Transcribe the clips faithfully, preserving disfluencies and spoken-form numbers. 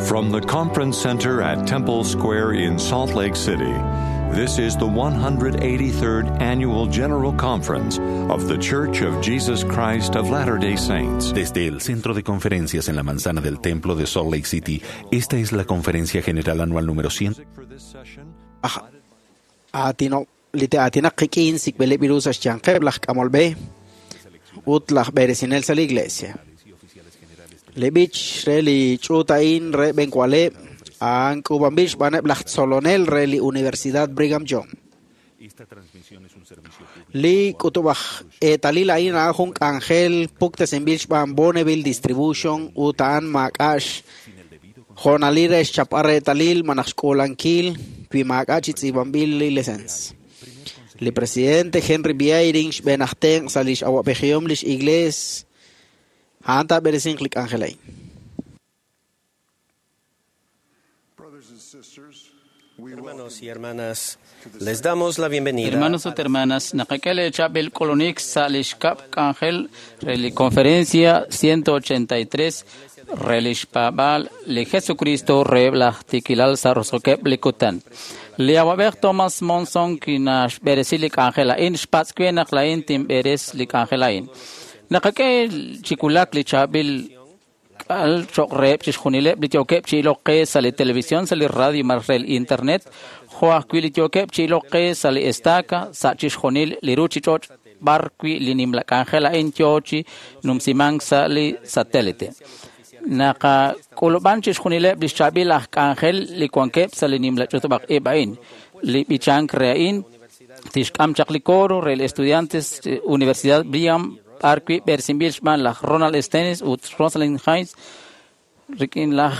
From the Conference Center at Temple Square in Salt Lake City, this is the one hundred eighty-third Annual General Conference of The Church of Jesus Christ of Latter-day Saints. Desde el Centro de Conferencias en la Manzana del Templo de Salt Lake City, esta es la Conferencia General Anual número cien. Atinaq qik'in sikb'eleb' iru sa' xyanqeb' laj k'amolb'e ut laj b'eresinel sa' la iglesia. Li b'ich re li ch'uut a'in re b'enkualeb' a'an k'uub'anb'il xb'aaneb' laj tzolonel re li Universidad Brigham Young. Li k'utub'aj eetalil a'in a'an jun k'anjel puktesinb'il xb'aan Bonneville Distribution ut a'an maak'a'x jo'nalil re xchapb'al reetalil malaj xk'uulankil wi maak'a' chi tz'iib'anb'il li lesens. Li presidente Henry B. Eyring xb'een aj tenq' sa' lix awab'ejihom lix iglees a'an taab'eresinq li k'anjel a'in. Hermanos y hermanas, les damos la bienvenida. Hermanos ut hermanas, naqak'e chab'il k'ulunik sa' lix kab' k'anjel re li conferencia ciento ochenta y tres re lix paab'aal li Jesucristo re laj tikilal sa' roso'keb' li kutan. Li awab'ej Thomas Monson kinaxb'eresi li k'anjel a'in xpatz' we naq la'in tinb'eres li k'anjel a'in. Naqak'e chi wulak li chaab'il k'al cho'q reheb' chixjunileb' li yookeb' chi ilok qe sa' li televisión, sa' li radio malaj re li internet, jo' ajwi' li yookeb' chi ilok qe sa' li estaca, sa' chixjunil li ruuchich'och' b'ar wi' li nimla k'anjel a'in yoo chi numsimank sa' li satélite. Naqak'ulub'an chixjunileb' li xchaab'il aj k'anjel li wankeb' sa' li nimla ch'utub'aj ib' a'in. Li b'ichank re a'in tixk'am chaq li coro re li estudiantes Universidad Brigham b'ar wi' b'eresinb'il xb'aan laj Ronald Stennis ut Rosalind Hayes rik'in laj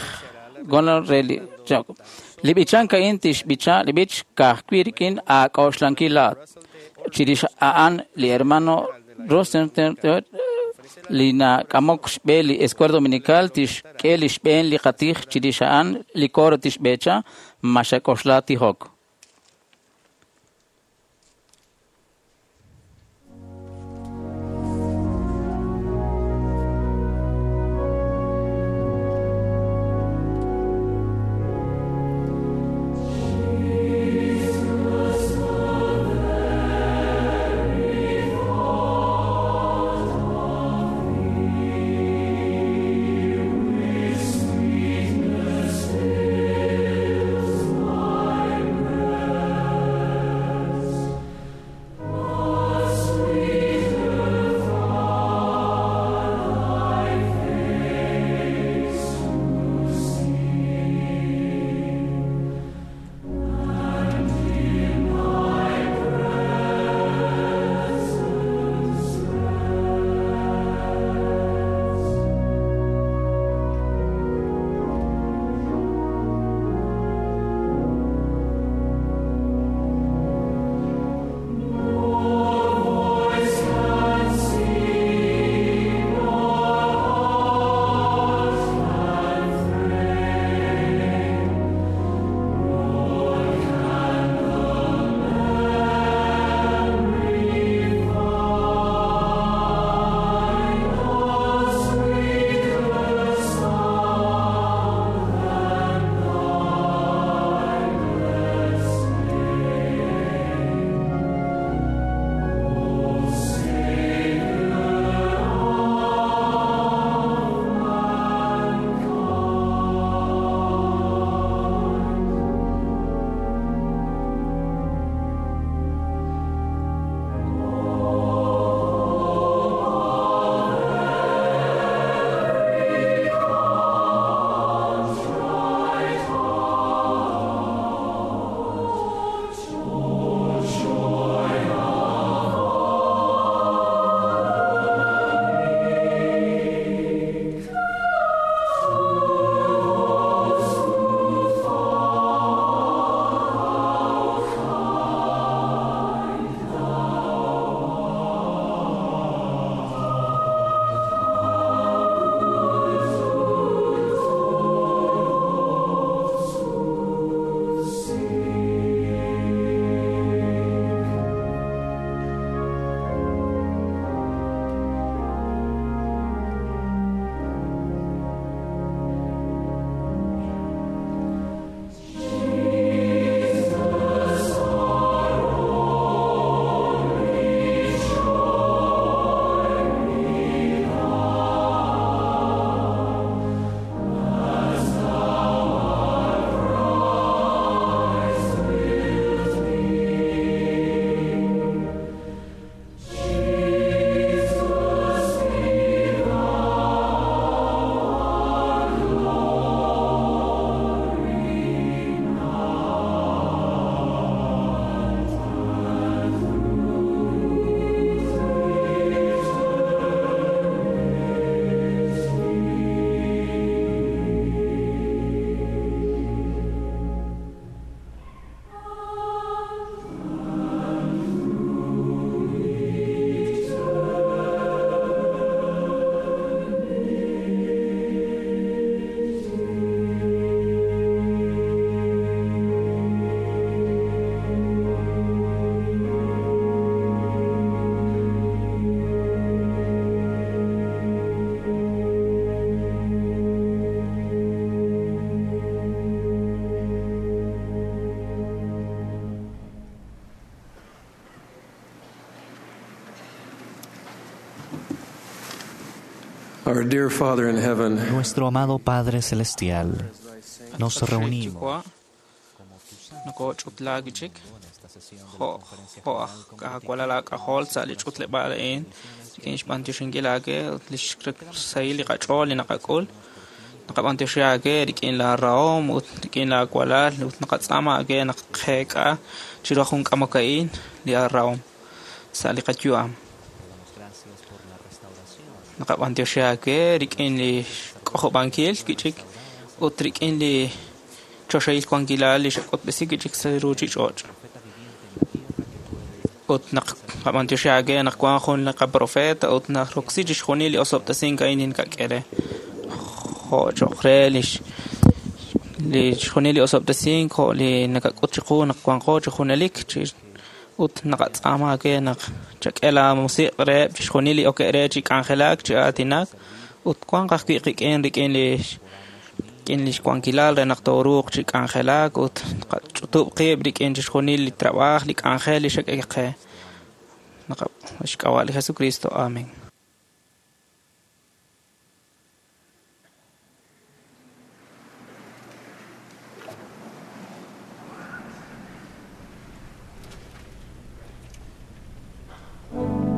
Gonal re li Jacob. Li b'ichank a'in tixb'icha li b'ich ka'ajwi' rik'in aak'oxlankil laat. Chirix a'an li hermano Rosenthal li nak'amok xb'e li Escuela Dominical tixk'e li xb'een li qatij chirix a'an li coro tixb'echa ma xak'oxla tijok. Sweetness fills my Our dear Father in heaven, Nuestro amado Padre Celestial, nos reunimos nokoch'utlaak chik jo' jo' aj k'ajwalal aak'ajol sa' li ch'utleb'aal a'in rik'in xb'antioxinkil aake ut li xsahil li qach'ool li naqak'ul naqab'antioxi aake rik'in laa rahom ut rik'in laa walal ut naqatz'aama aake naq qeek'a chiru jun k'amok a'in li aarahom sa' li qayu'am naqab'antioxi aake rik'in li k'ojob'ankil kich'ik ut rik'in li choxahil wankilal li xak'utb'esi kich'ik sa' ruuchich'och' ut naq qab'antioxi aake naq wan jun li qaprofeta ut naroksi chixjunil li osob'tesink a'in ninkak'e re jo' cho'q re lix li chixjunil li osob'tesink jo' li nakak'ut chiqu naq wanqo chi junelik chi ut naqatz'aama aake naq chak'e laa musiq' reheb' chixjunil li okeb' re chi k'anjelak chi aatinak ut wanq ajwi' qik'in rik'in li rik'in lix wankilal re naq tooruuq chi k'anjelak ut qach'utub' qib' rik'in chixjunil li trabaaj li k'anjel li xak'e qe naqa xk'ab'a' li Jesucristo amén. Thank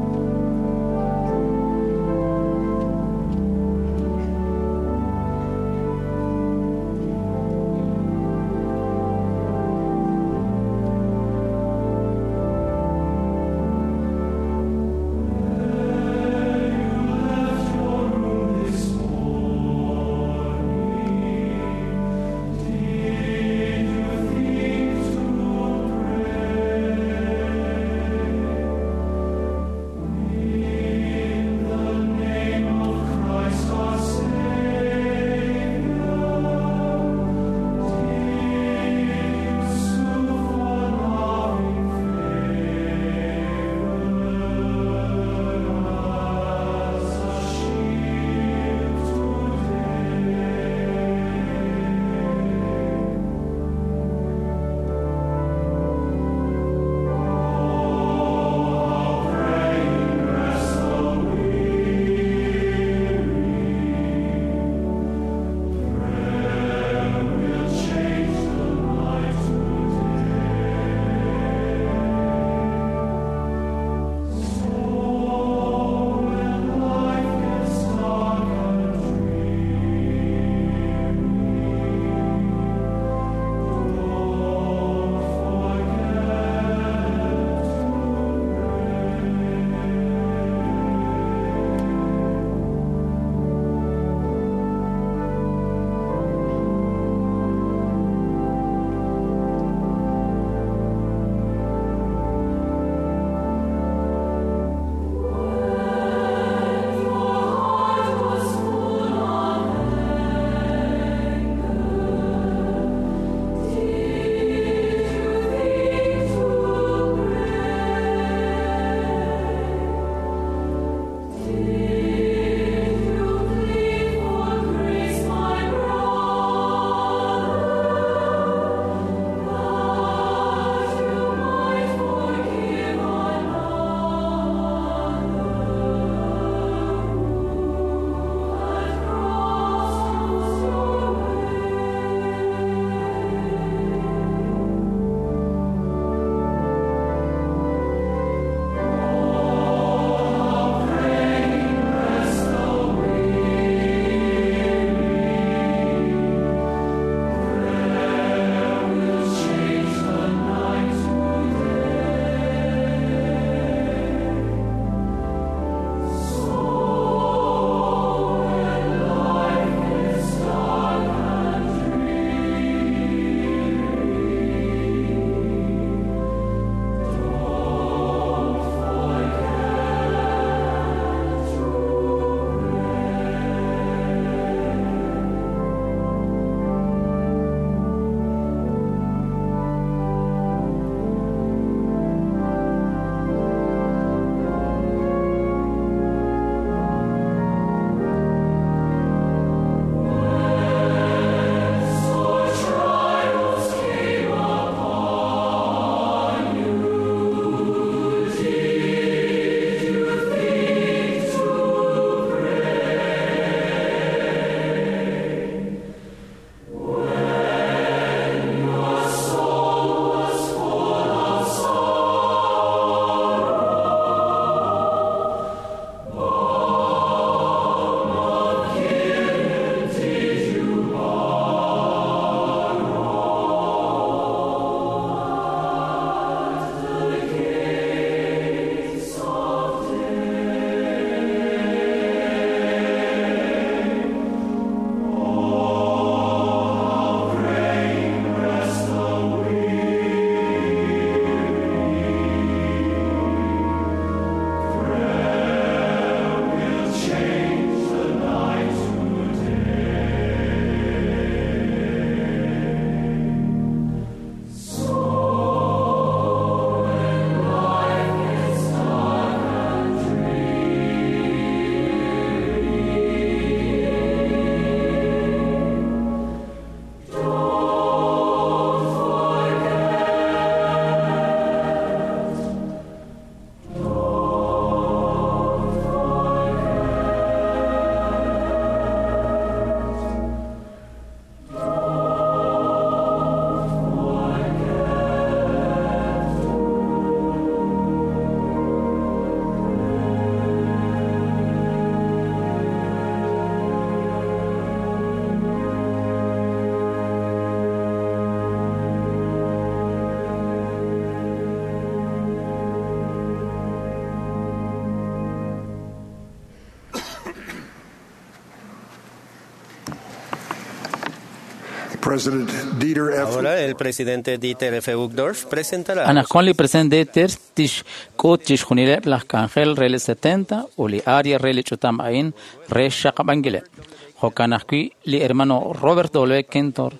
President Dieter F. Ahora el presidente Dieter F. Uchtdorf presentará Anaqwan li president Dieter tixk'ut chixjunileb' laj k'anjel re li setenta ut li área re li ch'utam a'in re xxaqab'ankileb'. Jo'kan ajwi' li hermano Robert W. Kentor,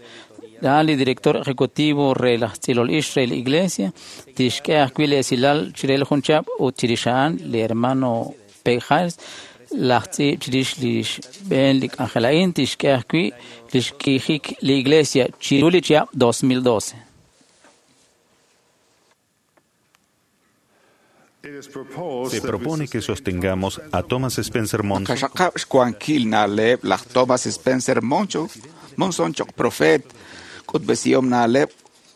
a'an li director ejecutivo re laj tz'ilol ix re li iglesia, tixk'e ajwi' li esilal chire li jun chihab' ut chirix a'an li hermano P. Harris, laj tz'iib' chirix li xb'een li k'anjel a'in tixk'e ajwi' li xk'iijik li iglesia chiru li chihab' dos mil doce. Se propone que sostengamos a Thomas Spencer Monson. Naqaxaqab' xwankil na'leb' laj Thomas Spencer Moncho, Monson choq' profeet, k'utb'esihom na'leb',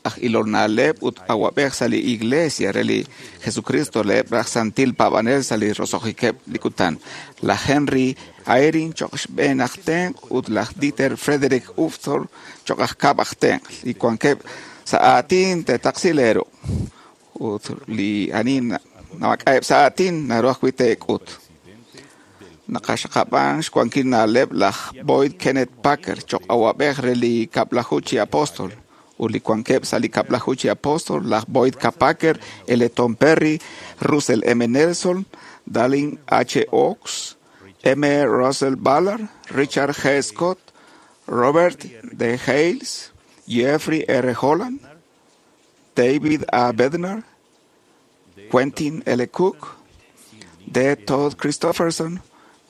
aj ilol na'leb' ut awab'ej sa' li iglesia re li Jesucristo reheb' laj santil paab'anel sa' li roso'jikeb' li kutan. Laj Henry Eyring choq' xb'een aj tenq' ut laj Dieter Frederick Uchtdorf choq' aj kab' aj tenq'. Li wankeb' sa' aatin te'taqsileru ut li ani namak'a'eb' sa' aatin naru ajwi' te'k'ut. Naqaxaqab'an xwankil na'leb' laj Boyd Kenneth Packer choq' awab'ej re li kab'laju chi apóstol ut li wankeb' sa' li kab'laju chi apóstol laj Boyd K. Packer, L. Tom Perry, Russell M. Nelson, Dallin H. Oaks, M. Russell Ballard, Richard G. Scott, Robert D. Hales, Jeffrey R. Holland, David A. Bednar, Quentin L. Cook, D. Todd Christofferson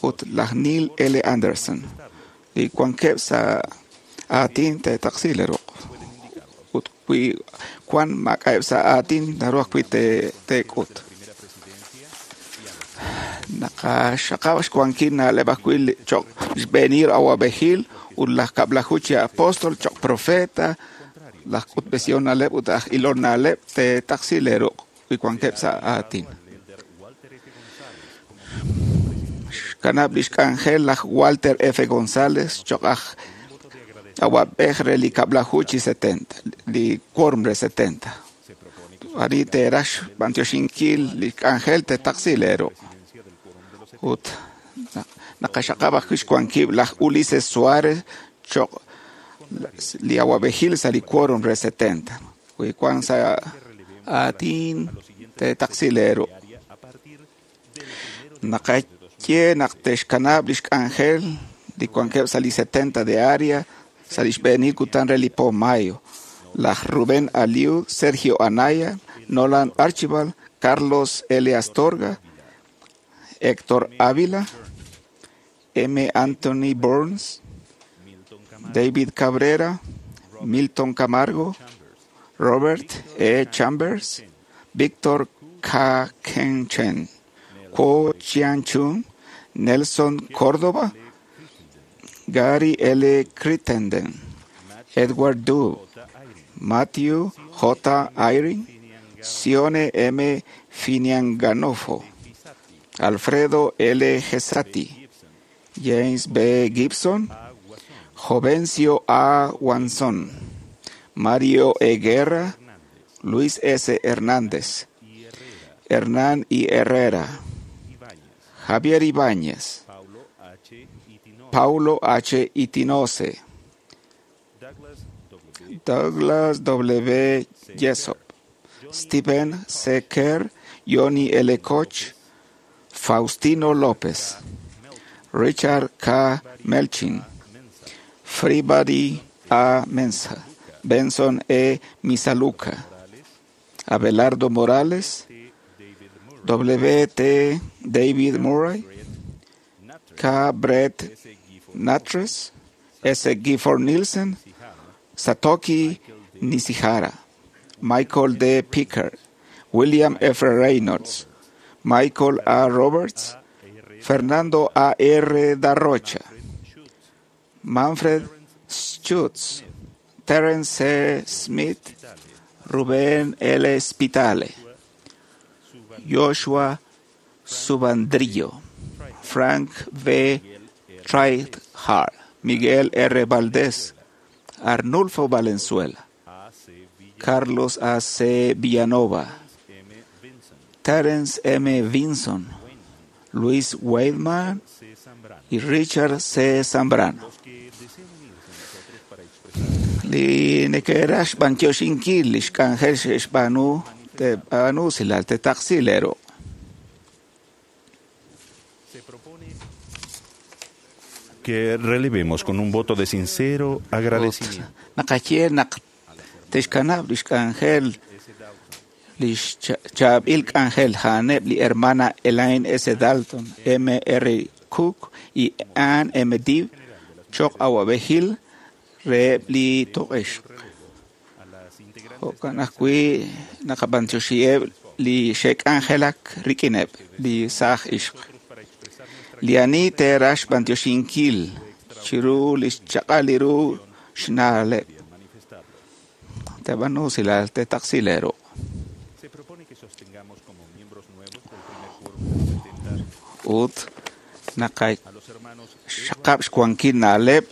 ut laj Neil L. Anderson. Li wankeb' sa' aatin te'taqsileruq. Ut wi wan maak'a'eb' sa' aatin naru ajwi' te'k'ut. Naqaxaqab' xwankil na'leb' ajwi' choq' xb'eenil awab'ejil ut laj kab'laju chi apóstol choq' profeta, laj k'utb'esihom na'leb' ut aj ilol na'leb' te'taqsileruq wi wankeb' sa' aatin. Xkanab' lix k'anjel laj Walter F. González choq' aj awab'ej re li kab'laju chi setenta, li quórum re setenta. Ani te'raj xb'antioxinkil li k'anjel te'taqsileru. Ut naqaxaqab' ajwi' xwankil laj Ulises Suárez choq' li awab'ejil sa' li quórum re setenta. Wi wan sa' aatin te'taqsileru. Naqaye naq te'xkanab' lix k'anjel li wankeb' sa' li setenta de área sa' li xb'eenil kutan re li po mayo. Laj Rubén Aliu, Sergio Anaya, Nolan Archibald, Carlos L. Astorga, Héctor Ávila, M. Anthony Burns, David Cabrera, Milton Camargo, Robert E. Chambers, Víctor K. Ken Chen, Kuo Chian Chun, Nelson Córdoba, Gary L. Crittenden, Edward Du, Matthew J. Eyring, Sione M. Finianganofo, Alfredo L. Gesati, James B. Gibson, Jovencio A. Wanson, Mario E. Guerra, Luis S. Hernández, Hernán I. Herrera, Javier Ibáñez, Paulo H. Itinose, Douglas W. Jessop, Stephen C. Kerr, Johnny L. Koch, Faustino López, Richard K. Melchin, Freebody A. Mensa, Benson E. Misaluca, Abelardo Morales, W. T. David Murray, K. Brett Natres, S. Gifford Nielsen, Satoki Nishihara, Michael D. Picker, William F. Reynolds, Michael A. Roberts, Fernando A. R. Da Rocha, Manfred Schutz, Terence C. Smith, Rubén L. Spitale, Joshua Subandrillo, Frank V. Trithart, Miguel R. Valdés, Arnulfo Valenzuela, Carlos A. C. Villanova, Terence M. Vinson, Luis Weidman y Richard C. Zambrano. Li neke'raj xb'antioxinkil li xk'anjel xe'xb'aanu te'b'aanu usilal te'taqsi leeruq'. Que relevemos con un voto de sincero agradecimiento. Naqaye naq te'xkanab' li xk'anjel li xchaab'il k'anjel a'aneb' li hermana Elaine S. Dalton, M. R. Cook y Ann M. Dibb choq awab'ejil reheb' li toq'ixq. Jo'kan ajwi' naqab'antioxiheb' li xe'k'anjelak rik'ineb' li saaj ixq. Li ani te'raj xb'antioxinkil chiru li xchaq'al ru xna'leb'. Te'b'aanu usilal te'taqsi leeruq'. Ut naqaxaqab' xwankil na'leb'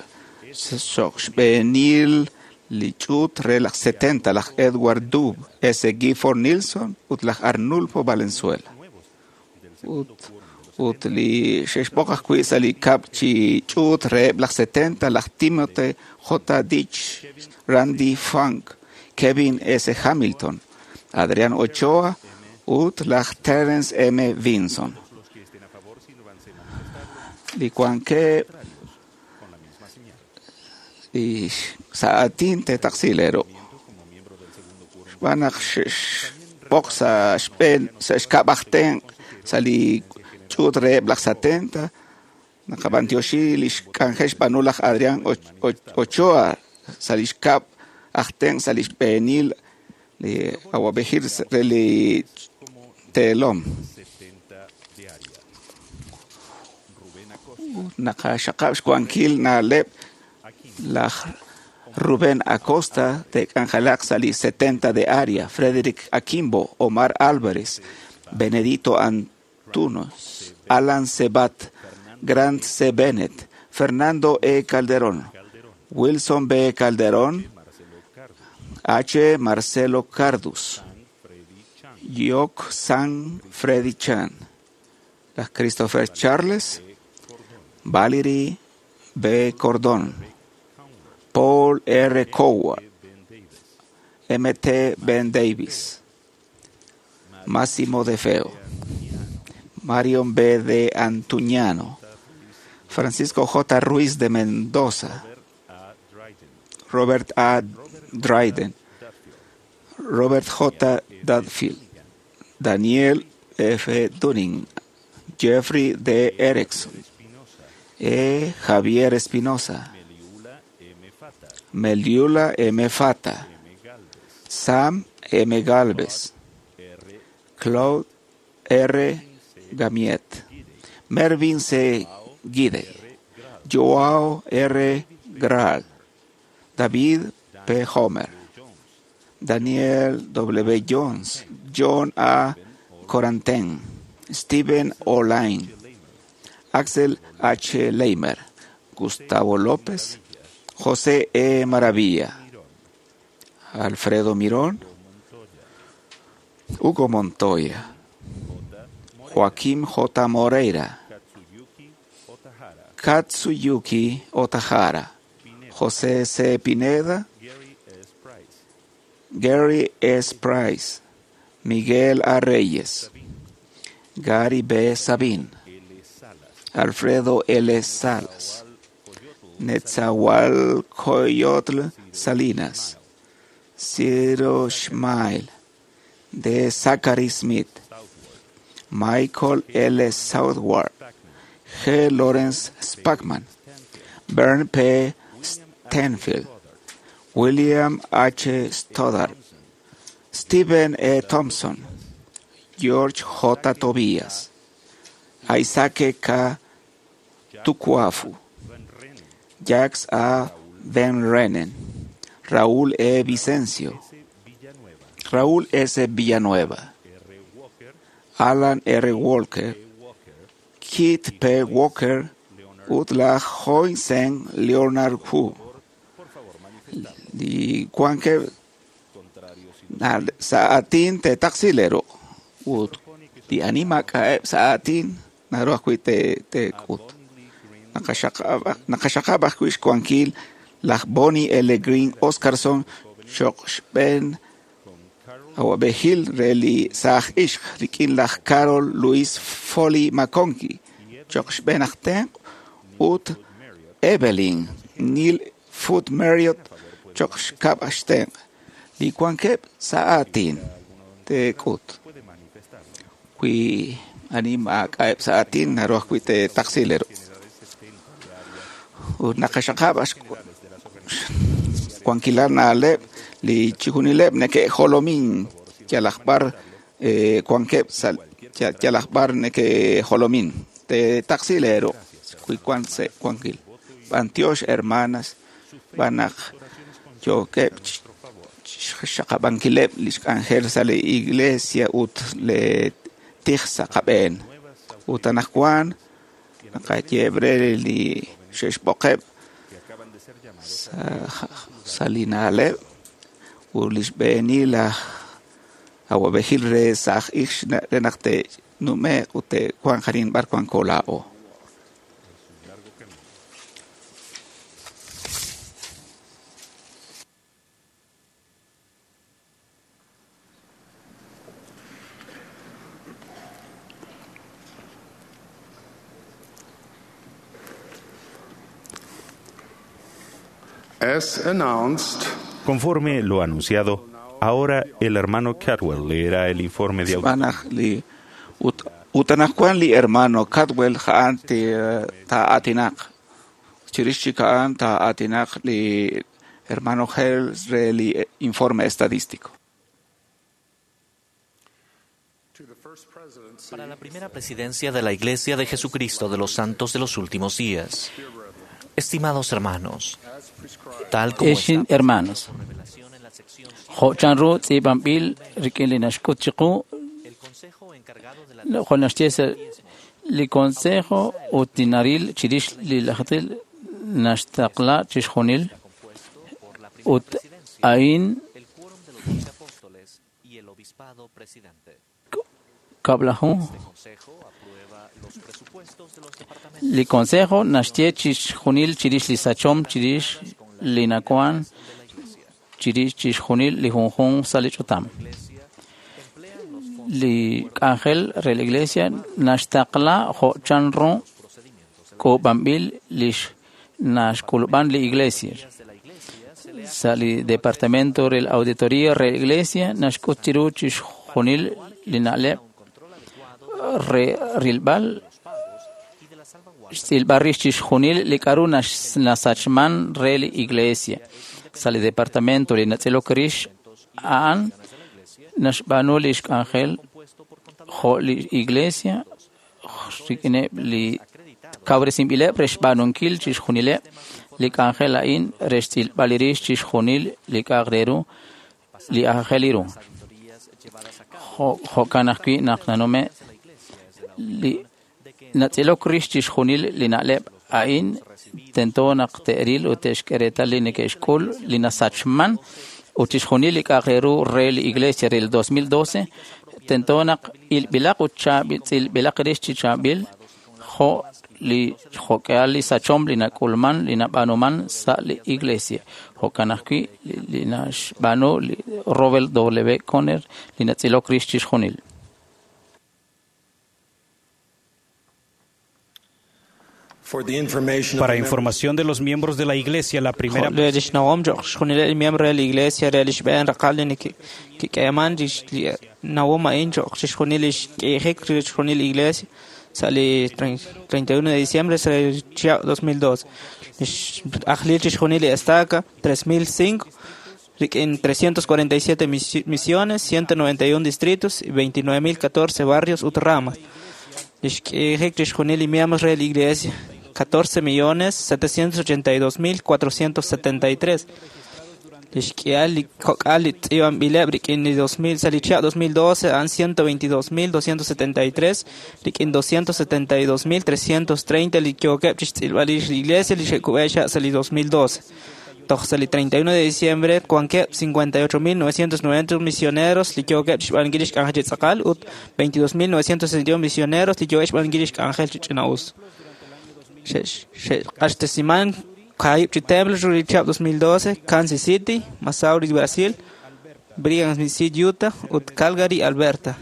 choq' xb'eenil li ch'uut re laj setenta, laj Edward Dub, S. Gifford Nielsen ut laj Arnulfo Valenzuela. Ut ut li xe'xb'oq ajwi' sa' li kab' chi ch'uut reheb' laj setenta, laj Timothy J. Ditch, Randy Funk, Kevin S. Hamilton, Adrian Ochoa ut laj Terence M. Vinson. Li wankeb' li sa' aatin te'taqsi leeruq'. Xb'aan naq xe'xb'oq sa' xb'een sa' xkab' aj tenq' sa' li ch'uut reheb' laj setenta, naqab'antioxi li xk'anjel xb'aanu laj Adrian Ochoa sa' li xkab' aj tenq' sa' li xb'eenil li awab'ejil re li teelom. Naqaxaqab' xwankil na'leb' laj Rubén Acosta te'k'anjelaq sa' li setenta de área, Frederick Akimbo, Omar Álvarez, Benedito Antunes, Alan Sebat, Grant C. Bennett, Fernando E. Calderón, Wilson B. Calderón, H. Marcelo Cardus, Yok San Freddy Chan, laj Christopher Charles, Valerie B. Cordón, Paul R. Coward, M. T. Ben Davis, Massimo De Feo, Marion B. de Antuñano, Francisco J. Ruiz de Mendoza, Robert A. Dryden, Robert J. Dudfield, Daniel F. Dunning, Jeffrey D. Erickson, E. Javier Espinosa, Meliula M. Fata, Sam M. Galvez, Claude R. Gamiet, Mervyn C. Guide, Joao R. Graal, David P. Homer, Daniel W. Jones, John A. Coranten, Steven O'Line, Axel H. Leimer, Gustavo López, José E. Maravilla, Alfredo Mirón, Hugo Montoya, Joaquín J. Moreira, Katsuyuki Otahara, José C. Pineda, Gary S. Price, Miguel A. Reyes, Gary B. Sabin, Alfredo L. Salas, Netzahualcoyotl Salinas, Ciro Schmail, D. Zachary Smith, Michael L. Southward, G. Lawrence Spackman, Bern P. Stanfield, William H. Stoddard, Stephen E. Thompson, George J. Tobias, Isaac K. Tukuafu, Jacques A. Van Renen, Raúl E. Vicencio, Raúl S. Villanueva, Alan R. Walker, Keith P. Walker, Utla Hoinsen Leonard Hu. Li wankeb' sa' aatin te'taqsilero ut li ani maak'a'eb' sa' aatin naru ajwi' te'k'ut. Naqaxaqab' ajwi' xwankil Laj Bonnie L. Green Oscarson choq xb'een awab'ejil re li saaj ixq rik'in laj Carol Louis Foley McConkie choq xb'een aj tenq' ut Evelyn Neil Foot Marriott choq xkab' xtenq' li wankeb' sa' aatin teek'ut wi ani maak'a'eb' sa' aatin naru ajwi' teetaqsilero ut naqaxaqab' wankilal na'leb' li chijunileb' neke'jolomin yalaq b'ar wankeb' sa' yalaq b'ar neke'jolomin teetaqsilero wi wan sa' wankil b'antiox hermanas b'an naq yookeb' xaqab'ankileb' li xk'anjel sa' li iglesia ut le tij sa' qab'een ut anaqwan naqayeeb' re li xe'xb'oqeb' sa' li na'leb' ut li xb'eenil laj awab'ejil re saaj ix re naq te'nume'q ut te'wanq arin b'ar wanko laa'o. As announced, Conforme lo anunciado, ahora el hermano Cadwell leerá el informe de Xb'aan li ut ut anaqwan li hermano Cadwell ja'an taa'aatinaq chirix chik a'an taa'aatinaq li hermano Hales re li informe estadístico. Para la primera presidencia de la Iglesia de Jesucristo de los Santos de los Últimos Días. Estimados hermanos, tal como Exin hermanos, jo' chanru tz'iib'anb'il rik'in li naxk'ut chiqu jo' naxye sa' li consejo ut li naril chirix li lajetil naxtaqla chixjunil ut a'in kab'laju li consejo naxye chixjunil chirix li sachom chirix li nakuan chirix chixjunil li junjunq sa' li ch'utam. Li k'anjel re la iglesia naxtaqla jo' chanru k'uub'anb'il lix naxk'ulub'an li iglesia. Sa' li departamento re la auditoría re la iglesia naxk'ut chiru chixjunil li na'leb' re rilb'al xtz'ilb'al rix chixjunil li k'a'ru nasachman re li iglesia. Sa' li departamento li natz'ilok rix a'an naxb'aanu li xk'anjel jo' li iglesia rik'ineb' li kawresinb'ileb' re xb'aanunkil chixjunileb' li k'anjel a'in re xtz'ilb'al rix chixjunil li k'a'aq re ru li aajel ru. Jo'kan ajwi' naq nanume' li natz'ilok rix chixjunil li na'leb' a'in tento naq te'ril ut te'xk'e reetal li neke'xk'ul li nasachman ut chixjunil li k'a'aq re ru re li iglesia re el dos mil doce tento naq ilb'ilaq ut chaab'il tz'ilb'ilaq rix chi chaab'il jo' li jo'k'ehal li sachom li nak'ulman li nab'aanuman sa' li iglesia. Jo'kan ajwi' li naxb'aanu li Robert W. Conner li natz'ilok rix chixjunil. Para información de los miembros de la Iglesia, la primera Jo' lix nawom choq' xjunileb' li miembro re la iglesia re lix b'een raqal li kik'eeman lix nawom a'in choq' chixjunil lix k'iijik chixjunil li iglesia sa' li treinta y uno de diciembre sa' li chihab' dos mil doce. Lix ajlil chixjunil li estaca tres mil cinco rik'in trescientos cuarenta y siete misiones, ciento noventa y uno distritos y veintinueve mil catorce barrios ut ramas. Lix k'iijik chixjunil li miembros re la iglesia catorce millones setecientos ochenta y dos mil cuatrocientos setenta y tres. Lix k'ihal li kok'al li tz'iib'anb'ileb' rik'in li dos mil sa' li chihab' dos mil doce a'an ciento veintidós mil doscientos setenta y tres rik'in doscientos setenta y dos mil trescientos treinta li yookeb' chixtz'ilb'al rix li iglesia li xe'kub'e xa' sa' li dos mil doce. Toj sa' li treinta y uno de diciembre wankeb' cincuenta y ocho mil novecientos noventa misioneros li yookeb' chixb'aanunkil lix k'anjel chi tz'aqal ut veintidós mil novecientos sesenta y uno misioneros li yookeb' xb'aanunkil lix k'anjel chi ch'ina'us. Xe'q'axtesiman Kaib chi templo ru li chihab dos mil doce, Kansas City, Missouri, Brasil, Brigham City, Utah, ut Calgary, Alberta.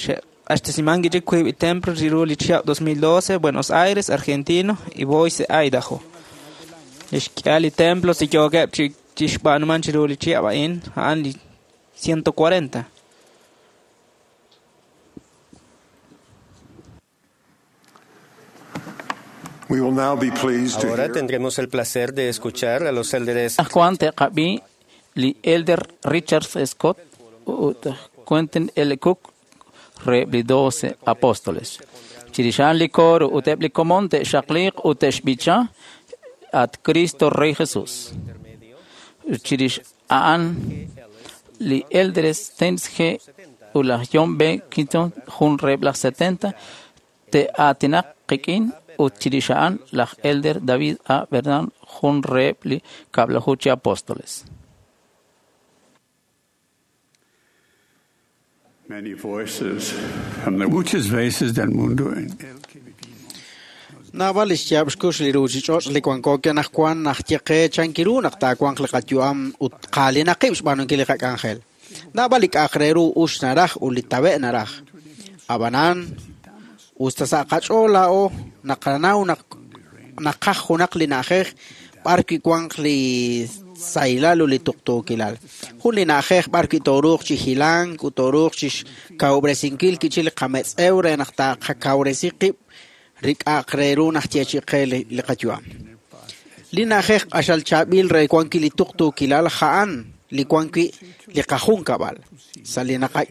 Xeq'axtesiman chik wiib' li templo chiru li chihab dos mil doce, Buenos Aires, Argentino y Boise, Idaho. Lix k'ihal li templo si yookeb' chi chixb'aanuman chiru li chihab a'in, a'an li ciento cuarenta. We will now be pleased to Ahora hear tendremos el placer de escuchar a los élderes Anajwan te'qab'i li Elder Richard Scott ut Quentin L. Cook reheb' li doce apóstoles. Chirix a'an li coro ut eb' li komon te'xaqliiq ut te'xb'icha at Cristo Rey Jesús. Chirix a'an li Elder Stenz G. ut laj John B. Quinton jun reheb' laj setenta te'aatinaq qik'in ut chirix a'an laj Elder David A. Bernal jun reheb' li kab'laju chi apóstoles. many voices from the Muchas veces del mundo en el que vivimos. Naab'al li xyaab' xkux li ruuchich'och' li wanko anaqwan naj ye qe chankiru naq taawanq li qayu'am ut qaalinaqib' xb'aanunkil li qak'anjel. Naab'al li k'a'aq re ru ux naraj ut li tawe' naraj. Ab'anan, usta sa' qach'ool laa'o naqanaw naq naqaj junaq li na'ajej b'ar wi' wanq li sahilal ut li tuqtuukilal. Jun li na'ajej b'ar wi' tooruuq chi hilank ut tooruuq chi xkawub'resinkil kichi li qametz'ew re naq taaqakawresi qib' rik'a'aq re ru naj yeechi qe li, li qayu'am. Li na'ajej q'axal chaab'il re wank wi' li tuqtuukilal ja'an li wank wi' li qajunkab'al. Sa' li naqa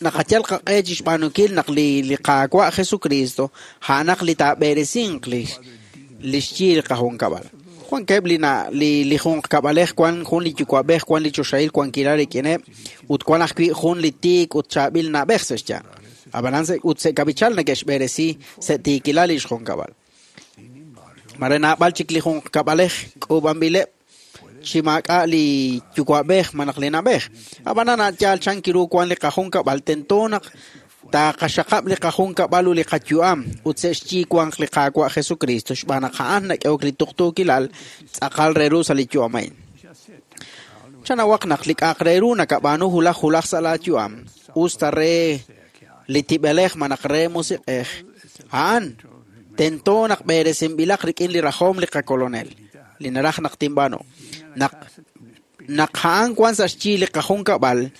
naqayal qaq'e chi xb'aanunkil naq li li Qaawa' Jesucristo a'anaq li taab'eresinq li li xyi li qajunkab'al. Wankeb' li na li li junqkab'alej wan jun li yuwa'b'ej wan li choxahil wankilal rik'ineb' ut wan ajwi' jun li tiik ut chaab'il na'b'ej sa' xyanq. Ab'anan se- ut se'kab'ichal neke'xb'eresi sa' tiikilal li xjunkab'al. Mare naab'al chik li junqkab'alej k'uub'anb'ileb' chi maak'a' li yuwa'b'ej malaj li na'b'ej. Ab'anan a'yaal chankiru wan li qajunkab'al tento naq taaqaxaqab' li qajunkab'al ut li qayu'am ut sa' xyi wanq li Qaawa' Jesucristo xb'aan naq a'an nak'ehok li tuqtuukilal tz'aqal re ru sa' li yu'am a'in. Chanawaq naq li k'a'aq re ru nakab'aanu hulaj hulaj sa' laayu'am usta re li tib'elej malaj re musiq'ej a'an tento naq b'eresinb'ilaq rik'in li rajom li qakolonel li naraj naq tinb'aanu. Naq naq a'an wan sa' xyi li qajunkab'al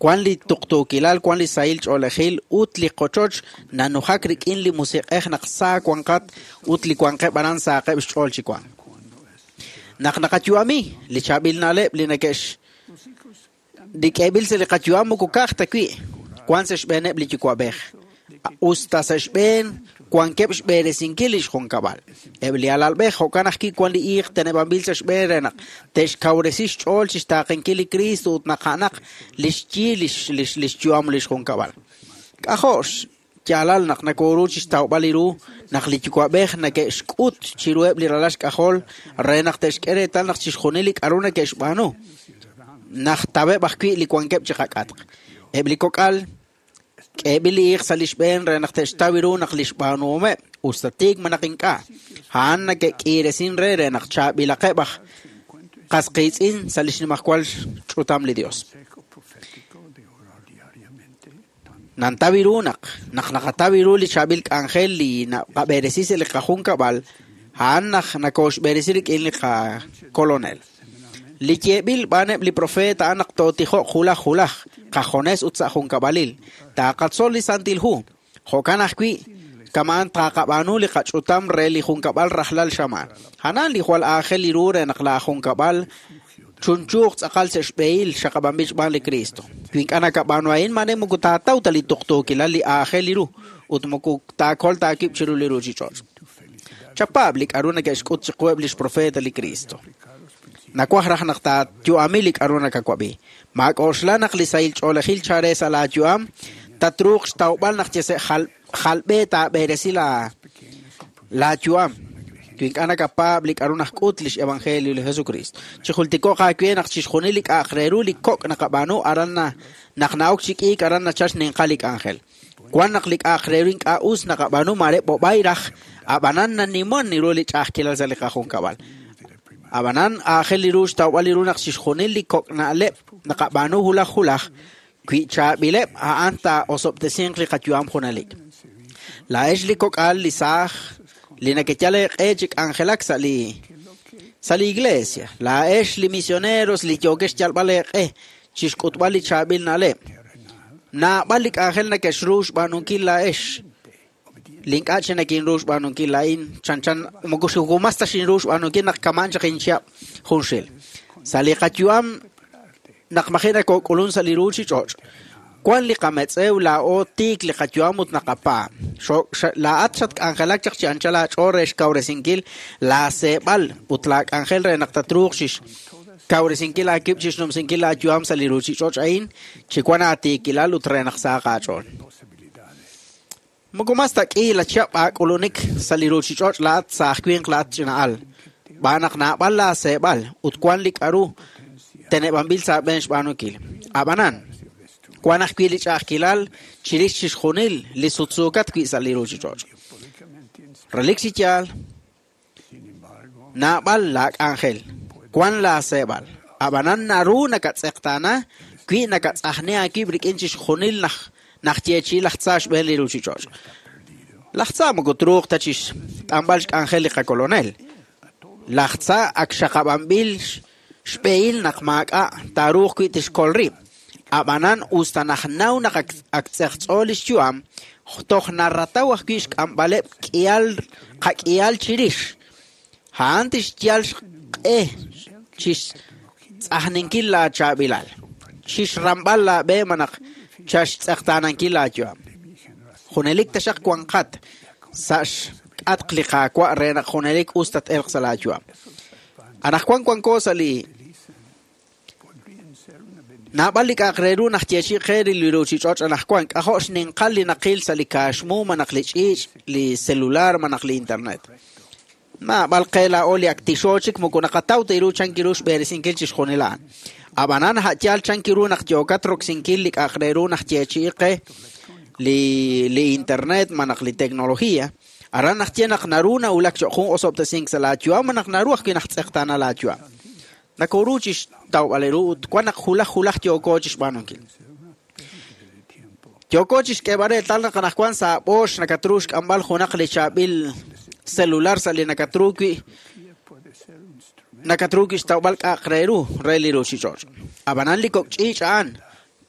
wan li tuqtuukilal wan li sahil ch'oolejil ut li qochoch nanujak rik'in li musiq'ej naq saa wanqat ut li wanqeb' aran saaqeb' xch'ool chi wan. Naq naqayu'ami li chaab'il na'leb' li neke'x li k'eeb'il sa' li qayu'am moko ka'aj ta wi' wan sa' xb'eeneb' li yuwa'b'ej. Usta sa' xb'een wankeb' xb'eresinkil li xjunkab'al. Eb' li alalb'ej jo'kan ajwi' wan li iiq teneb'anb'il sa' xb'een re naq te'xkawresi xch'ool chi xtaaqenkil li Cristo ut naq a'anaq li xyi li x- li x- li xyu'am li xjunkab'al. K'ajo' xyaalal naq nakoru chi xtawb'al li ru naq li yuwa'b'ej neke'xk'ut chiruheb' li ralal xk'ajol re naq te'xk'e reetal naq chixjunil li k'aru neke'xb'aanu naq taweb' ajwi' li wankeb' chi qak'atq. Eb' li kok'al k'eeb'il li iiq sa' li xb'een re naq te'xtaw ru naq li xb'aanuhomeb' usta tiik malaj ink'a' a'an neke'k'iiresin re re naq chaab'ilaqeb' aj qas qiitz'in sa' li xnimajwal ch'utam li Dios. Consejo profético de orar diariamente. Nantaw ru naq naq naqataw ru li chaab'il k'anjel li naqab'eresi sa' li qajunkab'al a'an naq nakooxb'eresi rik'in li qakolonel. Li yeeb'il b'aaneb' li profeet a'an naq tootijoq hulaj hulaj qajones ut sa' junkab'alil. Taaqatzol li Santil Hu. Jo'kan ajwi' kama'an taqab'aanu li qach'utam re li junkab'al rajlal xamaan. Anan li jwal aajel li ru re naq la junkab'al chunchuuq tz'aqal sa' xb'ehil xaqab'anb'il xb'aan li Cristo. Wi ink'a' nakab'aanu a'in mare moko taataw ta li tuqtuukilal li aajel li ru ut moko taakol taakib' chiru li ruuchich'och'. Chapaab' li k'aru neke'xk'ut chiqueb' li xprofeta li Cristo. Nawaj raj naq taayu'ami li k'aru nakawab'i. Maak'oxla naq li sahil ch'oolejil chare sa' laayu'am tatruuq xtawb'al naq yese jal jalb'e taab'eresi la laayu'am. Wi ink'a' nakapaab' li k'aru najk'ut lix evangelio li Jesucristo. Chijultiko'q aawe naq chixjunil li k'a'aq re ru li kok' naqab'aanu aran na naq na'ok chi k'iik aran nachal xninqal li k'anjel. Wan naq li k'a'aq re ru ink'a' us naqab'aanu mare b'ob'ay raj Ab'anan naniman ru li ch'a'ajkilal sa' li qajunkab'al. Ab'anan aajel li ru xtawb'al li ru naq chixjunil li kok' na'leb' naqab'aanu hulaj hulaj wi chaab'ileb' a'an taa'osob'tesinq li qayu'am junelik. Laa'ex li kok'al li saaj li nakeyal eeq'e chi k'anjelak sa' li sa' li iglesia. Laa'ex li misioneros li yookex xyalb'al eeq'e chixk'utb'al li chaab'il na'leb'. Naab'al li k'anjel nakexru xb'aanunkil laa'ex. Li ink'a' chi nakinru xb'aanunkil laa'in chanchan moko xukumas ta xinru xb'aanunkil naq kaman chaq inchihab' junxil. Sa' li qayu'am naq maji' nakok'ulun sa' li ruuchich'och'. Wan li qametz'ew laa'o tiik li qayu'am ut naqapaab'. Laa'at xatk'anjelak chaq chi anchal aach'ool re xkawresinkil laaseeb'al ut laak'anjel re naq tatruuq chixkawresinkil aakib' chixnumsinkil laayu'am sa' li ruuchich'och' a'in chi wan aatiikilal ut re naq sahaq aach'ool. Moko mas ta k'i la chihab' aak'ulunik sa' li ruuchich'och' laa'at saaj winq laa'at ch'ina'al. B'aan naq naab'al laaseeb'al ut wan li k'aru teneb'anb'il sa' aab'een xb'aanunkil. Ab'anan, wan ajwi' li ch'a'ajkilal chirix chixjunil li sutsuukat wi' sa' li ruuchich'och'. Relik chi yaal, naab'al laak'anjel, wan laaseeb'al. Ab'anan naru nakatz'eqtaana wi nakatz'ajni aakib' rik'in chixjunil naj najyeechi'i laj tza xb'een li ruuchich'och'. Laj tza moko truuq ta chixt'anb'al xk'anjel li qakolonel. Laj tza ak xaqab'anb'il xb'ehil naq maak'a' taaruuq wi' tixkol rib'. Ab'anan us ta najnaw naq ak tz'eqtz'o li xyu'am, toj narataw ajwi' xk'amb'aleb' k'ihal qak'ihal chirix. A'an tixyal xq'e chixtz'ajninkil laachaab'ilal, chixramb'al laab'e malaj chaxtz'eqtaanankil laayu'am. Junelik taxaq wanqat sa' xk'atq li Qaawa' re naq junelik us tat-elq sa' laayu'am. Anaqwan wanko sa' li naab'al li k'a'aq re ru najyeechi qe li ruuchich'och' anaqwan k'ajo' xninqal li naqil sa' li kaaxmu malaj li ch'iich', li celular malaj li internet. Naab'al qe laa'o li ak tixo chik moko naqataw ta ru chanki ru xb'eresinkil chixjunil a'an. Ab'anan ha'yaal chanki ru naq yookat roksinkil li k'a'aq re ru najyeechi'i qe li li internet malaj li tecnología. Aran najye naq naru nawulak cho'q jun osob'tesink sa' laayu'am malaj naru ajwi' najtz'eqtaana laayu'am. Nakoru chixtawb'al ru ut wan naq hulaj hulaj yooko chixb'aanunkil. Yooko chixk'eeb'al reetal naq anaqwan sa' b'oox nakatru xk'amb'al junaq li chaab'il celular sa' li nakatru wi' nakatru wi' xtawb'al k'a'aq re ru re li ruuchich'och'. Ab'anan li kok' ch'iich' a'an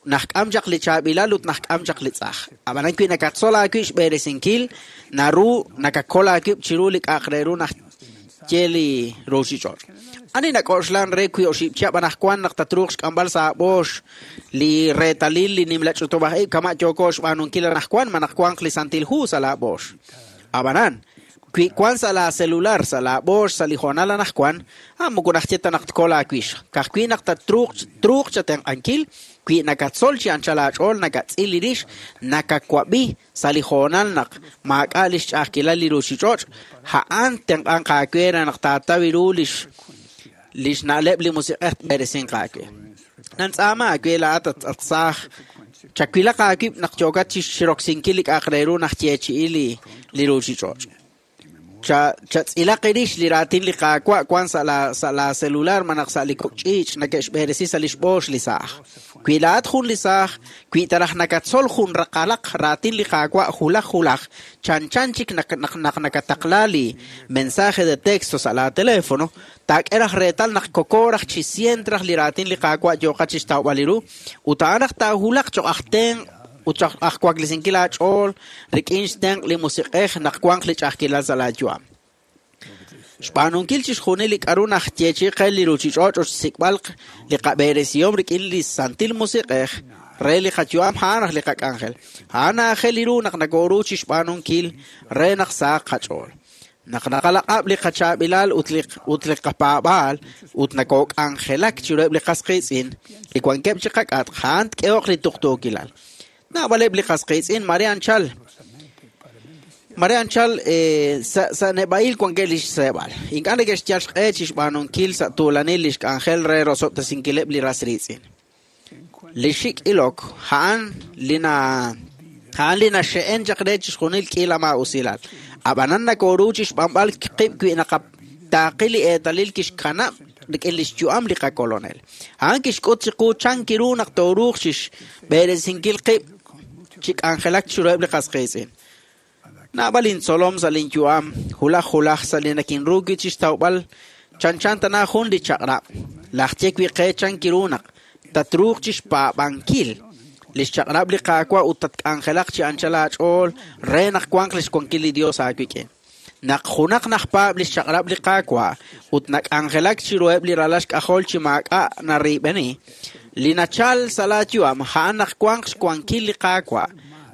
najk'am chaq li chaab'ilal ut najk'am chaq li tz'aj. Ab'anan wi' nakatzol aawib' xb'eresinkil naru nakakol aawib' chiru li k'a'aq re ru najye li ruuchich'och'. Ani nak'oxlan re wi oxib' chihab' anaqwan naq tatruuq xk'amb'al sa' b'oox li reetalil li nimla ch'utub'aj ib' kama' yooko xb'aanunkil anaqwan ma naq wanq li Santil Hu sa' laab'oox. Ab'anan, wi wan sa' la celular, sa' laab'oox, sa' li hoonal anaqwan, ah moko najye ta naq tkol aawix. Ka'ajwi' naq tatruuq truuq chatenq'ankil, wi nakatzol chi anchal aach'ool, nakatz'il li rix, nakawab'i sa' li hoonal naq maak'a' li xch'a'ajkilal li ruuchich'och', a'an tenq'anq aawe re naq taataw ru lix lix na'leb' li musiq'ej tb'eresinq aawe. Nantz'aama aawe laa'at at saaj chawilaq aawib' naq yookat chixroksinkil li k'a'aq re ru najyeechi'i li li ruuchich'och'. Chatz'ilaq irix li raatin li Qaawa' wan sa' la sa' la celular malaj sa' li kok' ch'iich' nake'xb'eresi sa' li xb'oox li saaj. Wi laa'at jun li saaj, wi taraj nakatzol jun raqalaq raatin li Qaawa' hulaj hulaj, chanchan chik naq naq nakataqla li mensaje de texto sa' la teléfono, taak'e raj reetal naq kokoraj chi sient raj li raatin li Qaawa' yooqat chixtawb'al li ru, ut a'an raj taahulaq cho'q aj tenq' ut cho'q aj waklesinkil aach'ool rik'in xtenq' li musiq'ej naq wanq li ch'a'ajkilal sa' laayu'am. Xb'aanunkil chixjunil li k'aru najyeechi qe li ruuchich'och' ut xsik'b'al li qab'eresihom rik'in li Santil Musiq'ej re li qayu'am a'an raj li qak'anjel. A'an aajel li ru naq nakoru chixb'aanunkil re naq sahaq qach'ool. Naq naqalaq'ab' li qachaab'ilal ut li ut li qapaab'aal ut nakok'anjelak chiruheb' li qas qiitz'in li wankeb' chi qak'atq a'an tk'ehoq li tuqtuukilal. Naab'aleb' li qas qiitz'in mare anchal mare anchal sa' sa' neb'a'il wankeb' li xseeb'al. Ink'a' neke'xyal xq'e chixb'aanunkil sa' tuulanil li xk'anjel re rosob'tesinkileb' li ras riitz'in. Li xik' ilok a'an li na A'an li naxe'en chaq re chixjunil k'iila maa'usilal. Ab'anan nakoru chixb'anb'al qib' wi naqataaqi li eetalil kixkanab' rik'in li xyu'am li qakolonel. A'an kixk'ut chiqu chan kiru naq tooruuq chixb'eresinkil qib' chi k'anjelak chiruheb' li qas qiitz'in. Naab'al intzolom sa' linyu'am, hulaj hulaj sa' li nakinru wi' chixtawb'al chanchan tana jun li chaq'rab'. Laj ye wi' qe chan kiru naq tatruuq chixpaab'ankil li xchaq'rab' li Qaawa' ut tatk'anjelaq chi anchal aach'ool re naq wanq li xwankil li Dios aawik'in. Naq junaq najpaab' li xchaq'rab' li Qaawa' ut nak'anjelak chiruheb' li ralal xk'ajol chi maak'a' nariib'eni, li nachal sa' laayu'am a'an naq wanq xwankil li Qaawa'.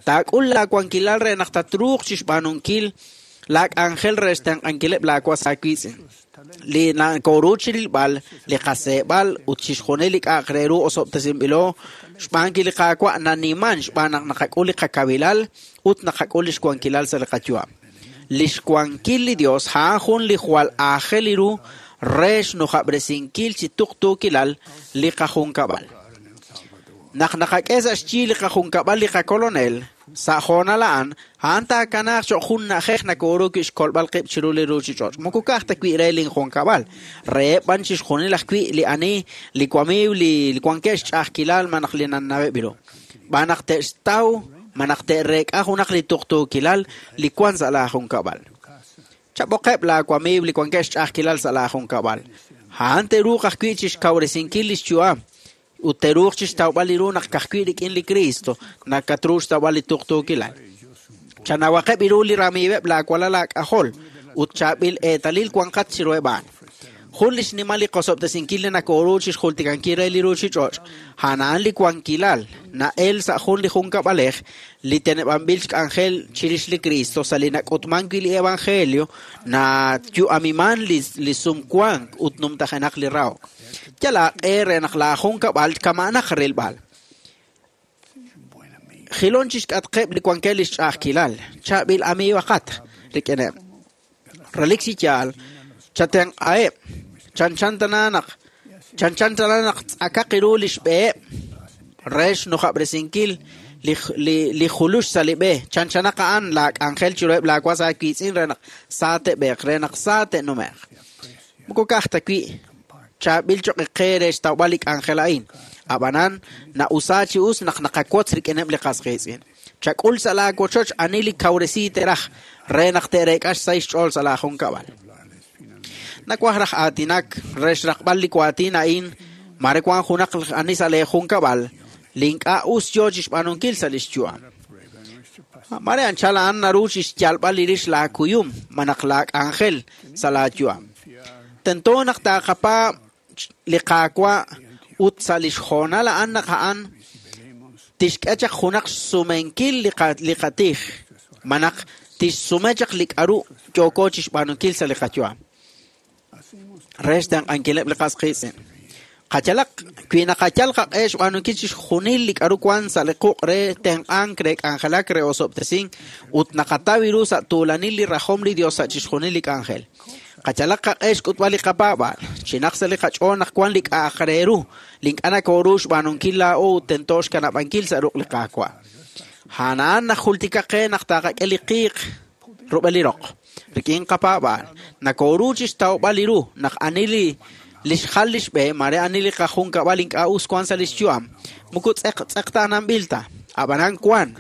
Taak'ul laawankilal re naq tatruuq chixb'aanunkil laak'anjel re xtenq'ankileb' laawas aawiitz'in. Li nakoru chirilb'al, li qaseeb'al ut chixjunil li k'a'aq re ru osob'tesinb'ilo xb'aankil li Qaawa' naniman xb'aan naq naqak'ul li qakawilal ut naqak'ul li xwankilal sa' li qayu'am. Li xwankil li Dios a'an jun li jwal aajel ru re xnujab'resinkil chi tuqtuukilal li qajunkab'al. Naq naqak'e sa' xyi li qajunkab'al li qakolonel, sa' hoonal a'an, a'an taakanaaq cho'q jun na'ajej nakoru wi' xkolb'al qib' chiru li ruuchich'och'. Moko ka'aj ta wi' re linjunkab'al, reheb' b'an chixjunil ajwi' li ani, li wamiiw, li wankeb' xch'a'ajkilal malaj li nanaweb' ru. B'an naq te'xtaw, malaj te'reek'a junaq li tuqtuukilal li wan sa' laajunkab'al. Chab'oqeb' laawamiiw li wankeb' xch'a'ajkilal sa' laajunkab'al. A'an te'ruuq ajwi' chixkawresinkil li xyu'am ut te'ruuq chixtawb'al li ru naq ka'ajwi' rik'in li Cristo nakatru xtawb'al li tuqtuukilal. Chanawaqeb' ru li ramiiweb' laawalal laak'ajol ut chaab'il eetalil wanqat chiruheb' a'an. Jun li xnimal li qosob'tesinkil li nakoru chixjultikankil re li ruuchich'och', a'an a'an li wankilal na'el sa' jun li junkab'alej li teneb'anb'il xk'anjel chirix li Cristo sa' li nak'utman wi' li Evangelio nayu'amiman li, li sumwank ut numtajenaq li rahok. Yal aaq'e re naq laajunkab'al kama'anaq rilb'al. Jilon chixk'atqeb' li wankeb' li xch'a'ajkilal, chaab'il amiiwaqat rik'ineb'. Relik chi yaal, chatenq'aheb', chanchan tana naq chanchan tana naq tz'akaq ru li xb'eheb' re xnujab'resinkil li, li, li julux sa' li b'e. Chanchanaq a'an laak'anjel chiruheb' laawas aawiitz'in re naq sa te'b'eeq, re naq sa te'nume'q. Moko ka'aj ta wi' chaab'il cho'q qe re xtawb'al li k'anjel a'in. Ab'anan na'usa chi us naq naqawotz rik'ineb' li qas qiitz'in. Chak'ul sa' laawochoch ani li kawresi teraj re naq te'reek'a xsahil xch'ool sa' laajunkab'al. Nawaj raj aatinak re xraqb'al li waatin a'in mare wan junaq ani sa' leejunkab'al li ink'a' us yo chixb'aanunkil sa' li xyu'am. Mare anchal a'an naru chixyalb'al li rix laakuyum malaj laak'anjel sa' laayu'am. Tento naq taaqapa li Qaawa' ut sa' li xhoonal a'an naq a'an tixk'e chaq junaq xsumenkil li qa, li qatij malaj tixsume chaq li k'aru yooko chixb'aanunkil sa' li qayu'am. Re xtenq'ankileb' li qas qiitz'in. Qayalaq wi naqayal qaq'e xb'aanunkil chixjunil li k'aru wan sa' li quq' re tenq'ank, re k'anjelak, re osob'tesink ut naqataw ru sa' tuulanil li rajom li Dios sa' chixjunil li k'anjel. Qayalaq qaq'e xk'utb'al li qapaab'al, chinaq sa' li qach'ool naq wan li k'a'aq re ru, li ink'a' nakoru xb'aanunkil laa'o ut tento xkanab'ankil sa' ruq' li Qaawa'. A'an a'an najultika qe naq taaqak'e li qiiq rub'el li roq. Rik'in qapaab'al, nakoru chixtawb'al li ru naq ani li li xjal li xb'e, mare ani li qajunkab'al ink'a' us wan sa' li xyu'am. Moko tz'eq tz'eqtaananb'il ta, ab'anan wan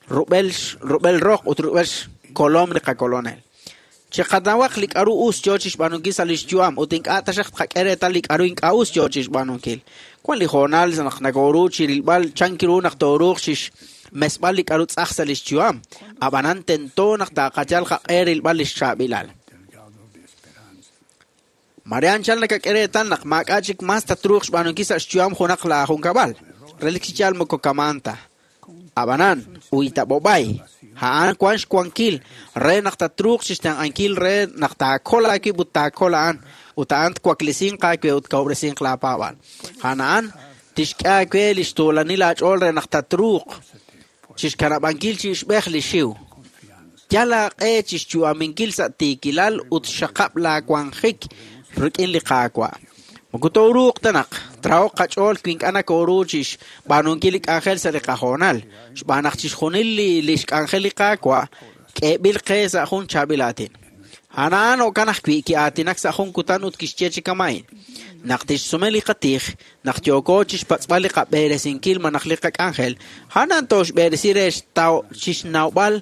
rub'el rub'el roq ut rub'el xkolom li qakolonel. Chiqanawaq li k'aru us yo chixb'aanunkil sa' li xyu'am ut ink'a' taxaq tqak'e reetal li k'aru ink'a' us yo chixb'aanunkil. Wan li hoonal naq nakoru chirilb'al chan ru naq tooruuq chixmesb'al li k'aru tz'aj sa' li xyu'am, ab'anan tento naq taaqayal qaq'e rilb'al li xchaab'ilal. Mare anchal nakak'e reetal naq maak'a' chik mas tatruuq xb'aanunkil sa' xyu'am junaq laajunkab'al. Relik chi yaal moko kamaan ta. Ab'anan, uitab'ob'ay, a'an wan xwankil re naq tatruuq chixtenq'ankil re naq taakol aawib' ut taakol a'an ut a'an twaklesinq aawe ut kawresinq laapaab'al. A'an a'an tixk'e aawe li xtuulanil aach'ool re naq tatruuq chixkanab'ankil chi ixb'ej li xiw. Yal aaq'e chixyu'aminkil sa' tiikilal ut xaqab' laawanjik rik'in li Qaawa'. Moko tooruuq ta naq Trahoq qach'ool wi ink'a' nakoru chixb'aanunkil li k'anjel sa' li qahoonal, xb'aan naq chixjunil li li xk'anjel li Qaawa' k'eeb'il qe sa' jun chaab'il aatin. A'an jo'kan ajwi' ki'aatinak sa' jun kutan ut kixye chi kama'in. Naq tixsume li qatij, naq yooko chixpatz'b'al li qab'eresinkil malaj li qak'anjel, a'an tooxb'eresi re chixnawb'al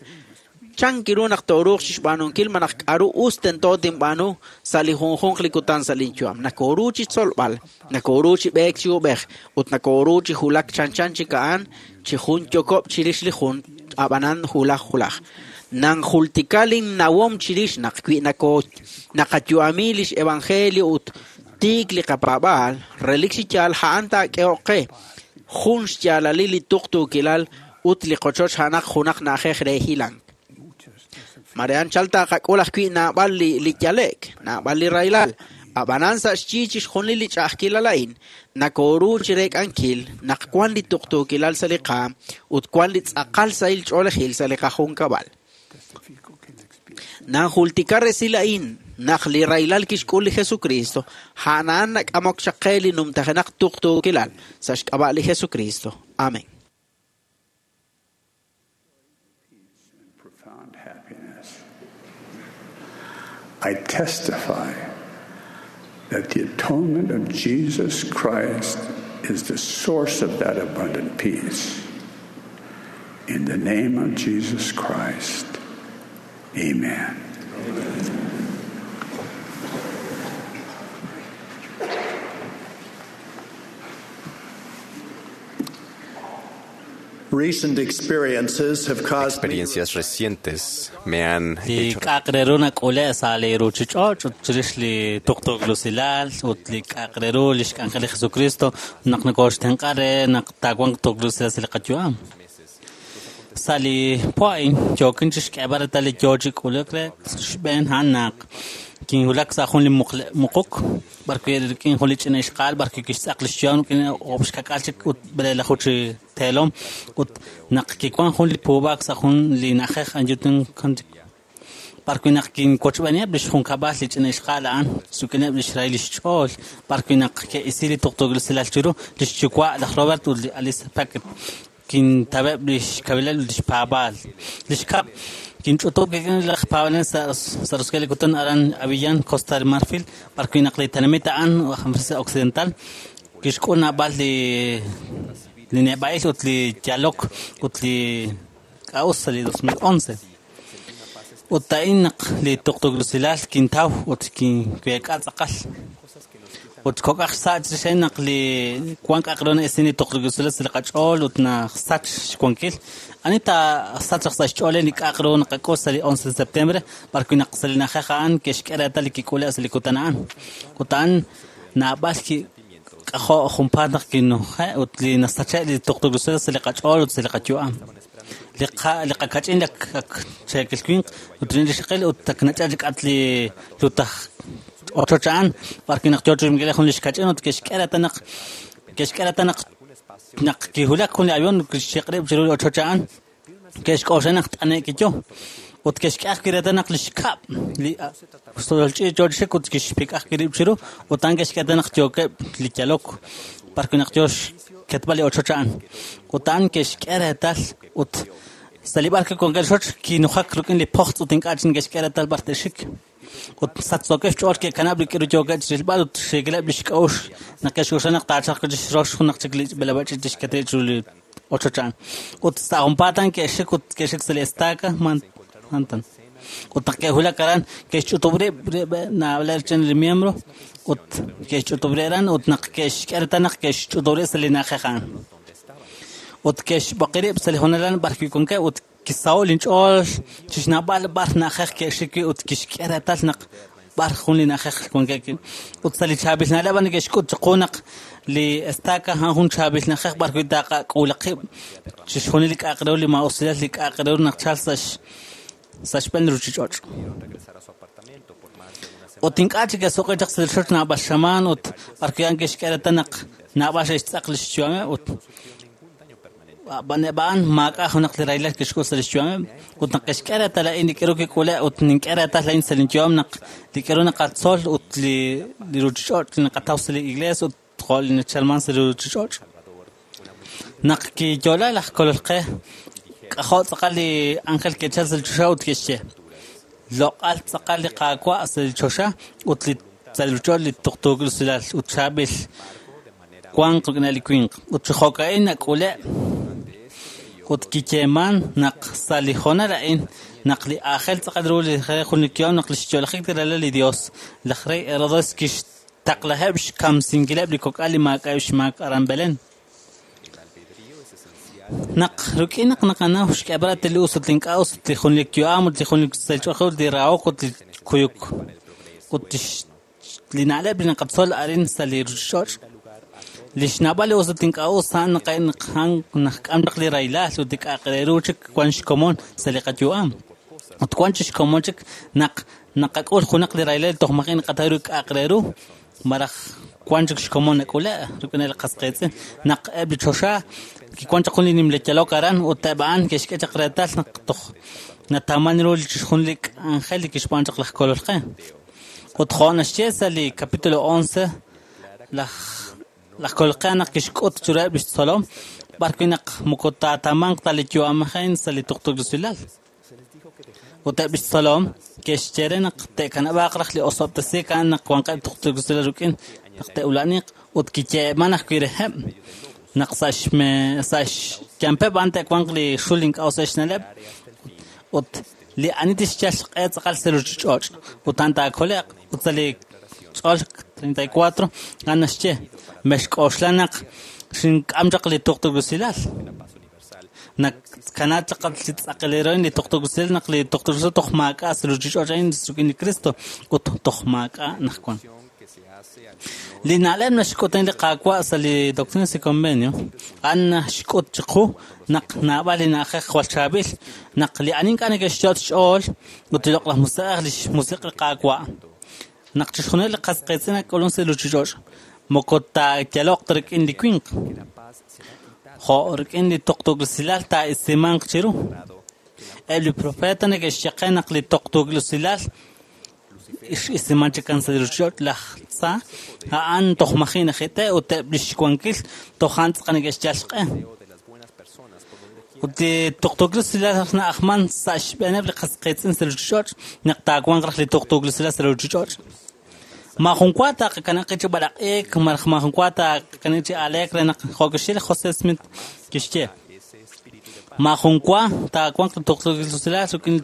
chan kiru naq tooruuq chixb'aanunkil malaj k'aru us tento tinb'aanu sa' li junjunq li kutan sa' linyu'am. Nakoru chi tzolb'al, nakoru chi b'eek chi ub'ej, ut nakoru chi hulak chanchan chik a'an chi jun yokob' chirix li jun, ab'anan hulaj hulaj. Nanjultika linnawom chirix naq wi nako naqayu'ami lix evangelio ut tiik li qapaab'aal, relik chi yaal a'an taak'ehoq qe jun xyaalalil li tuqtuukilal ut li qochoch a'anaq junaq na'ajej re hilank. Marian chal taqak'ul ajwi' naab'al li li yalek, naab'al li rahilal. Ab'anan sa' xyi chixjunil li ch'a'ajkilal a'in, nakoru chi reek'ankil naq wan li tuqtuukilal sa' li qaam ut wan li tz'aqal sahil ch'oolejil sa' li qajunkab'al. Nanjultika resil a'in naq li rahilal kixk'ul li Jesucristo, a'an nak'amok chaq qe li numtajenaq tuqtuukilal sa' xk'ab'a' li Jesucristo. Amén. Profound happiness. I testify that the atonement of Jesus Christ is the source of that abundant peace. In the name of Jesus Christ, amen. Recent experiences have caused me Experiencias recientes me han Li hecho k'a'aq re ru nak'ule' sa' li ruuchich'och' ut chirix li tuqtuuklusilal ut li k'a'aq re ru li xk'anjel li Jesucristo naq nokoxtenq'a re naq taawanq tuqtuuklusilal sa' li qayu'am. Sa' li po a'in yookin chixk'eeb'al reetal li yoo chi k'uluk re xb'een a'an naq kinwulak sa' jun li muqle- muquk b'arwi' rik'in jun li ch'ina ixqa'al b'arwi' kixtz'aq li xyu'am rik'in oob' xkak'al chik ut b'eleelaju chi teelom ut naq kiwan jun li puub'aak sa' jun li na'ajej Anyutin b'arwi' naq kinwochb'eeniheb' li xjunkab'al li ch'ina ixqa'al a'an rik'ineb' li xrahil li xch'ool b'arwi' naq ke'isi li tuqtuukilal chiru li xyuwa' laj Robert ut li Alice Packard kintab'eb' li xkawilaleb' li xpaab'aal. Li xkab' kinch'utub' kik'in laj paab'anel sa' sa' Roskel li kutan aran Abiyán, Costa del Marfil, b'arwi' naq li tenamit a'an África Occidental kixk'ul naab'al li li neb'a'il ut li yalok ut li k'a'us sa' li dos mil once. Ut a'in naq li tuqtuuklusilal kintaw ut kinweek'a tz'aqal. Ut kok'aj sa' chirix a'in naq li wan k'a'aq re na'esin li tuqtuuklusilal sa' li qach'ool ut nasach xwankil. Ani taasach sa' xch'ool li k'a'aq ru naqak'ul sa' li once de septiembre b'arwi' naq sa' li na'ajej a'an ke'xk'e reetal li kik'ule' sa' li kutan a'an. Ut a'an naab'al k'ajo' junpaat naq kinuje' ut li nasache' li tuqtuuklusilal sa' li qach'ool ut sa' li qayu'am. Li qa- li qakach'in li ak cheekil winq ut li xiqil ut ak nach'al li k'at li lutaj ochoch a'an b'arwi' naq yoo chixmik'ileb' jun li xkach'in ut ke'xk'e reetal naq ke'xk'e reetal naq naq kiwulak jun li avión kixchiq'rib' chiru li ochoch a'an ke'xk'oxla naq t'ane'k yo ut ke'xk'e ajwi' reetal naq li xkab' li solch'iich' yoo chixik ut kixpik'aj ajwi' rib' chiru ut a'an ke'xk'e reetal naq yookeb' li yalok b'arwi' naq yoo xketb'al li ochoch a'an ut a'an ke'xk'e reetal ut sa' li b'arwi' wankeb' xoch kinujak rik'in li pojtz' ut ink'a' chik ke'xk'e reetal b'ar te'xik. Ut sachsookeb' xch'ool ke'kanab' li k'iru yookeb' chirilb'al ut xeekileb' li xk'a'uxl naq ke'xk'oxla naq taachalq chixrox junaq chik li b'eleb'aal ch'iich' tixkete chiru li ochoch a'an. Ut sa' junpaat a'an ke'xik ut ke'xik sa' li estaca Manhattan. Ut naq ke'wulak aran ke'xch'utub' rib' naab'aleb' chen li miembro ut ke'xch'utub' rib' aran ut naq ke'xk'e reetal naq ke'xch'utub' rib' sa' li na'ajej a'an. Ut ke'xb'oqi rib' sa' li hoonal a'an b'arwi' wankeb' ut kisaho' linch'ool chixnaab'al b'ar na'ajej ke'xik wi' ut kixk'e reetal naq b'ar jun li na'ajej wankeb' wi'. Ut sa' li chaab'il na'leb' a'an ke'xk'ut chiqu naq li estaca a'an jun chaab'il na'ajej b'arwi' taqak'uula qib' chixjunil li k'a'aq re ru li maa'usilal li k'a'aq re ru naq chal sa' sa' xb'een li ruuchich'och'. Ut ink'a' chik ke'suq'i chaq sa' li rochoch naab'al xamaan ut b'arwi' a'an ke'xk'e reetal naq naab'al xe'xtz'aq li xyu'ameb' ut ab'an a'an maak'a' junaq li rahilal kixk'ul sa' li xyu'ameb' ut naq ke'xk'e reetal a'in li k'iru kik'ule' ut nink'e reetal a'in sa' linyu'am naq li k'iru naqatzol ut li li ruuchich'och' li naqataw sa' li iglees ut jo' li nachalman sa' li ruuchich'och'. Naq kiyo'la laj Kolol qe, k'ajo' tz'aqal li ángel ke'chal sa' li choxa ut ke'xye: Loq'al tz'aqal li Qaawa' sa' li choxa ut li sa' li ruuchich'och' li tuqtuukil usilal ut chaab'il wanq rik'in li winq. Ut chi jo'ka'in nak'ule' ut kiyeeman naq sa' li hoonal a'in naq li aajel tz'aqal ru li jun li yu'am naq li xyo'lajik li ralal li Dios, laj rey Herodes kixtaqlaheb' xkamsinkileb' li kok'al li maak'a'eb' xmaak aran Belén. Naq rik'in naq naqanaw xk'eb'al li us ut li ink'a' us ut li jun li yu'am ut li jun li sach'oq ut li rahok ut li kuyuk ut li na'leb' li naqatzol arin sa' li ruuchich'och', li xnab'al li us ut ink'a' us a'an naqk'am chaq li rahilal ut li k'a'aq re ru chik wan xkomon sa' li qayu'am. Ut wan chik xkomon chik naq naqak'ul junaq li rahilal toj maji' naqataw ru k'a'aq re ru malaj wan chik xkomon nak'ule' rik'in li qas qiitz'in. Naq eb' li choxa kiwan chaq jun li nimla yalok aran ut eb' a'an ke'xk'e chaq reetal naq toj nataman ru jun li k'anjel li kixb'aan chaq laj Kolol qe. Ut jo' naxye sa' li capítulo once laj laj Kolol qe naq kixk'ut chiruheb' li xtzolom b'ar wi' naq moko taatamanq ta li yu'amej sa' li tuqtuukil usilal. Ut eb' li xtzolom ke'xye re naq te'kanab'aaq raj li osob'tesiik a'an naq wanqeb' tuqtuukil usilal rik'in naq te'ula'aniq ut kiyeeman ajwi' reheb' naq sa' xme sa' xyampeb' a'an te'wanq li xul ink'a' us xna'leb' ut li ani tixyal xq'e tz'aqal sa' ruuchich'och' ut a'an taakole'q. Ut sa' li ch'ol treinta y cuatro a'an naxye: mexk'oxla naq xink'am chaq li tuqtuukil usilal. Naq kanaat chaq li tz'aqal li tuqtuukil usilal naq li tuqtuukil usilal toj maak'a' sa' ruuchich'och' a'in rik'in li Cristo ut toj maak'a' naq wan. Li na'leb' naxk'ut li Qaawa' sa' li Doctrina y Convenio a'an naxk'ut chiqu naq naab'al li na'ajej jwal chaab'il naq li ani ink'a' neke'xyot' xch'ool ut li loq'laj musiq'ej li xmusiq' li Qaawa' naq chixjunil li qas qiitz'in nak'ulun sa' li ruuchich'och' moko taayaloq ta rik'in li winq jo' rik'in li tuqtuukil usilal taa'isimanq chiru. Eb' li profeta neke'xye qe naq li tuqtuukil usilal x'isiman chik sa' li ruuchich'och' laj tza a'an toj maji' najite' ut eb' li xwankil toj a'an tz'aqal neke'xyal xq'e. Ut li tuqtuukil usilal na'ajman sa' xb'eeneb' li qas qiitz'in sa' li ruuchich'och' naq taawanq raj li tuqtuukil usilal sa' li ruuchich'och'. Maajun wa taqakanab' chi b'alaq'iik malaj maajun wa taqakanab' chi aleek re naq jo' kixye li José Smith kixye: maajun wa taawanq li tuqtuukil usilal rik'in li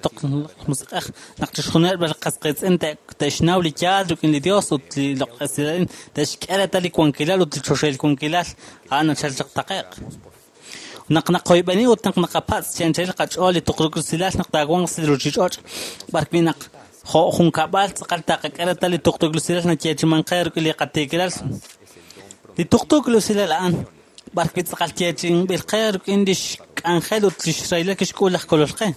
musiq'ej naq chixjunileb' li qas qiitz'in te'xnaw li yaal rik'in li Dios ut li loq'laj esilal te'xk'e reetal li wankilal ut li choxahil wankilal a'an nachal chaq taqe'q. Naq naqoyb'eni ut naq naqapatz' chi anchal qach'ool li tuqtuukil usilal naq taawanq sa' li ruuchich'och' b'ar wi' naq jo' jun kab'al tz'aqal taqak'e reetal li tuqtuukil usilal nayeechiman qe rik'in li qatiikilal. Li tuqtuukil usilal a'an b'ar wi' tz'aqal yeechinb'il qe rik'in li xk'anjel ut li xrahilal kixk'ul laj Kolol qe.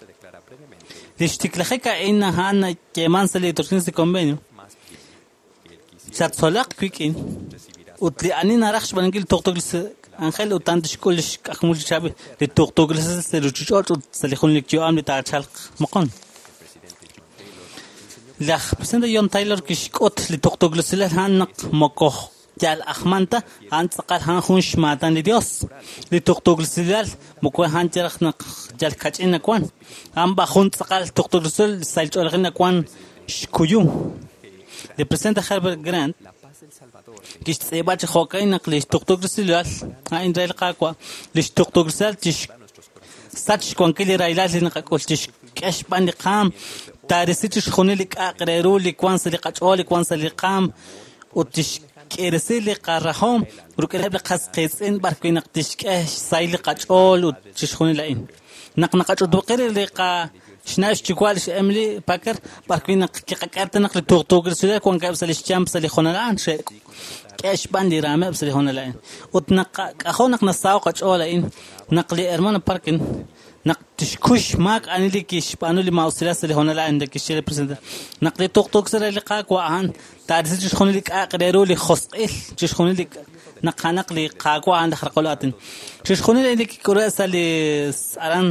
Li xtiklajik a'in a'an nayeeman sa' li Doctrina y Convenio. Xattzolaq wik'in ut li ani naraj xb'aanunkil li tuqtuukil ángel ut a'an tixk'ul li xk'ajmul li chaab'il li tuqtuukil usilal sa' li ruuchich'och' ut sa' li jun li yu'am li taachalq moqon. Laj presidente John Taylor kixk'ut li tuqtuukil usilal a'an naq moko yal ajman ta a'an tz'aqal a'an jun xmaatan li Dios. Li tuqtuukil usilal moko a'an yaraj naq yal kach'in nawan a'an b'a jun tz'aqal tuqtuukil usilal sa' li ch'oolejil nawan xkuyum. Li presidente Herbert Grant kixtz'iib'a chi jo'ka'in naq li tuqtuukil usilal a'in re li Qaawa' li xtuqtuukil usilal tixsach xwankil li rahilal li naqak'ul tixk'e xb'aan li qaam taarisi chixjunil li k'a'aq re ru li wan sa' li qach'ool li wan sa' li qaam ut tixk'irisi li qarahom rik'ineb' li qas qiitz'in b'ar wi' naq tixk'e xsahil li qach'ool ut chixjunil a'in. Naq naqach'utub'qi li qa xna' xyuwa' lix Emily Packer b'ar wi' naq kiqak'e naq li tuqtuukil usilal wankeb' sa' li xyamp sa' li hoonal a'an xe'k'e xb'aan li raameb' sa' li hoonal a'in. Ut naq k'ajo' naq nasaho' qach'ool a'in naq li hermano Parkin naq tixkuy xmaak ani li kixb'aanu li maa'usilal sa' li hoonal a'in kixye li presidente naq li tuqtuukil usilal li Qaawa' a'an taarisi chixjunil li k'a'aq re ru li josq'il chixjunil li naq a'anaq li Qaawa' a'an laj raqol aatin. Chixjunil li kik'ule' sa' li aran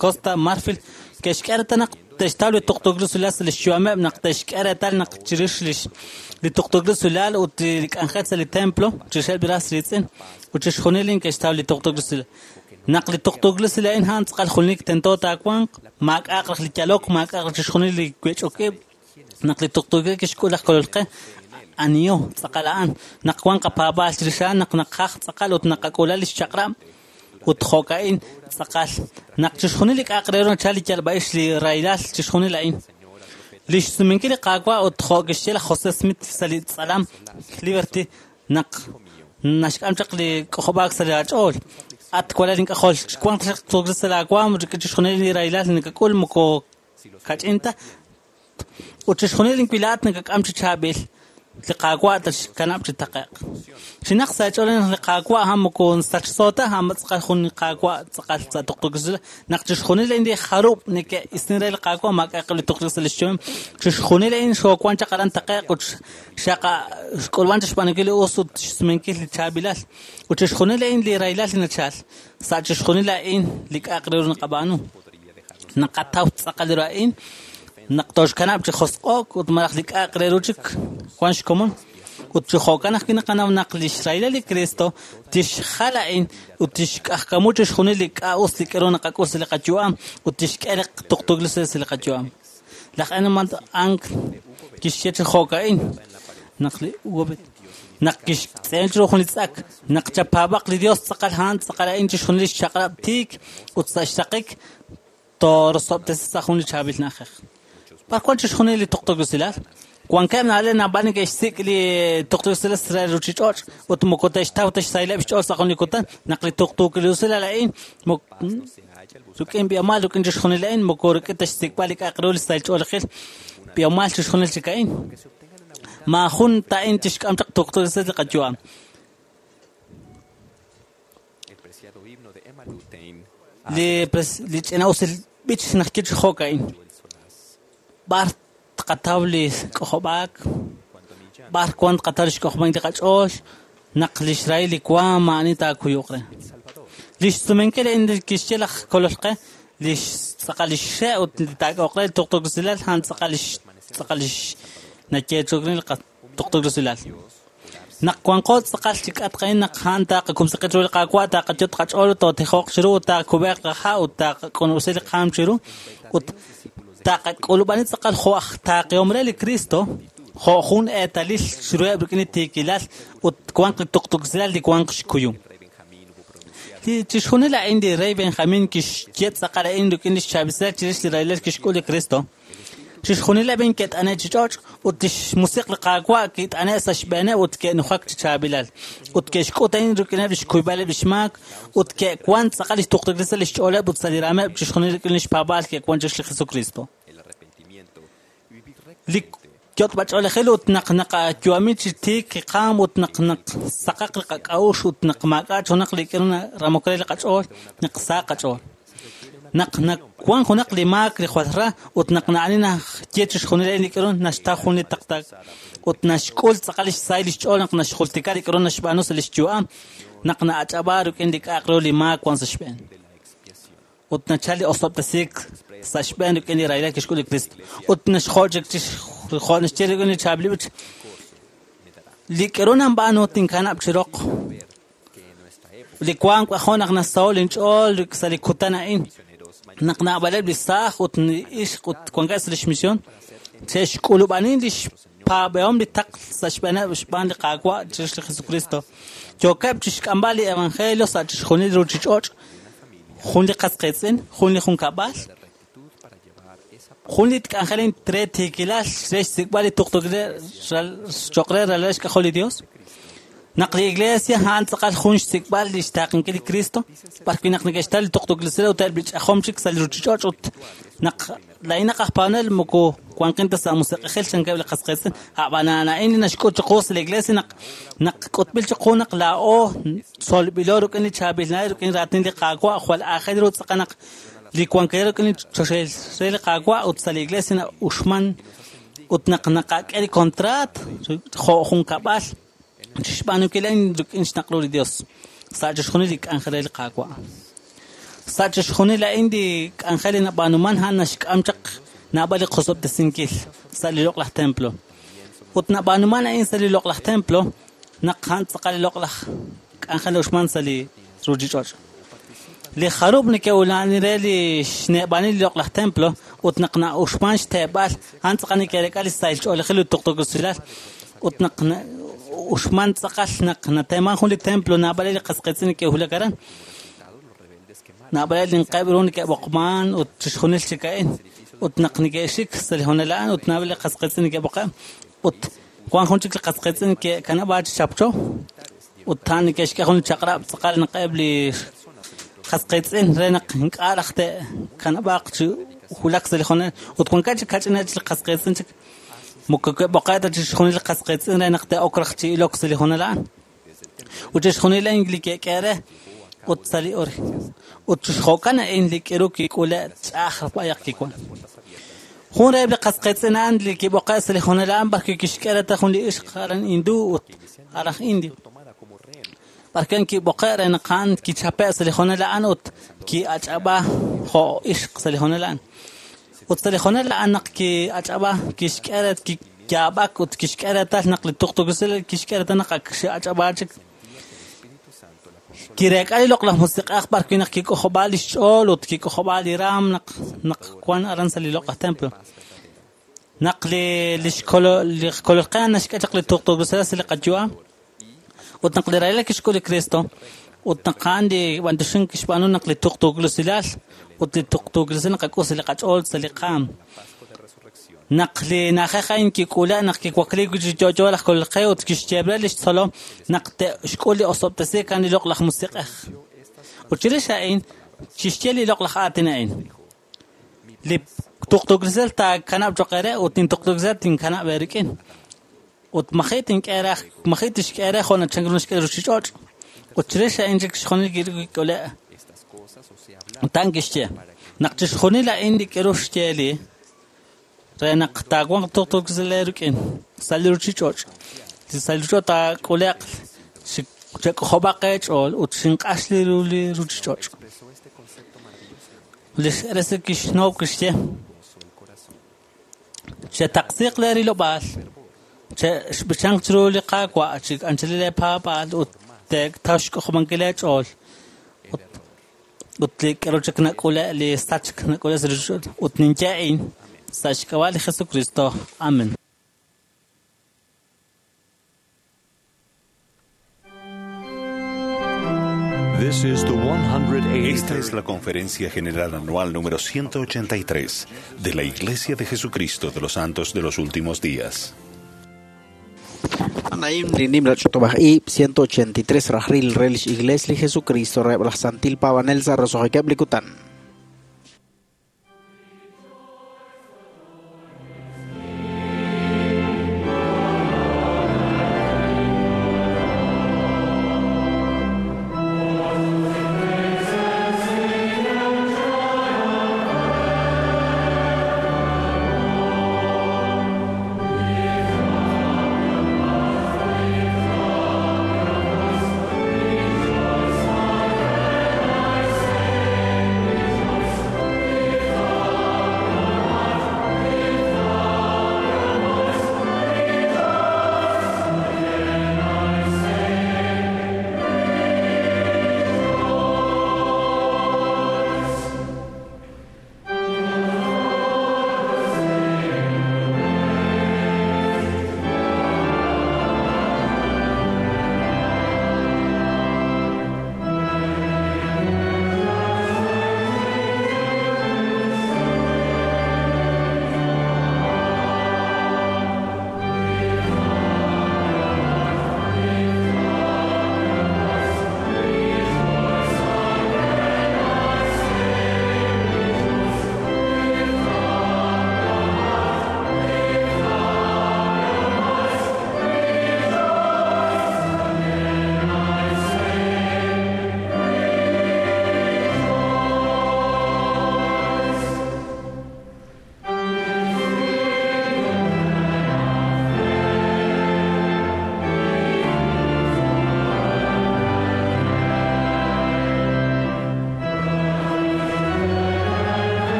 Costa Marfil ke'xk'e reetal naq te'xtaw li tuqtuukil usilal sa' li xyu'ameb' naq te'xk'e reetal naq chirix li tuqtuukil usilal ut li k'anjel sa' li templo chirixeb' li ras riitz'in ut chixjunil neke'xtaw li tuqtuukil usilal. Naq li tuqtuukil usilal a'in a'an tz'aqal junelik tento taawanq, maak'a'aq raj li yalok, maak'a'aq raj chixjunil li wech'ok ib'. Naq li tuqtuukil kixk'ul laj Kolol qe, aniho tz'aqal a'an. Naq wan qapaab'aal chirix a'an, naq naqaj tz'aqal ut naqak'ula li xchaq'rab' ut jo'ka'in tz'aqal. Naq chixjunil li k'a'aq re ru nachal li yalb'a'ix li rahilal chixjunil a'in. Li xsumenkil li Qaawa' ut jo' kixye laj José Smith sa' li tz'alam Liberty naq naxk'am chaq li k'ojob'aak sa' li aach'ool. At walal ink'ajol, wanq chaq tuqtuukil sa' laawaam rik'in chixjunil li rahilal nakak'ul moko kach'in ta. Ut chixjunil inwilaat nakak'am chi chaab'il. Li Qaawa' tatxkanab' chi taqe'q. Chinaq sa' aach'ool naq li Qaawa' a'an moko sachso ta, a'an tz'aqal jun li Qaawa' tz'aqal sa' tuqtuukil usilal. Naq chixjunil a'in li jarub' neke'isin re li Qaawa' maak'a'aq li tuqtuukil sa' li xyu'am. Chixjunil a'in xoowan chaq aran taqe'q ut xaqa xk'ulb'an chaq xb'aanunkil li us ut xsumenkil li chaab'ilal. Ut chixjunil a'in li rahilal li nachal. Sa' chixjunil a'in li k'a'aq re ru naqab'aanu. Naqataw tz'aqal ru a'in. Naq toxkanab' chi josq'o'k ut malaj li k'a'aq re ru chik wan xkomon. Ut chi jo'kan ajwi' naqanaw naq li xrahilal li Cristo tixjal a'in ut tixk'ajkamu chixjunil li k'a' us li k'aru naqak'ul sa' li qayu'am ut tixk'e li tuqtuukil usilal sa' li qayu'am. Laj Edmund Ank kixye chi jo'ka'in naq li naq kixtz'eel chiru jun li tz'ak naq chapaab'aq li Dios tz'aqal a'an tz'aqal a'in chixjunil li xchaq'rab' tiik ut sa' xraqik toorosob'tesi sa' jun li chaab'il na'ajej. B'ar wan chixjunil li tuqtuukil usilal? Wankeb' na'leb' naab'al neke'xsik' li tuqtuukil usilal sa' ruuchich'och' ut moko te'xtaw ta xsahileb' xch'ool sa' jun li kutan naq li tuqtuukil usilal a'in rik'in b'ihomal rik'in chixjunil a'in moko rik'in ta xsik'b'al li k'a'aq ru li sahil ch'oolejil b'ihomal chixjunil chik a'in. Maajun ta a'in tixk'am chaq tuqtuukil usilal li qayu'am. Li li ch'ina'usil b'ich naq kich jo'ka'in. B'ar tqataw li k'ojob'aak, b'ar wan tqataw li xk'ojob'aak li qach'ool, naq li xrahil li waam ma'ani taakuyuq re. Li xsumenkil a'in kixye laj Kolol qe, li tz'aqal li xxe' ut li taak'oq re li tuqtuukil usilal, a'an tz'aqal li tz'aqal li nayeechok re li tuqtuukil usilal. Naq wanqo tz'aqal chi k'atq a'in naq a'an taaqakumsiqi chiru li Qaawa' taaqayot qach'ool tootijoq chiru ut taakub'eeq qaha' ut taaqak'unusi li qaam chiru ut taqak'ulub'ani tz'aqal jo' aj taaqihom re li Cristo jo' jun eetalil chiruheb' rik'in li tiikilal ut wanq li tuqtuukil usilal li wanq xkuyum. Li chixjunil a'in li rey Benjamin kixye tz'aqal a'in rik'in li xchaab'ilal chirix li rahilal kixk'ul li Cristo. Chixjunileb' a'in ke't'ane' chi ch'och' ut li xmusiq li Qaawa' kit'ane' sa' xb'eeneb' ut ke'nujak chi chaab'ilal. Ut ke'xk'ut a'in rik'ineb' li xkuyb'aleb' li xmaak ut ke'wan tz'aqal li xtuqtuukil sa' li xch'ooleb' ut sa' li raameb' chixjunil rik'in li xpaab'aal ke'wan chirix li Jesucristo. Li yot'b'ach'oolejil ut naq naqayu'ami chi tiik qaam ut naq naq saqaq li qak'a'uxl ut naq maak'a' junaq li k'aru ramok re li qach'ool naq sa qach'ool. Naq nawan junaq li maak li jwal ra ut naq na'ani naxye chixjunil a'in li k'aru naxtaw jun li taqtak ut naxk'ul tz'aqal li xsahil li xch'ool naq naxjultika li k'aru naxb'aanu sa' li xyu'am naq na'ach'ab'a rik'in li k'a'aq ru li maak wan sa' xb'een. Ut nachal li osob'tesiik sa' xb'een rik'in li rahilal kixk'ul li Cristo. Ut naxjo' chik jo' naxye rik'in li chaab'il b'ich li k'aru nanb'aanu tinkanab' chi roq. Li wank jo' naq nasaho' linch'ool sa' li kutan a'in. Naq naab'aleb' li saaj ut li ixq ut wankeb' sa' li xmision che'xk'ulub'ani li xpaab'ehom li taql sa' xb'eeneb' xb'aan li Qaawa' chirix li Jesucristo. Yookeb' chixk'amb'al li evangelio sa' chixjunil ruuchich'och'. Jun li qas qiitz'in, jun li junkab'al, jun li k'anjel re tiikilal re xsik'b'al li tuqtuukil cho'q re ralal xk'ajol li Dios. Naq li Iglesia a'an tz'aqal jun xsik'b'al li xtaaqenkil li Cristo, b'ar wi' naq neke'xtaw li tuqtuukil usilal ut eb' li ch'ajom chik sa' li ruuchich'och' ut naq laa'in aj paab'anel moko wanqin ta sa' musiq'ejil chankeb' li qas qiitz'in. A'b'an a'in li naxk'ut chiqu sa' li Iglesia naq naq k'utb'il chiqu naq laa'o tzolb'ilo rik'in li chaab'il na'leb' rik'in raatin li Qaawa' jwal aajel ru tz'aqal naq li wankilal rik'in li choxahil re li Qaawa' ut sa' li Iglesia na'uxman ut naq naqak'e li kontraat jo' junkab'al chixb'aanunkil a'in rik'in xnaq' ru li Dios sa' chixjunil li k'anjel re li Qaawa'. Sa' chixjunil a'in li k'anjel li nab'aanuman a'an naxk'am chaq Naab'al li qosob'tesinkil sa' li loq'laj templo. Ut nab'aanuman a'in sa' li loq'laj templo naq a'an tz'aqal li loq'laj k'anjel uxman sa' li ruuchich'och'. Li jarub' neke'ula'ani re li xne'b'aanil li loq'laj templo ut naq na'uxman xteeb'al a'an tz'aqal neke'rek'a li sahil ch'oolejil ut tuqtuukisilal ut naq uxman tz'aqal naq nateeman jun li templo naab'al li qasqiitz'in neke'wulak aran. Naab'al li nqeb' ru neke'b'oqman ut chixjunil chik a'in ut naq neke'xik sa' li honal a'an ut naab'al li qasqiitz'in neke'b'oqe' ut wan jun chik li qasqiitz'in neke'kanab'a chi chapcho ut a'an neke'xk'e jun li chaq'rab' tz'aqal naq eb' li qasqiitz'in re naq ink'a' raj te'kanab'aaq chi wulak sa' li honal ut wankeb' chik kach'ineb' li qasqiitz'in chik moko ke'b'oqe' ta chixjunil li qasqiitz'in re naq te'ok raj chi ilok sa' li honal a'an ut chixjunil a'in li ke'k'e re ut sa' li ori ut chixjo'kan a'in li k'iru kik'ule' ch'a'aj b'ayaq kiwan. Jun reheb' li qasqiitz'in a'an li kib'oqe' sa' li honal a'an b'arwi' kixk'e re ta jun li ixq aran hindú ut aran indio. B'arwi' kib'oqe' re naq a'an kichape' sa' li honal a'an ut ki'ach'ab'a jo' ixq sa' li honal a'an. Ut sa' li honal a'an naq ki'ach'ab'a kixk'e re kiyaab'ak ut kixk'e reetal naq li tuqtuukisil kixk'e reetal naq ak xe'ach'ab'a chik. Kireek'a li loq'laj musiq'ej b'arwi' naq kik'ojob'a li xch'ool ut kik'ojob'a li raam naq naq wan aran sa' li loq'laj templo. Naq li li xkolo li xkololqe naxk'e chaq li tuqtuukisil sa' li qayu'am ut naq li rahilal kixk'ul li Cristo ut naq a'an li b'antuxink kixb'aanu naq li tuqtuukisilal ut li tuqtuukisil naqak'ul sa' li qach'ool sa' li qaam. Naq li na'ajej a'in kik'ule' naq kiwakliik chi yo'yo laj kololqe ut kixyeeb're li xtzolom naq te'xk'ul li osob'tesiik a'an li loq'laj musiq'ej. Ut chirix a'in chixye li loq'laj aatin a'in. Li tuqtuukisil taakanab' choq' eere ut nintuqtuukisil tinkanab' eerik'in. Ut maji' tink'e re maji' tixk'e re jo' nachank ru naxk'e ruuchich'och'. Ut chirix a'in chik xjunil kik'ule'. Ut a'an kixye naq chixjunil a'in li k'iru xye li re naq taawanq tuqtuukisil eerik'in sa' li ruuchich'och'. Sa' li ruuchich'och' taak'ule'q chek'ojob'aq eech'ool ut xinq'ax li ru li ruuchich'och'. Li x'eresi kixnow kixye chetaqsiiq leerilob'aal che'xb'ichanq chiru li Qaawa' chi anchal leepaab'aal ut te'taw xk'ojob'ankil eech'ool ut ut li k'aru chik nak'ule' li sachk nak'ule' sa' ruuchich'och' ut ninye a'in sa' xk'ab'a' li Jesucristo. Amen. This is the one hundred Esta es la Conferencia General Anual número ciento ochenta y tres de la Iglesia de Jesucristo de los Santos de los Últimos Días. Anaim li nimla ch'utub'aj ib' ciento ochenta y tres rajril re lix Iglesia li Jesucristo reheb' laj Santil Paab'anel sa' roso'jikeb' li kutan. This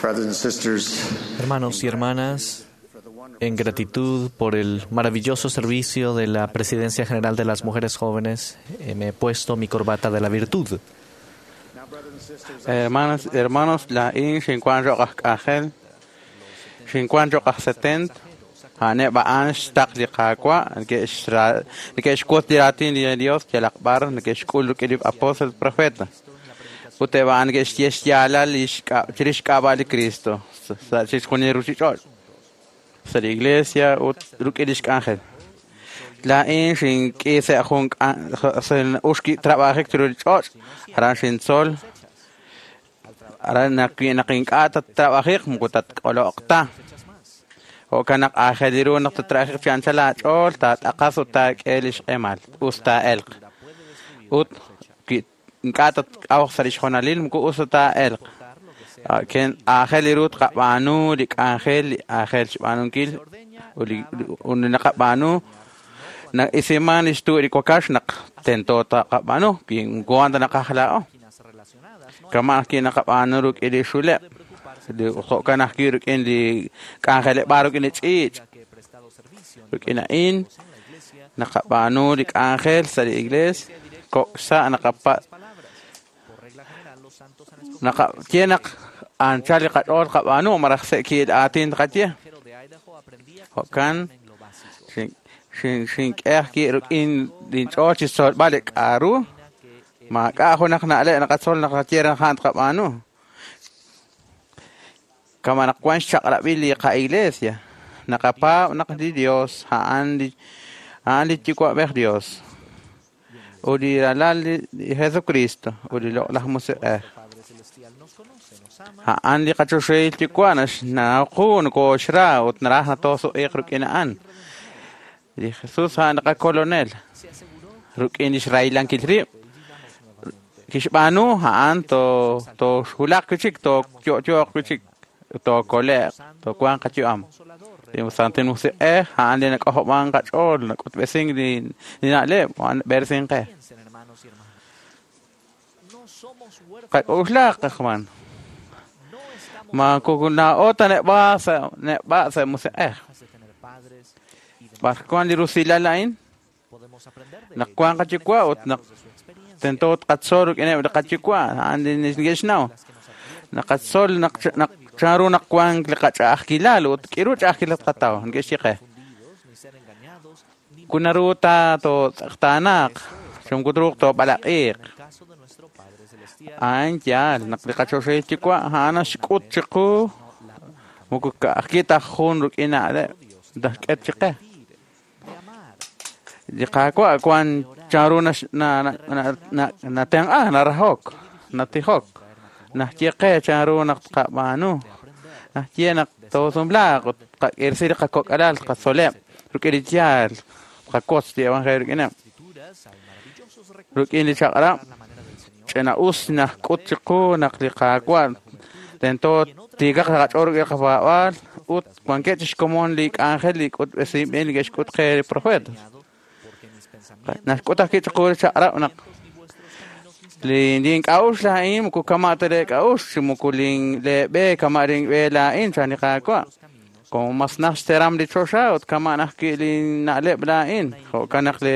Brothers and sisters, Hermanos y hermanas, en gratitud por el maravilloso servicio de la Presidencia General de las Mujeres Jóvenes, eh, me he puesto mi corbata de la virtud. Hermanas, hermanos, laa'in xinwank cho'q aj k'anjel, xinwank cho'q aj setenta, a'aneb' a'an xtaql li Qaawa', neke'xra- neke'xwotz li raatin li Dios yalaq b'ar, neke'xk'ul rik'in li apóstol profeta. Ut eb' a'an neke'xye xyaalal li xk'a- chirix xk'ab'a' li Cristo sa' chixjunil ruchich'och', sa' li iglesia ut rik'in li xk'anjel. Laa'in xink'i sa' jun k'an- sa' uxki trabajik chiru li ch'och', aran xintzol, aran naq naq ink'a' tattrabajiq moko tatk'oloq ta. Jo'kan naq aajel ru naq tattrabajiq chi anchal aach'ool, taat'aqas ut taak'e li xq'emal, us taa'elq. Ut wi ink'a' tatk'awq sa' li xjonalil moko us ta taa'elq. Ken aajel ru tqab'aanu li k'anjel li aajel xb'aanunkil ut li ut li naqab'aanu na'isiman li xtu' li wakax naq tento taqab'aanu wi moko wan ta naqaj laa'o. Kama' ajwi' naqab'aanu rik'in li xuleb', li jo'kan ajwi' rik'in li k'anjeleb'aal rik'in li ch'iich'. Rik'in a'in naqab'aanu li k'anjel sa' li iglees, kok' sa' naqapa' naqaye naq anchal li qach'ool qab'aanu malaj se'kiil aatin tqaye. Jo'kan xin- xin- xink'e ajwi' rik'in linch'ool chi xtzolb'al li k'a'ru maak'a' junaq na'leb' naqatzol naqaye naq a'an tqab'aanu. Kama naq wan xchaq'rab'il li qa'iglesia, naqapaab' naq li Dios a'an li a'an li Yuwa'b'ej Dios ut li Ralal li li Jesucristo ut li Loq'laj Musiq'ej. A'an li qachoxahil Yuwa' naxnaw qu nokooxra ut naraj natoosu'iq rik'in a'an. Li Jesus a'an li qakolonel rik'in li xrahilankil rib' kixb'aanu a'an to- tooxwulaq wi' chik, tooyo'yo'q wi' chik, tookole'q, toowanq qayu'am. Li Santil Musiq'ej a'an li nak'ojob'an qach'ool, nak'utb'esink li li na'leb', a'an b'eresink qe. Qak'uxlaq qajman. Ma kukuna'o ta neb'a sa' neb'a sa' musiq'ej. B'ar wan li rusilal a'in? Naq wan qayuwa' ut naq tento tqatzol rik'ineb' li qayuwa' a'an li neke'xnaw. Naqatzol naq naq chanru naq wan li qach'a'ajkilal ut k'iru ch'a'ajkilal tqataw neke'xye qe. Kunaru ta tootz'eqtaanaq, xumkutruuq toob'alaq'iiq. A'an yaal naq li qachoxahil Yuwa' a'an naxk'ut chiqu moko ka'ajwi' ta jun rik'in na'leb' naxk'et chiqe. Li Qaawa' wan chanru nax- na- na- na- na- natenq'a, narahok, natijok, naxye qe chanru naq tqab'aanu, naxye naq toosumlaaq ut tqak'irsi li qakok'alal, tqatzoleb' rik'in li yaal, tqakotz li evangelio rik'ineb'. Rik'in li chaq'rab' ch'ina'us naxk'ut chiqu naq li Qaawa' tento tiikaq qach'ool rik'in qapaab'aal ut wankeb' chixkomon li k'anjel li k'utb'esinb'il li ke'xk'ut qe li profetas. Naxk'ut ajwi' chiqu li chaq'rab' naq li link'a'uxl a'in moko kama' ta leek'a'uxl chi moko lin leeb'e kama' linb'e laa'in chan li Qaawa'. Como mas naj xteram li choxa ut kama' ajwi' linna'leb' laa'in. Jo'kan naq le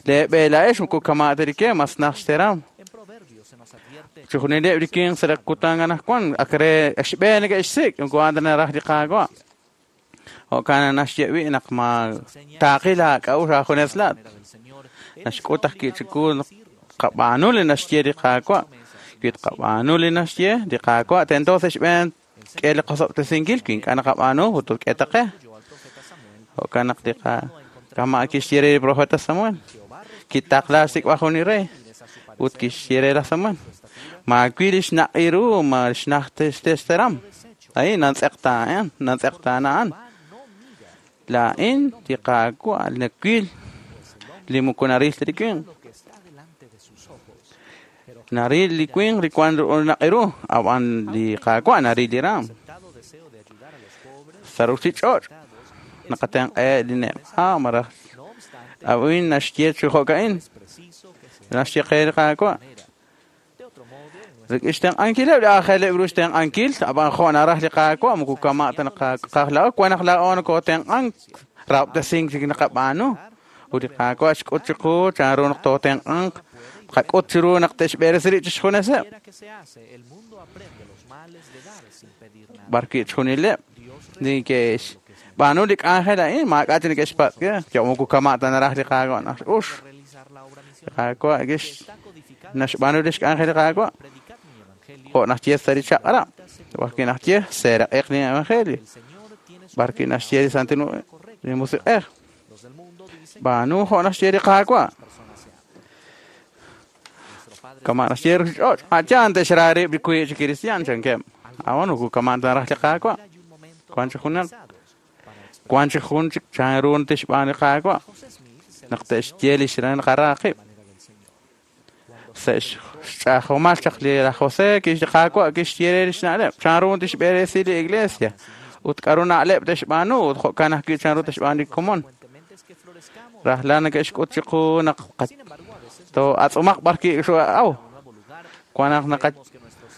leeb'e laa'ex moko kama' ta li ke mas naj xteram. Chixjunileb' li winq sa' li kutan anaqwan ak re xb'e neke'xsik' moko a'an ta naraj li Qaawa'. Jo'kan naxye wi' naq ma taaqil aak'a'uxl aajunes laat. Naxk'ut ajwi' chiqu naq tqab'aanu li naxye li Qaawa'. Wi tqab'aanu li naxye li Qaawa' tento sa' xb'een k'e li qosob'tesinkil wi ink'a' naqab'aanu ut k'e ta qe. Jo'kan naq li qa kama' kixye re li profeta Samuel kitaqla xsik'b'al jun li rey ut kixye re laj Samuel maawil li xnaq'i ru ma xnaj xteram. A'in nantz'eqtaa'an nantz'eqtaana a'an. Laa'in li Qaawa' nawil li moko naril ta li winq. Naril li winq li wan naq'i ru, ab'an li Qaawa' naril li raam. Sa' ruchich'och' naqatenq'e li neb'a malaj a'in naxye chi jo'ka'in. Naxye qe li Qaawa'. Rik'in xtenq'ankileb' li aajeleb' ru xtenq'ankil, ab'an jo' naraj li Qaawa' moko kama' ta naqajla'o, wan naq laa'o nokootenq'ank, rahob'tesink chik naqab'aanu. Ut li Qaawa' xk'ut chiqu chanru naq tootenq'anq, qak'ut chiru naq te'xb'eresi rib' chixjuneseb'. B'arwi' chixjunileb' neke'xb'aanu li k'anjel a'in, maak'a' chik neke'xpatz' ke, yo moko kama' ta naraj li Qaawa' naq ux. Li Qaawa' kix naxb'aanu li xk'anjel li Qaawa' jo' naxye sa' li chaq'rab', b'arwi' naxye seeraq'iq li evangelio, b'arwi' naxye li Santil li Musiq'ej. B'aanu jo' naxye li Qaawa'. Kama' naxye ruchich'och', a'yan te'xra rib' li wiib' chi kristiaan chankeb'. A'an moko kama' ta naraj li Qaawa'. Wan chi junaq, wan chi jun chik chanru tixb'aanu li Qaawa' naq te'xye li xran qaraqib'. Sa' xch'ajomal chaq li laj José kix li Qaawa' kixye re li xna'leb' chanru tixb'eresi li iglesia ut k'aru na'leb' te'xb'aanu ut jo'kan ajwi' chanru te'xb'aanu li komon. Rajlal neke'xk'ut chiqu naq to'atz'umaq b'arwi' xu'aw. Wan naq naqa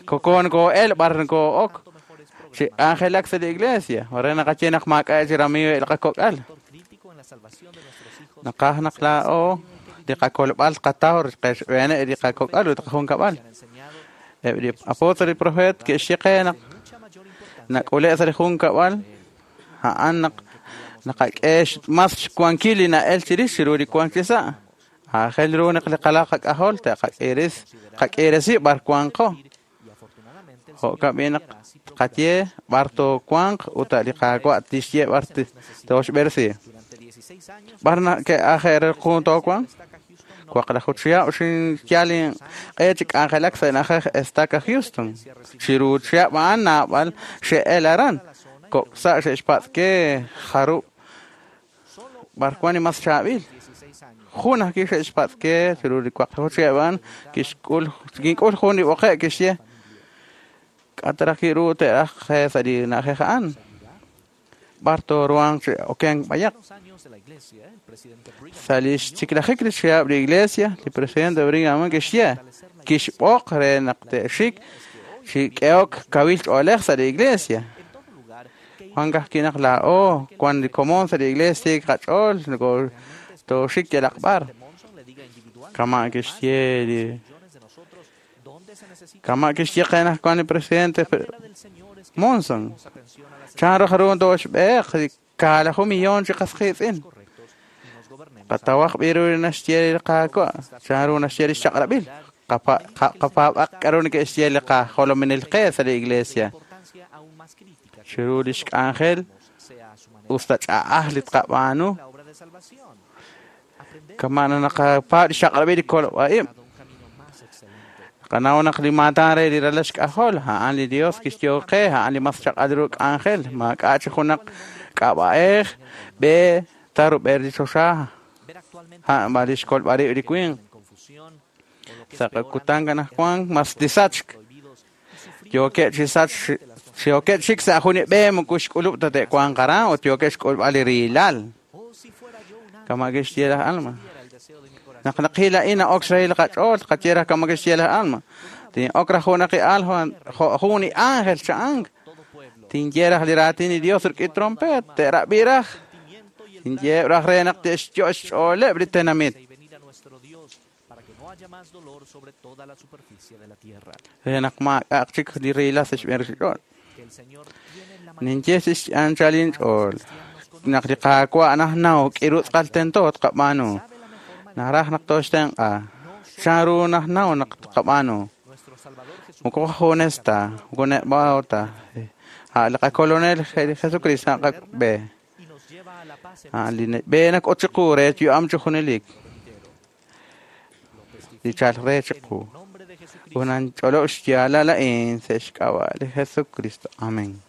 koko nokoo'el b'ar nokoo'ok chi k'anjelak sa' li iglesia re naqaye naq maak'a' chi ramiiw li qakok'al. Naqaj naq laa'o li qakolb'al qataw qexb'eene' li qakok'al ut qajunkab'al. Eb' li apóstol li profeet ke'xye qe naq nak'ule' sa' li junkab'al a'an naq naqak'e mas xwankil li na'el chirix chiru li wank chi sa'. Aajel ru naq li qalaq qak'ajol te'qak'iris qak'irisi b'ar wanqo. Jo'kan b'i naq qaye b'ar toowanq ut li Qaawa' tixye b'ar tooxb'eresi. B'ar ke'aje' jun toowanq? Waqlaju chihab' xinyal inq'e chi k'anjelak sa' na'ajej Estaca Houston. Chiru chihab' a'an naab'al xe'el aran. Kok' sa' xe'xpatz' ke jarub' b'ar wan li mas chaab'il. Jun ajwi' xe'xpatz' ke chiru li waqlaju chihab' a'an kixk'ul kink'ul jun li b'oqe' kixye k'ataraj ru te'raj sa' li na'ajej a'an. B'ar tooruhanq chi okenk b'ayaq. Sa' li xchiklajik li chihab' li iglesia, li presidente Brigham kixye kixb'oq re naq te'xik chi k'ehok kawil ch'oolej sa' li iglesia. Wan kajwi' naq laa'o wan li komon sa' li iglesia qach'ool noko tooxik yalaq b'ar. Kama' kixye li kama' kixye qe naq wan li presidente Monson. Chanru jaru tooxb'eeq li kaalaju millón chi qas qiitz'in. Qatawaj b'iru li naxye li Qaawa', chanru naxye li xchaq'rab'il. Qapaab'aq k'aru neke'xye li qajolominel qe sa' li iglesia. Chiru li xk'anjel usta ch'a'aj li tqab'aanu. Kama' naqapaab' li xchaq'rab'il li kolb'a'ib'. Qanaw naq li maatan re li ralal xk'ajol, a'an li Dios kixye qe, a'an li mas chaq'al ru k'anjel, maak'a' chi junaq k'ab'a'ej, b'e tarub'er li choxa, a'an b'a li xkolb'al rib' li winq. Sa' qakutan anaqwan mas li sachk. Yookeb' chi sach yookeb' chik sa' jun li b'e moko xk'ulub' ta te'wanq aran ut yookeb' xk'ulb'al li riilal. Kama' kixye laj Alma. Naq naqil a'in na'ok xrahil qach'ool, qaye raj kama' kixye laj Alma. Tin'ok raj junaq li al jun li ángel cha'ank. Tinye raj li raatin li Dios rik'in trompet, te'rab'i raj. Tinye raj re naq te'xyo' xch'ooleb' li tenamit. Re naq maak'a'aq chik li riilal sa' xb'een ruchich'och'. Ninye x'anchal inch'ool. Naq li Qaawa' najnaw k'iru tz'aqal tento tqab'aanu. Naraj naq tooxtenq'a. Chanru najnaw naq tqab'aanu. Moko qajunes ta, moko neb'a'o ta. A' li qakolonel Jesucristo naqak'b'e. A' li b'e nak'ut chiqu re yu'am chi junelik. Li chal re chiqu. Unan ch'olob' xyaalal a'in sa' xk'ab'a' li Jesucristo. Amén.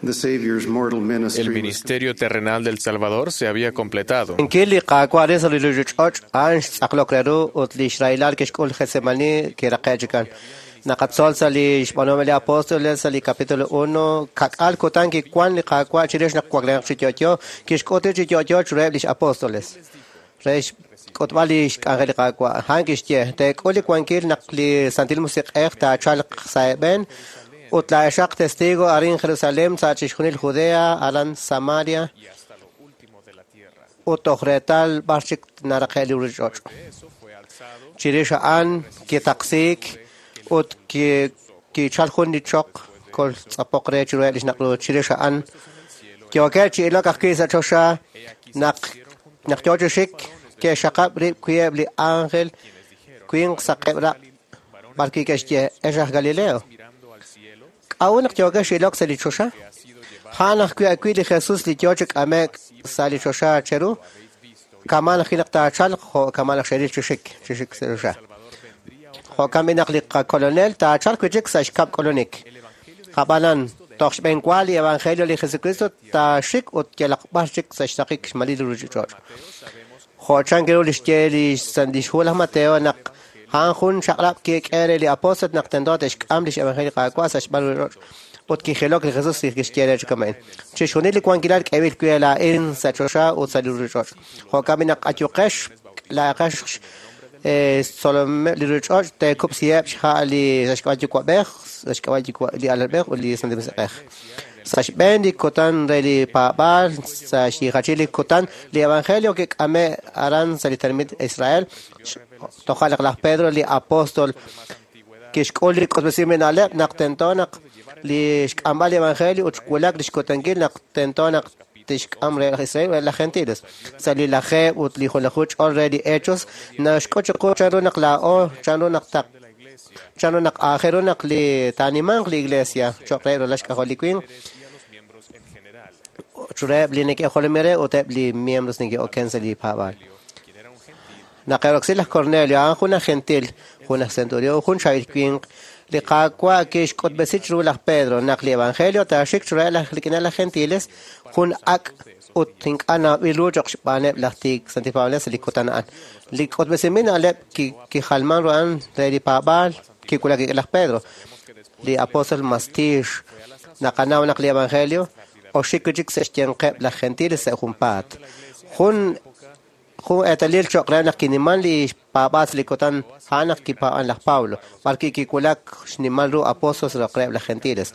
El ministerio terrenal del Salvador se había completado. Inkil li Qaawa' re sa' li ruchich'och' a'an xtz'aqlok re ru ut li xrahilal kixk'ul Getsemani kiraqe' chikan. Naqatzol sa' li xb'aanuhom li apóstoles sa' li capítulo uno, kak'al kutan kiwan li Qaawa' chirix naq waklenaq chi yo'yo, kixk'ut chi yo'yo chiruheb' lix apóstoles. Re xk'utb'al li xk'anjel li Qaawa'. A'an kixye, teek'ul li wankil naq li Santil Musiq'ej taachalq sa' eeb'en ut laa'exaq testigo arin Jerusalem sa' chixjunil Judea, aran Samaria, ut toj reetal b'ar chik naraqe' li ruuchich'och'. Chirix a'an kitaqsiik ut kichal jun li choq kol tz'apoq re chiruheb' li xnaq' chirix a'an. Yookeb' chi ilok ajwi' sa' choxa naq naq yoo chi xik ke'xaqab' rib' wi'eb' li ángel winq saqeb' raq' b'arwi' ke'xye ex aj Galileo. K'a'ut naq yookex chi ilok sa' li choxa? A'an ajwi' ajwi' li Jesus li yoo chi k'ame'k sa' li choxa cheru, kama' ajwi' naq taachalq jo' kama' naq xeril chi xik chi xik sa' choxa. Jo'kan b'i naq li qakolonel taachalq wi' chik sa' xkab' k'ulunik. Ab'anan, toj xb'eenwa li Evangelio li Jesucristo taaxik ut yalaq b'ar chik sa' xraqik xmalil li ruuchich'och'. Jo' chan ru li xye li xhu laj Mateo naq a'an jun chaq'rab' kik'e re li apóstol naq tento te'xk'am lix Evangelio li Qaawa' sa' xb'aan ruuchich'och' ut kijilok li Jesus kixye re chi kama'in. Chixjunil li wankilal k'eb'il wi' laa'in sa' choxa ut sa' li ruuchich'och'. Jo'kan b'i naq ayuqex laa'aqex tzolomeb' li ruuchich'och' teekub'siheb' xha' li sa' xk'ab'a' yuwa'b'ej, sa' xk'ab'a' li alalb'ej ut li Santil Musiq'ej. Sa' xb'een li kutan re li paab'aal, sa' xyijachil li kutan, li Evangelio kik'ame' aran sa' li tenamit Israel, toja' naq laj Pedro li apóstol kixk'ul li k'utb'esinb'il na'leb' naq tento naq li xk'amb'al li Evangelio ut xwulak li xkutankil naq tento naq tixk'am re laj Israel re laj Gentiles. Sa' li lajeeb' ut li junlaju ch'ol re li Hechos, naxk'ut chiqu chanru naq laa'o, chanru naq taq chanru naq aajel ru naq li taanimanq li Iglesia cho'q re ralal xk'ajol li winq, chureheb' li neke'jolomi re ut eb' li miembros neke'oken sa' li paab'aal. Naq eroksi laj Cornelio, a'an jun aj gentil, jun aj centurión, jun chaab'il winq, li Qaawa' kixk'utb'esi chiru laj Pedro naq li Evangelio taaxik chiruheb' laj rik'ineb' laj gentiles, jun ak' ut ink'a' nawb'il ru cho'q xb'aaneb' laj tiik santil paab'anel sa' li kutan a'an. Li k'utb'esinb'il na'leb' kijalman ru a'an re li paab'aal kiwulak rik'in laj Pedro, li apóstol mas tiix. Naqanaw naq li Evangelio oxik wi' chik sa' xyanqeb' laj gentiles sa' junpaat. Jun jun eetalil cho'q re naq kiniman li paab'aal sa' li kutan a'an naq kipaab'an laj Pablo, b'arwi' kiwulak xnimal ru apóstol sa' reheb' laj gentiles.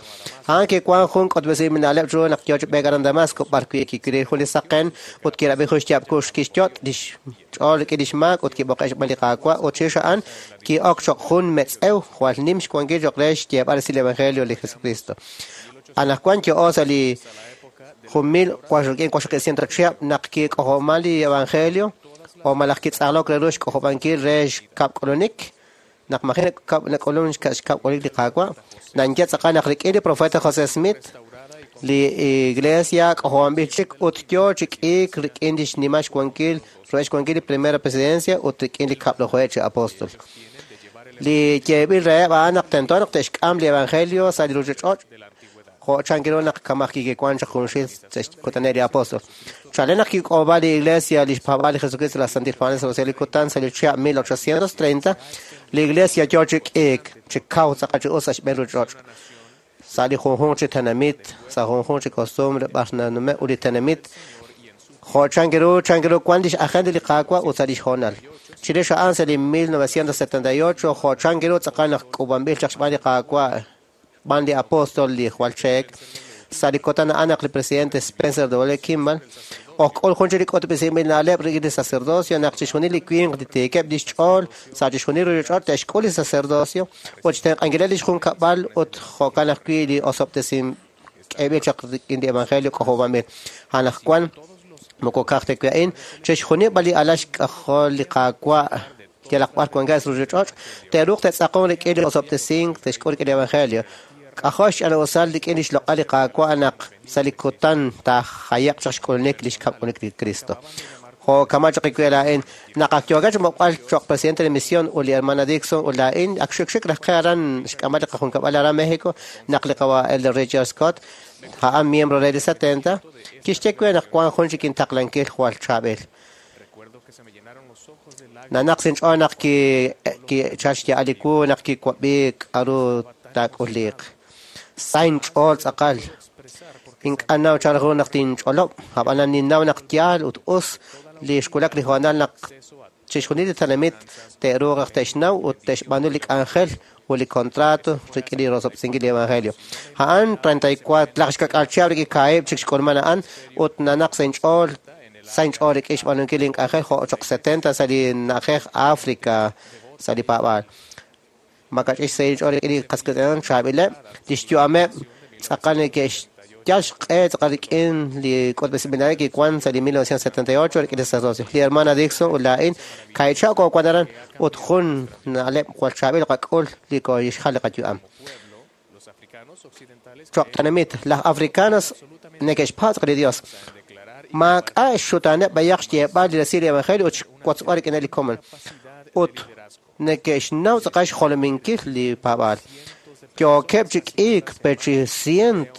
A'an kiwan jun k'utb'esinb'il na'leb' chiru naq yoo chi b'eek aran Damasco, b'arwi' kikiril jun li saqen ut kirab'i jun xyaab' kuux kixyot' lix ch'ool rik'in lix maak ut kib'oqe' xb'aan li Qaawa' ut chirix a'an ki'ok cho'q jun metz'ew jwal nim xwankil cho'q re xyeeb'al resil li Evangelio li Jesucristo. Anaqwan yo'o sa' li jun mil waqxaqib' ciento chihab' naq kik'ojob'man li Evangelio o malaj kitz'aqlok re ru xk'ojob'ankil re xkab' k'ulunik, naq maji' nak'ulun xkab' k'ulunik li Qaawa', nanye tz'aqal naq rik'in li profeta José Smith, li Iglesia k'ojob'anb'il chik ut yoo chi k'iik rik'in li xnimal xwankil, rub'el xwankil li Primera Presidencia ut rik'in li kab'lajuheb' chi apóstol. Li yeeb'il reheb' a'an naq tento naq te'xk'am li Evangelio sa' li ruuchich'och' jo' chan ru naq kamaj kikiwan chaq junxil sa' xkutaneb' li apóstol. Chalen naq kik'ob'a li Iglesia li xpaab'aal li Jesucristo laj Santil Paab'anel sa' li kutan sa' li chihab' mil ochocientos treinta, li Iglesia yoo chi k'iik chi kaw tz'aqal chi us sa' xb'een ruuchich'och'. Sa' li junjunq chi tenamit, sa' junjunq chi costumbre b'ar nanume' ut li tenamit, jo' chan ru chan ru wan lix agenda li Qaawa' ut sa' lix hoonal. Chirix a'an sa' li mil novecientos setenta y ocho, jo' chan ru tz'aqal naq k'ub'anb'il chaq xb'aan li Qaawa' b'aan li apóstol li jwal cheek, sa' li kutan a'an naq li presidente Spencer W. Kimball ojk'ul jun chik li k'utb'esinb'il na'leb' rik'in li sacerdocio naq chixjunil li winq li tiikeb' lix ch'ool sa' chixjunil ruuchich'och' te'xk'ul li sacerdocio ut xtenq'ankileb' lix junkab'al ut jo'kan ajwi' li osob'tesin k'eb'il chaq rik'in li Evangelio k'ojob'anb'il. Anaqwan moko ka'aj ta wi' a'in, chixjunil b'an li alal xk'ajol li Qaawa' yalaq b'ar wankeb' sa' ruuchich'och' te'ruuq te'tz'aqon rik'in li osob'tesink te'xk'ul rik'in li Evangelio. K'ajo' xch'ana'usal rik'in li xloq'al li Qaawa' naq sa' li kutan taajayaq chaq xk'ulunik li xkab' k'ulunik li Cristo. Jo' kama' chaq wi' laa'in, naq ak yookeb' chi mok'al cho'q presidente de misión ut li hermana Dixon ut laa'in, ak xikxik raj qe aran xk'amb'al li qajunkab'al aran México, naq li qawa' Elder Richard Scott, a'an miembro re li setenta, kixye we naq wan jun chik intaqlankil jwal chaab'il. Nanaq sinch'ool naq ki kichal xya'al li wu naq kiwab'i k'aru taak'uliq. Sa inch'ool tz'aqal. Ink'a' naw chan ru naq tinch'olob', ab'anan ninnaw naq yaal ut us li xwulak li hoonal naq chixjunil li tenamit te'ruuq naq te'xnaw ut te'xb'aanu li k'anjel ut li contrato rik'in li rosob'sinkil li evangelio. A'an treinta y cuatro laj xkak'al chihab' rik'in kaahib' chik xk'ulman a'an ut nanaq sa' inch'ool sa' inch'ool rik'in xb'aanunkil li k'anjel jo' choq' setenta sa' li na'ajej África sa' li paab'aal. Makach'ix sa' inch'ool rik'in li qas qiitz'in chaab'ileb' li xyu'ameb' tz'aqal neke'xyal xq'e tz'aqal rik'in li k'utb'esinb'il kiwan sa' li mil novecientos setenta y ocho rik'in li sacerdocio. Li hermana Dixon ut laa'in kahichaq koowan aran ut jun na'leb' jwal chaab'il qak'ul li kooxjal li qayu'am. Choq' tenamit, laj africanos neke'xpatz' li Dios. Maak'a' xxutaaneb' b'ayaq xyeeb'al li resil li evangelio ut xwotzb'al rik'in li komon. Ut neke'xnaw tz'aqal xjolominkil li paab'aal. Yookeb' chi k'iik per chi cient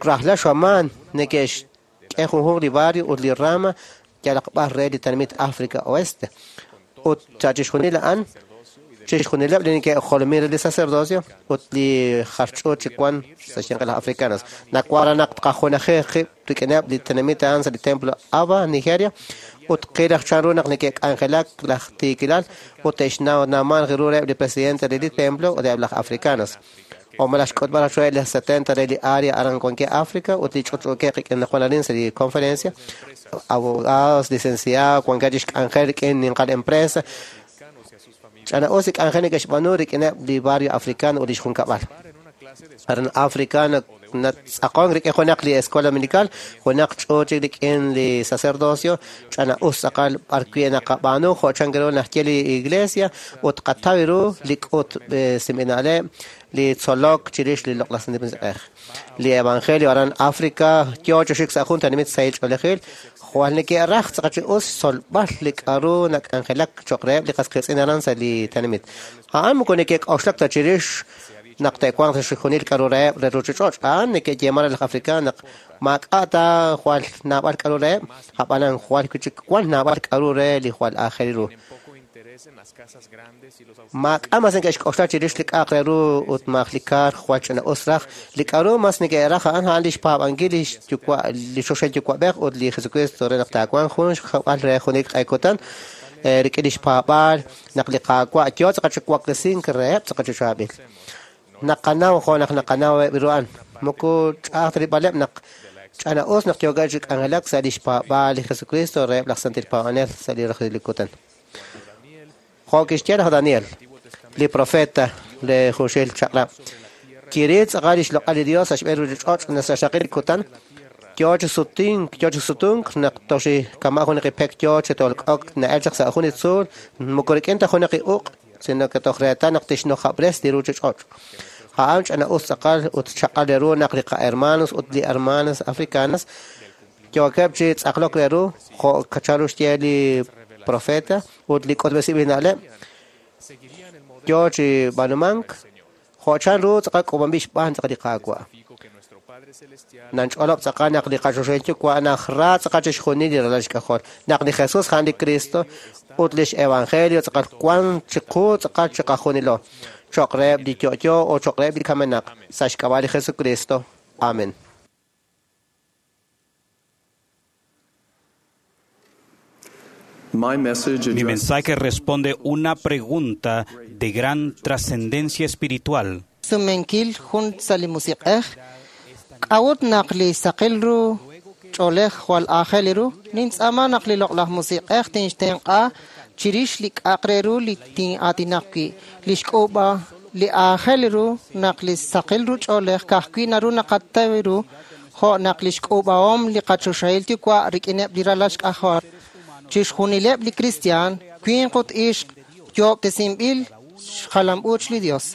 rajlal xamaan neke'xk'e junjunq li barrio ut li rama yalaq b'ar re li tenamit África Oeste. Ut sa' chixjunil a'an chixjunileb' li neke'jolomin re li sacerdocio ut li jar ch'uut chi wan sa' xyanq laj africanos. Nawaj naq tqajunaji qib' rik'ineb' li tenamit a'an sa' li templo Aba, Nigeria, ut qilaj chan ru naq neke'k'anjelak laj tiikilal ut te'xnaw nawman ru reheb' li presidente re li templo ut eb' laj africanos. O malaj xk'utb'al reheb' li setenta re li área aran wankeb' África ut li ch'utch'uukeb' rik'in naq wan arin sa' li conferencia, abogados, licenciados, wankeb' chi xk'anjel rik'in ninqal empresa. Ch'ana'us li k'anjel neke'xb'aanu rik'ineb' li barrio africano ut li xjunkab'al. Aran África natz'aqon rik'in junaq li escuela dominical, junaq ch'uut chik rik'in li sacerdocio, ch'ana'us tz'aqal b'ar wi' naqab'aanu jo' chan ru naxye li iglesia ut qataw ru li k'utb'esinb'il na'leb' li tzolok chirix li loq'laj Santil Musiq'ej. Li evangelio aran África yoo chi xik sa' jun tenamit sahil ch'oolejil, jwal neke'raj tz'aqal chi us xtzolb'al li k'aru nak'anjelak choq' reheb' li qas qiitz'in aran sa' li tenamit. A'an moko neke'k'oxlak ta chirix naq te'wanq sa' xjunil k'aru reheb' re ruuchich'och'. A'an neke'yeeman re laj africano naq maak'a' ta jwal naab'al k'aru reheb', ab'anan jwal wi' chik wan naab'al k'aru re li jwal aajel ru. Maak'a' mas neke'xk'oxla chirix li k'a'aq re ru ut maaj li kaar jwal ch'ina'us raj. Li k'aru mas neke'raj a'an a'an li xpaab'ankil li xyuwa' li choxahil yuwa'b'ej ut li Jesucristo re naq taawanq jun xjab'al re junelik q'e kutan rik'in li xpaab'aal naq li Qaawa' yoo tz'aqal chi waklesink reheb' tz'aqal chi chaab'il. Naqanaw jo' naq naqanaw eb' ru a'an. Moko ch'a'aj ta rilb'aleb' naq ch'ana'us naq yookeb' chi k'anjelak sa' li xpaab'aal li Jesucristo reheb' laj santil paab'anel sa' li roxil li kutan. Jo' kixye laj Daniel, li profeta le junxil chaq'rab', kiril tz'aqal li xloq'al li Dios sa' xb'een ruuchich'och' naq sa' xraqik li kutan, yoo chi sutink, yoo chi sutunk naq toxi kama' junaq li pek yoo chi tolk'ok na'el chaq sa' jun li tzuul, moko rik'in ta junaq li uq', sino que toj reetal naq tixnojab'res li ruuchich'och'. A'an ch'ana'us tz'aqal ut chaq'al re ru naq li qahermanos ut li hermanas africanas yookeb' chi tz'aqlok re ru jo' chan ru xye li profeta ut li k'utb'esinb'il na'leb' yoo chi b'aanumank jo' chan ru tz'aqal k'uub'anb'il xb'aan tz'aqal li Qaawa'. Nanch'olob' tz'aqal naq li qachoxahil yuwa' najra tz'aqal chixjunil li ralal xk'ajol, naq li Jesus a'an li Cristo ut lix evangelio tz'aqal wan chiqu tz'aqal chiqajunilo, choq' reheb' li yo'yo o choq' reheb' li kamenaq, sa' xk'ab'a' li Jesucristo. Amen. Mi mensaje responde una pregunta de gran trascendencia espiritual. Sumenkil jun sa' li musiq'ej, k'a'ut naq li saqil ru ch'oolej jwal aajel ru, nintz'aama naq li loq'laj musiq'ej tinxtenq'a chirix li k'a'aq re ru li tin'aatinaq wi'. Li xk'uub'a li aajel ru naq li saqil ru ch'oolej ka'ajwi' naru naqataw ru jo' naq li xk'uub'ahom li qachoxahil yuwa' rik'ineb' li ralal xk'ajol. Chixjunileb' li kristiaan, winq ut ixq, yoob'tesinb'il xjalam-uuch li Dios.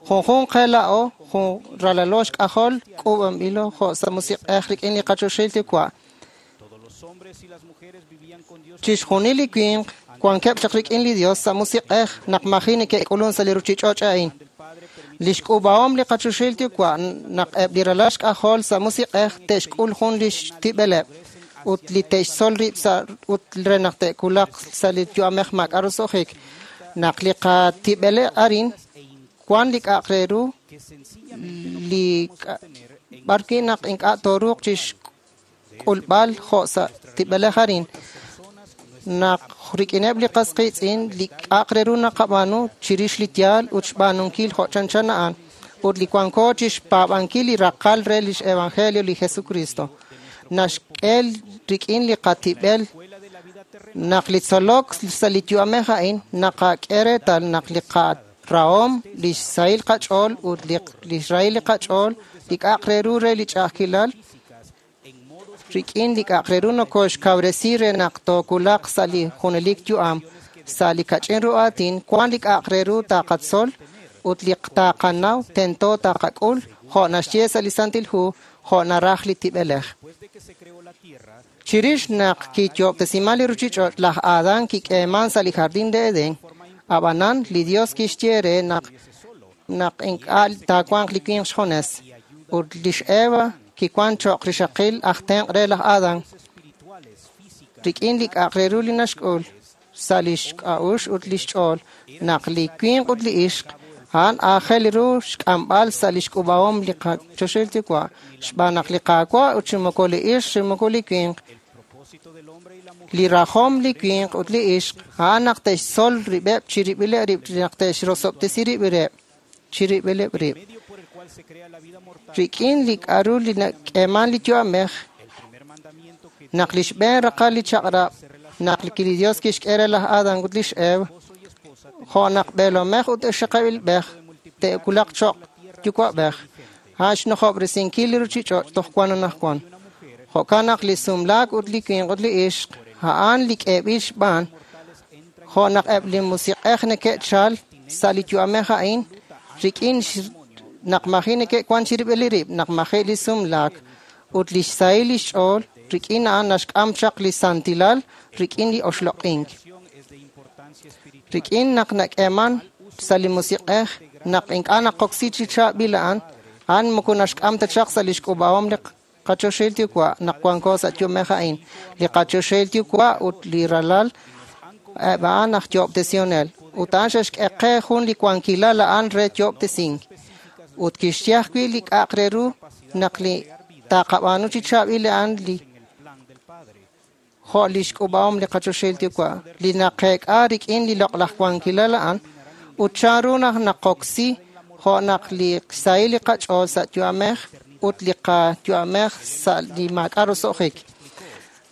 Junjunq qe laa'o, jun ralalo xk'ajol, k'uub'anb'ilo jo' sa' musiq'ej rik'in li qachoxahil yuwa'. Chixjunil li winq wankeb' chaq rik'in li Dios sa' musiq'ej naq maji neke'k'ulun sa' li ruuchich'och' a'in. Li xk'uub'ahom li qachoxahil yuwa' naq eb' li ralal xk'ajol sa' musiq'ej te'xk'ul jun li xtib'eleb'. ut li te'xtzol rib' sa' ut re naq te'kulaq sa' li yu'amej maak'a' roso'jik. Naq li qatib'ele arin wan li k'a'aq re ru li b'arwi' naq ink'a' tooruuq chixk'ulb'al jo' sa' tib'elej arin. Naq rik'ineb' li qas qiitz'in li k'a'aq re ru naqab'aanu chirix li yaal ut xb'aanunkil jo' chanchan a'an ut li wanko chixpaab'ankil li raqal re lix evangelio li Jesucristo. Naxk'e rik'in li qatib'el naq li tzolok sa' li yu'amej a'in naqak'e reetal naq li qarahom, li xsahil qach'ool ut li xrahil li qach'ool, li k'a'aq re ru re li ch'a'ajkilal, rik'in li k'a'aq re ru nokoxkawresi re naq tookulaq sa' li junelik yu'am, sa' li kach'in ru aatin, wan li k'a'aq re ru taqatzol ut li taqanaw tento taqak'ul jo' naxye sa' li Santil Hu, jo' naraj li tib'elej. Chirix naq kiyo'ob'tesiman li ruchich'och' laj Adán kik'eeman sa' li jardín de Edén, ab'anan li Dios kixye re naq naq ink'a' taawanq li winq xjones ut lix Eva kiwan cho'q rixaqil aj tenq' re laj Adán. Rik'in li k'a'aq re ru li naxk'ul sa' lix k'a'uxl ut lix ch'ool naq li winq ut li ixq a'an aajel ru xk'amb'al sa' lix k'ub'ahom li qachoxahil Yuwa' xb'aan naq li Qaawa' ut chi moko li ixq chi moko li winq li rajom li winq ut li ixq a'an naq te'xtzol rib'eb' chirib'ileb' rib' naq te'xrosob'tesi rib'ileb' chirib'ileb' rib'. Rik'in li k'a'ru li nak'eeman li yu'amej naq li xb'een raqal li chaq'rab' naq li Dios kixk'e re laj Adán ut lix Eva jo' naq b'eelomej ut ixaqilb'ej te'kulaq cho'q yuwa'b'ej a'an xnojob'resinkil li ruchich'och' toj wan anaqwan. Jo'kan naq li sumlaak ut li winq ut li ixq a'an li k'eeb'il xb'aan jo' naq eb' li musiq'ej neke'chal sa' li yu'amej a'in rik'in naq maji neke'wan chirib'il rib' naq maji li sumlaak ut li xsahil li xch'ool rik'in a'an naxk'am chaq li santilal rik'in li oxloq'ink. Rik'in naq nak'eeman sa' li musiq'ej naq ink'a' naqoksi chi chaab'il a'an, a'an moko naxk'am ta chaq sa' lix k'ub'ahom li qachoxahil Yuwa' naq wanko sa' yu'amej a'in. Li qachoxahil Yuwa' ut li ralal eb' a'an aj yo'ob'tesionel ut a'an xe'xk'e qe jun li wankilal a'an re yo'ob'tesink. Ut kixye ajwi' li k'a'aq re ru naq li taqab'aanu chi chaab'il a'an li jo' lix k'ub'ahom li qachoxahil Yuwa' li naqeek'a rik'in li loq'laj wankilal a'an ut chanru naq naqoksi jo' naq li xsahil li qach'ool sa' yu'amej ut li qayu'amej sa' li maak'a' roso'jik.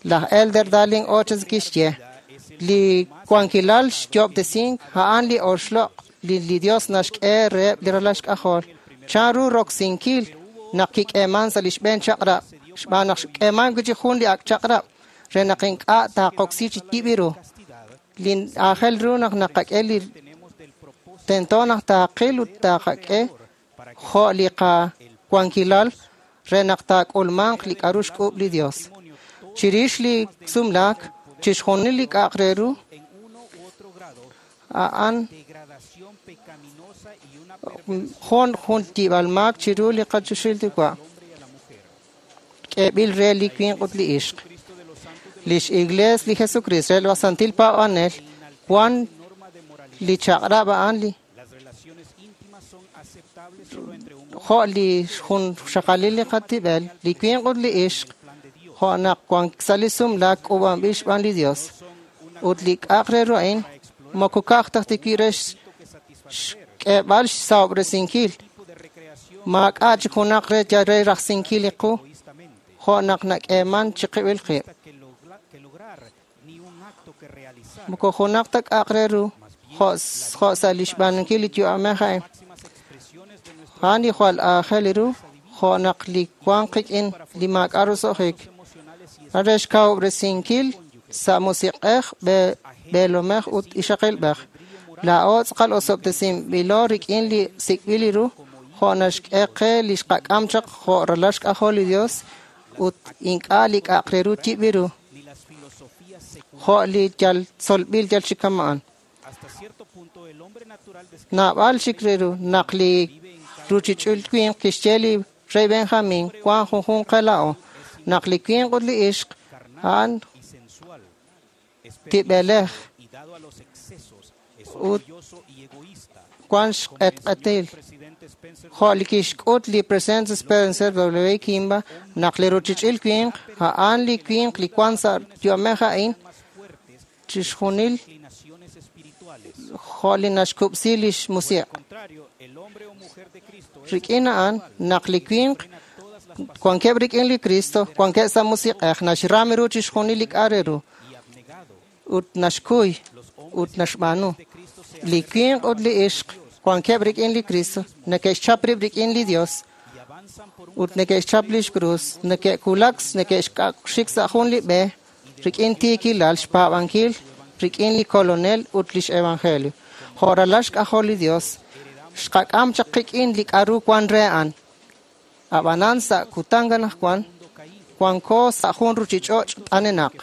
Laj Elder Darling Oches kixye li wankilal xyo'ob'tesink a'an li oxloq' li li Dios naxk'e reheb' li ralal xk'ajol. Chanru roksinkil naq kik'eeman sa' li xb'een chaq'rab' xb'aan naq xk'eeman wi' chi jun li ak' chaq'rab' re naq ink'a' taqoksi chi yib' ru. Li aajel ru naq naqak'e li tento naq taqil ut taqak'e jo' li qawankilal re naq taak'ulmanq li k'a'ru xk'ub' li Dios. Chirix li sumlaak, chixjunil li k'a'aq re ru a'an jun jun yib'al maak chiru li qachoxahil Yuwa' k'eeb'il re li winq ut li ixq. Lix Iglees li Jesucristo re laj Santil Paab'anel wan li chaq'rab' a'an li jo' li jun xaqalil li qatib'el, li winq ut li ixq jo' naq wan sa' li sumlaak k'uub'anb'il xb'aan li Dios. Ut li k'a'aq re ru a'in moko ka'aj ta wi' re xk'eeb'al xsahob'resinkil maak'a' chik junaq re yal re rajsinkil li qu jo' naq nak'eeman chiqib'il qib'. Moko junaq ta k'a'aq re ru jo' jo' sa' li xb'aanunkil li yu'amej a'in. A'an li jwal aajel ru jo' naq li wan qik'in li maak'a' roso'jik. Re xkawub'resinkil sa' musiq'ej b'eelomej ut ixaqilb'ej. Laa'o tz'aqal osob'tesinb'ilo rik'in li sik'b'il ru jo' naxk'e qe li xqak'am chaq jo' ralal xk'ajol li Dios ut ink'a' li k'a'aq re ru yib'il ru jo' li yal tzolb'il yal chi kama'an. Naab'al chik re ru naq li ruchich'ul winq kixye li rey Benjamín wan junjunq qe laa'o naq li winq ut li ixq A'an tib'elej ut wan xq'etq'etil. Jo' li kixk'ut li President Spencer W. Kimball naq li ruchich'il winq a'an li winq li wan sa' yu'amej a'in chixjunil jo' li naxkub'si lix musiq'. Rik'in a'an naq li winq wankeb' rik'in li Cristo, wankeb' sa' musiq'ej, naxram ru chixjunil li k'a' re ru ut naxkuy ut naxb'aanu. Li winq ut li ixq wankeb' rik'in li Cristo, neke'xchap rib' rik'in li Dios ut neke'xchap lix krus, neke'kulak, neke'xik sa' jun li b'e rik'in tiikilal, xpaab'ankil rik'in li Kolonel ut lix Evangelio. Jo' ralal xk'ajol li Dios, xqak'am chaq qik'in li k'a'ru wan re a'an. Ab'anan sa' kutan anaqwan wanko sa' jun ruchich'och' t'anenaq.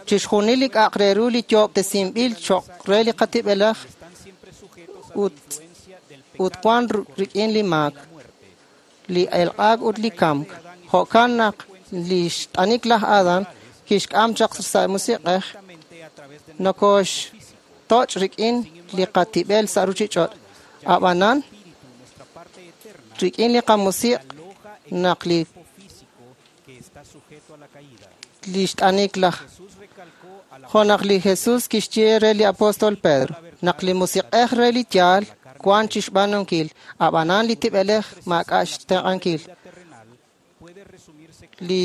Chixjunil li k'a'aq re ru li yoob'tesinb'il cho'q re li qatib'elej ut ut wan rik'in li maak, li elq'aak ut li kamk. Jo'kan naq li xt'anik laj Adán kixk'am chaq sa' musiq'ej nokoxtoch' rik'in li qatib'el sa' ruchich'och'. Ab'anan rik'in li qamusiq' naq li li xt'anik laj jo' naq li Jesús kixye re li apóstol Pedro naq li musiq'ej re li yaal wan chixb'aanunkil, ab'anan li tib'elej maak'a' xtenq'ankil. Li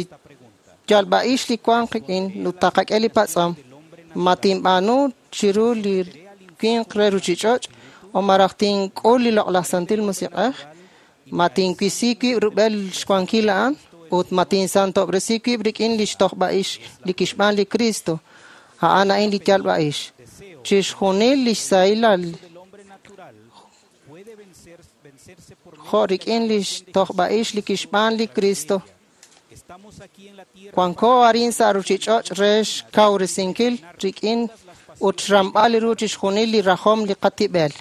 yalb'a'ix li wan qik'in ut taqak'e li patz'om, ma tinb'aanu chiru li winq re ruchich'och' o maraj tink'ul li loq'laj santil musiq'ej, ma tinwisi wib' rub'el xwankil a'an ut ma tinsantob'resi wib' rik'in li xtojb'a'ix li kixb'aan li Cristo, a'an a'in li yalb'a'ix. Chixjunil li xsahilal jo' rik'in li xtojb'a'ix li kixb'aan li Cristo. Wanko arin sa' ruchich'och' re xkawresinkil rik'in ut xramb'al ru chixjunil li rajom li qatib'el.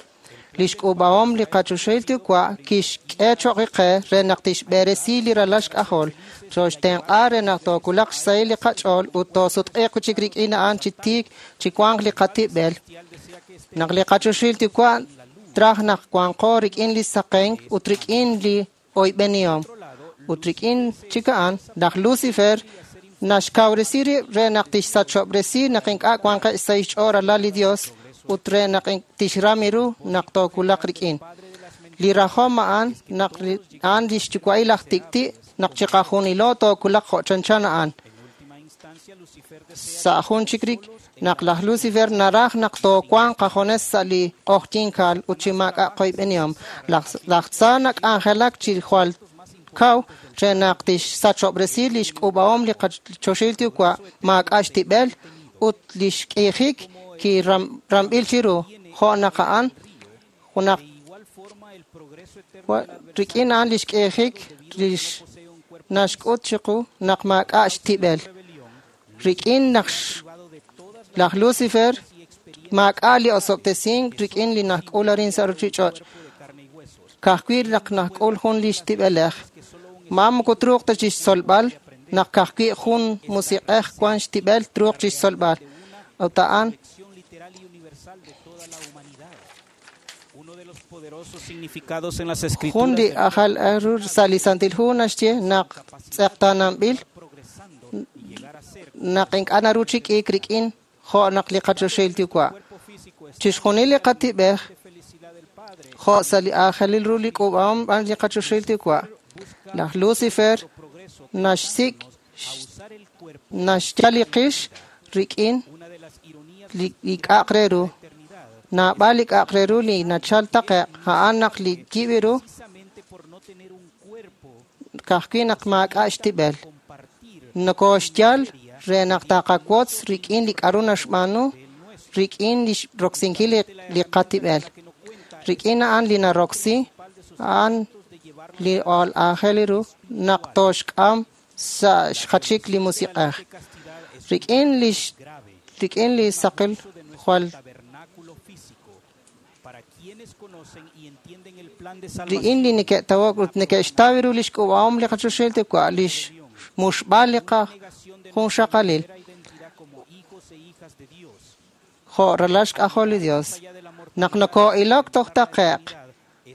Lix k'uub'ahom li qachoxahil Yuwa' kixk'e cho'q qe re naq tixb'eresi li ralal xk'ajol, choxtenq'a re naq tookulaq xsahil li qach'ool ut toosutq'iiq chik rik'in a'an chi tiik chi wanq li qatib'el. Naq li qachoxahil Yuwa' traj naq wanqo rik'in li saqenk ut rik'in li oyb'enihom. Ut rik'in chik a'an, laj Lucifer naxkawresi rib' re naq tixsachob'resi naq ink'a' wanqeb' sa' xch'ool ralal li Dios ut re naq tixram ru naq tookulaq rik'in. Li rajom a'an naq a'an lix yuwa'il aj tik'ti' naq chiqajunilo tookulaq jo' chanchan a'an. Sa' jun chik rik naq laj Lucifer naraj naq toowanq qajones sa' li q'oqyinkaal ut chi maak'a' qoyb'enihom. Laj Tza nak'anjelak chi jwal kaw re naq tixsachob'resi lix k'uub'ahom li qachoxahil Yuwa' maak'a' xtib'el ut lix k'iijik kiramb'il chiru jo' naq a'an junaq rik'in a'an lix k'iijik lix naxk'ut chiqu naq maak'a' xtib'el. Rik'in naq laj Lucifer maak'a' li osob'tesink rik'in li najk'ul arin sa' ruchich'och'. Kajwi' naq najk'ul jun li xtib'elej. Ma moko truuq ta chixtzolb'al naq kajwi' jun musiq'ej wan xtib'el truuq chixtzolb'al. Ut a'an jun li ajal ru sa' li Santil Hu naxye naq tz'eqtaananb'il naq ink'a' naru chi k'iik rik'in jo' naq li qachoxahil Yuwa'. Chixjunil li qatib'ej jo' sa' li aajelil ru li k'uub'ahom b'an li qachoxahil Yuwa'. Laj Lucifer naxsik' naxyal li qix rik'in li k'a'aq re ru. Naab'al li k'a'aq re ru li nachal taqe'q a'an naq li yib' ru kajwi' naq maak'a' xtib'el. Nokoxyal re naq taqawotz rik'in li k'a'ru naxb'aanu rik'in li roksinkil li qatib'el. Rik'in a'an li naroksi a'an li aajel ru naq toxk'am sa' xjachik li musiq'ej. Rik'in li rik'in li saqil jwal rik'in li neke'tawok ut neke'xtaw ru lix k'uub'ahom li qachoxahil Yuwa' lix muxb'al li qajunxaqalil. Jo' ralal xk'ajol li Dios. Naq noko'ilok toj taqe'q,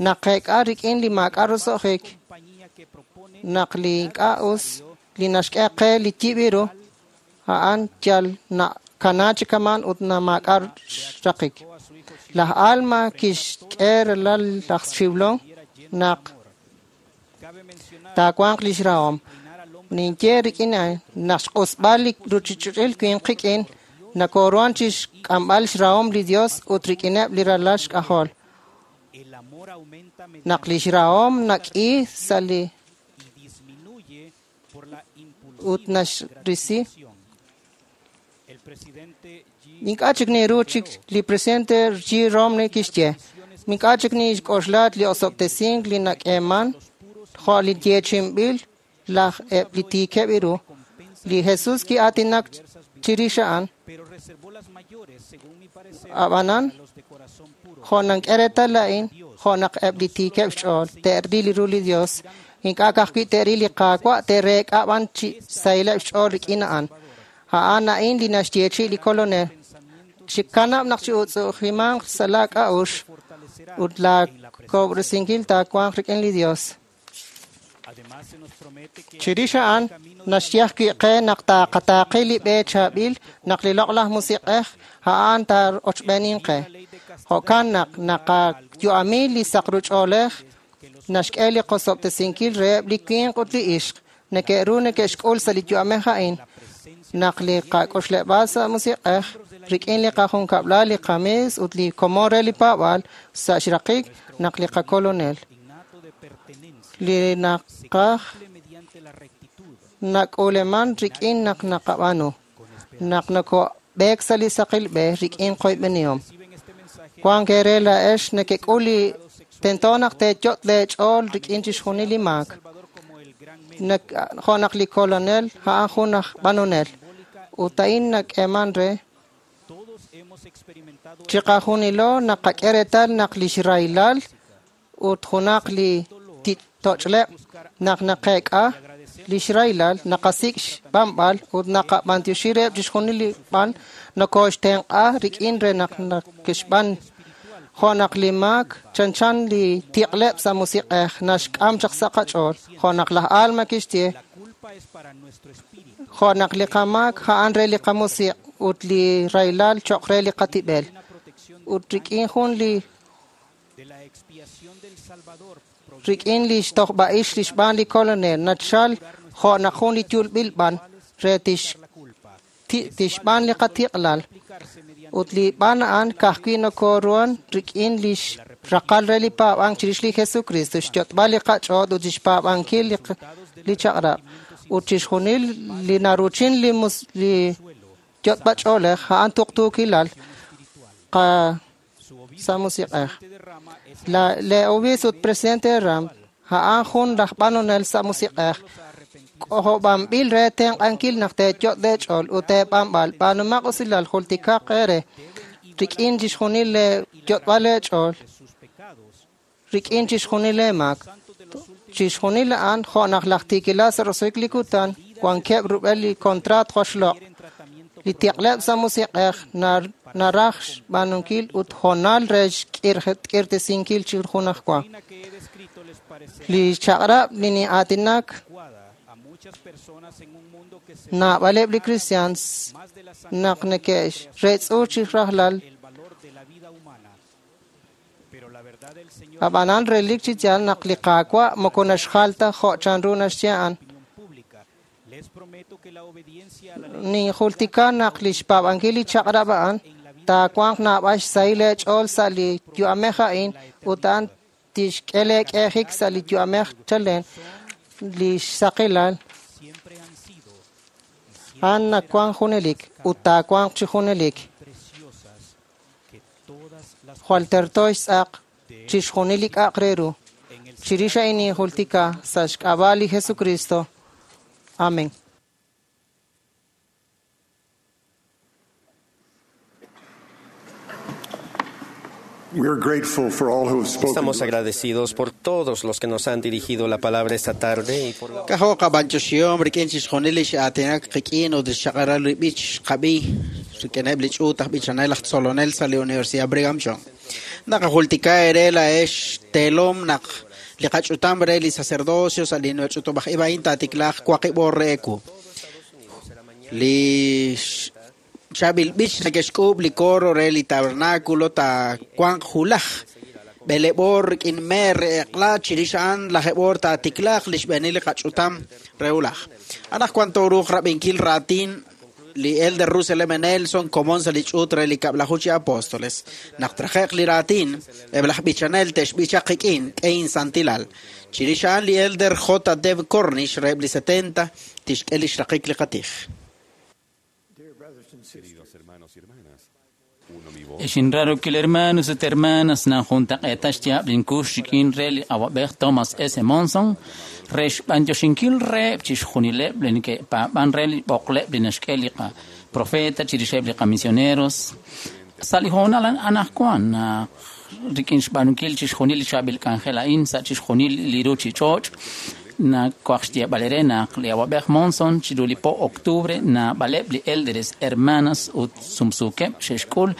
naqeek'a rik'in li maak'a' roso'jik, naq li ink'a' us li naxk'e qe li yib' ru, a'an yal nakana chi kaman ut na maak'a' xraqik. Laj Alma kixk'e ralal laj Xiblon naq taawanq lix rahom. Ninye rik'in naq xq'usb'al li ruchich'och'il winq qik'in, nakoruhan chixk'amb'al xrahom li Dios ut rik'ineb' li ralal xk'ajol. Naq lix rahom nak'i sa' li ut naxrisi. Ink'a' chik niru chik li presidente G. Romney kixye. Ink'a' chik nixk'oxla li osob'tesink li nak'eeman jo' li yeechi'inb'il laj eb' li tiikeb' ru. Li Jesús ki'aatinak chirix a'an. Ab'anan, jo' nank'e reetal a'in, jo' naq eb' li tiikeb' xch'ool te'ril ru li Dios, ink'a' ka'ajwi' te'ril li Qaawa' te'reek'a b'an chi sahileb' xch'ool rik'in a'an. A'an a'in li naxyeechi' li Kolonel. Chikanab' naq chi'utz'ujimanq sa' laa k'a'uxl ut laa kob'resinkil taawanq rik'in li Dios. Chirix a'an naxye ajwi' qe naq taaqataaqi li b'e chaab'il naq li loq'laj musiq'ej a'an taa'ochb'eenin qe. Jo'kan naq naqayu'ami li saqruch'oolej naxk'e li qosob'tesinkil reheb' li winq ut li ixq neke'ru neke'xk'ul sa' li yu'amej a'in. Naq li qak'oxleb'aal sa' musiq'ej rik'in li qajunkab'lal li qamis ut li komon re li paab'aal sa' xraqik naq li qakolonel. Li naqaj nak'uleman rik'in naq naqab'aanu. Naq nokob'eek sa' li saqil b'e rik'in qoyb'enihom. Wank eere laa'ex nekek'ul li tento naq teeyot' leech'ool rik'in chixjunil li maak. Jo' naq li kolonel a'an jun aj b'anonel. Ut a'in nak'eeman re chiqajunilo naqak'e reetal naq lix rahilal ut junaq li toch'leb' naq naqeek'a lix rahilal naqasik' xb'anb'al ut naqab'antioxi reheb' chixjunil li b'an nokoxtenq'a rik'in re naq nakexb'an. Jo' naq li maak chanchan li tiq'leb' sa' musiq'ej naxk'am chaq sa' qach'ool. Jo' naq laj Alma kixye jo' naq li qamaak a'an re li qamusiq' ut li rahilal cho'q re li qatib'el. Ut rik'in jun li rik'in li xtojb'a'ix li xb'aan li kolonel nachal jo' naq jun li yulb'il b'an re tix tixb'aan li qatiq'lal. Ut li b'an a'an ka'ajwi' nokoruhan rik'in li xraqal re li paab'ank chirix li Jesucristo, xyot'b'al li qach'ool ut xpaab'ankil li chaq'rab'. Ut chixjunil li naruchin li li yot'b'ach'oolej a'an tuqtuukilal qa sa' musiq'ej. La le obispo ut presidente Ram a'an jun laj b'anonel sa' musiq'ej. K'ojob'anb'il re tenq'ankil naq teeyot' leech'ool ut teeb'anb'al b'aanumaq usilal jultikaq eere rik'in chixjunil lee yot'b'al leech'ool rik'in chixjunil leemaak. Chixjunil a'an jo' naq laj tiikilal sa' roso'jik li kutan wankeb' rub'el li kontraat joxloq'. Li tiq'leb' sa' musiq'ej naraj xb'aanunkil ut hoonal re xk'irtesinkil chi junajwa. Li chaq'rab' li ni'aatinak naab'aleb' li cristians naq neke'reetz'u chi rajlal. Ab'anan relik chi yaal naq li Qaawa' moko naxjal ta jo' chanru naxye a'an. Ninjultika naq li xpaab'ankil li chaq'rab' a'an taawanq naab'al xsahil leech'ool sa' li yu'amej a'in ut a'an tixk'e leek'eejik sa' li yu'amej chalen li xsaqilal. A'an nawank junelik ut taawanq chi junelik. Jwal terto xtz'aq chixjunil li k'a'aq re ru. Chirix a'in ninjultika sa' xk'ab'a' li Jesucristo. Amén. Estamos agradecidos por todos los que nos han dirigido la palabra esta tarde y por la K'ajo' qab'anchoxihom rik'in chixjunil li x'aatinak qik'in ut xchaq'alal li b'ich xqab'i. Rik'ineb' li ch'uut aj b'ichanel aj tzolonel sa' li Universidad Brigham Young. Naqajultika eere laa'ex teelom naq li qach'utam re li sacerdocio sa' li ch'utub'aj ib' a'in taatiklaaq waqib' oor re eewu. Li chaab'il b'ich neke'xk'uub' li coro re li tabernáculo taawanq julaj. B'eleeb' oor rik'in meer re eq'la chirix a'an lajeeb' oor taatiklaaq li xb'eenil li qach'utam re hulaj. Anaqwan tooruuq rab'inkil raatin li Elder Russell M. Nelson komon sa' li ch'uut re li kab'laju chi apóstoles. Naq traje'q li raatin, eb' laj b'ichanel te'xb'ichaq qik'in k'ein santilal. Chirix a'an li Elder J. Dev Cornish reheb' li setenta tixk'e li xraqik li qatij. Queridos hermanos y hermanas, uno mi voz. Exinrarukil hermanos ut hermanas nanjuntaq'eeta xyaab' linkux rik'in re li awab'ej Thomas S. Monson re xb'anyoxinkil reheb' chixjunileb' li neke'paab'an re li b'oqleb' li naxk'e li qaprofeta chirixeb' li qamisioneros. Sa' li hoonal anaqwan naq rik'in xb'aanunkil chixjunil li chaab'il k'anjel a'in sa' chixjunil li ruchich'och' nakuaj xyeeb'al eere naq li awab'ej Monson chiru li po octubre naab'aleb' li élderes hermanas ut sumsuukeb' xe'xk'ul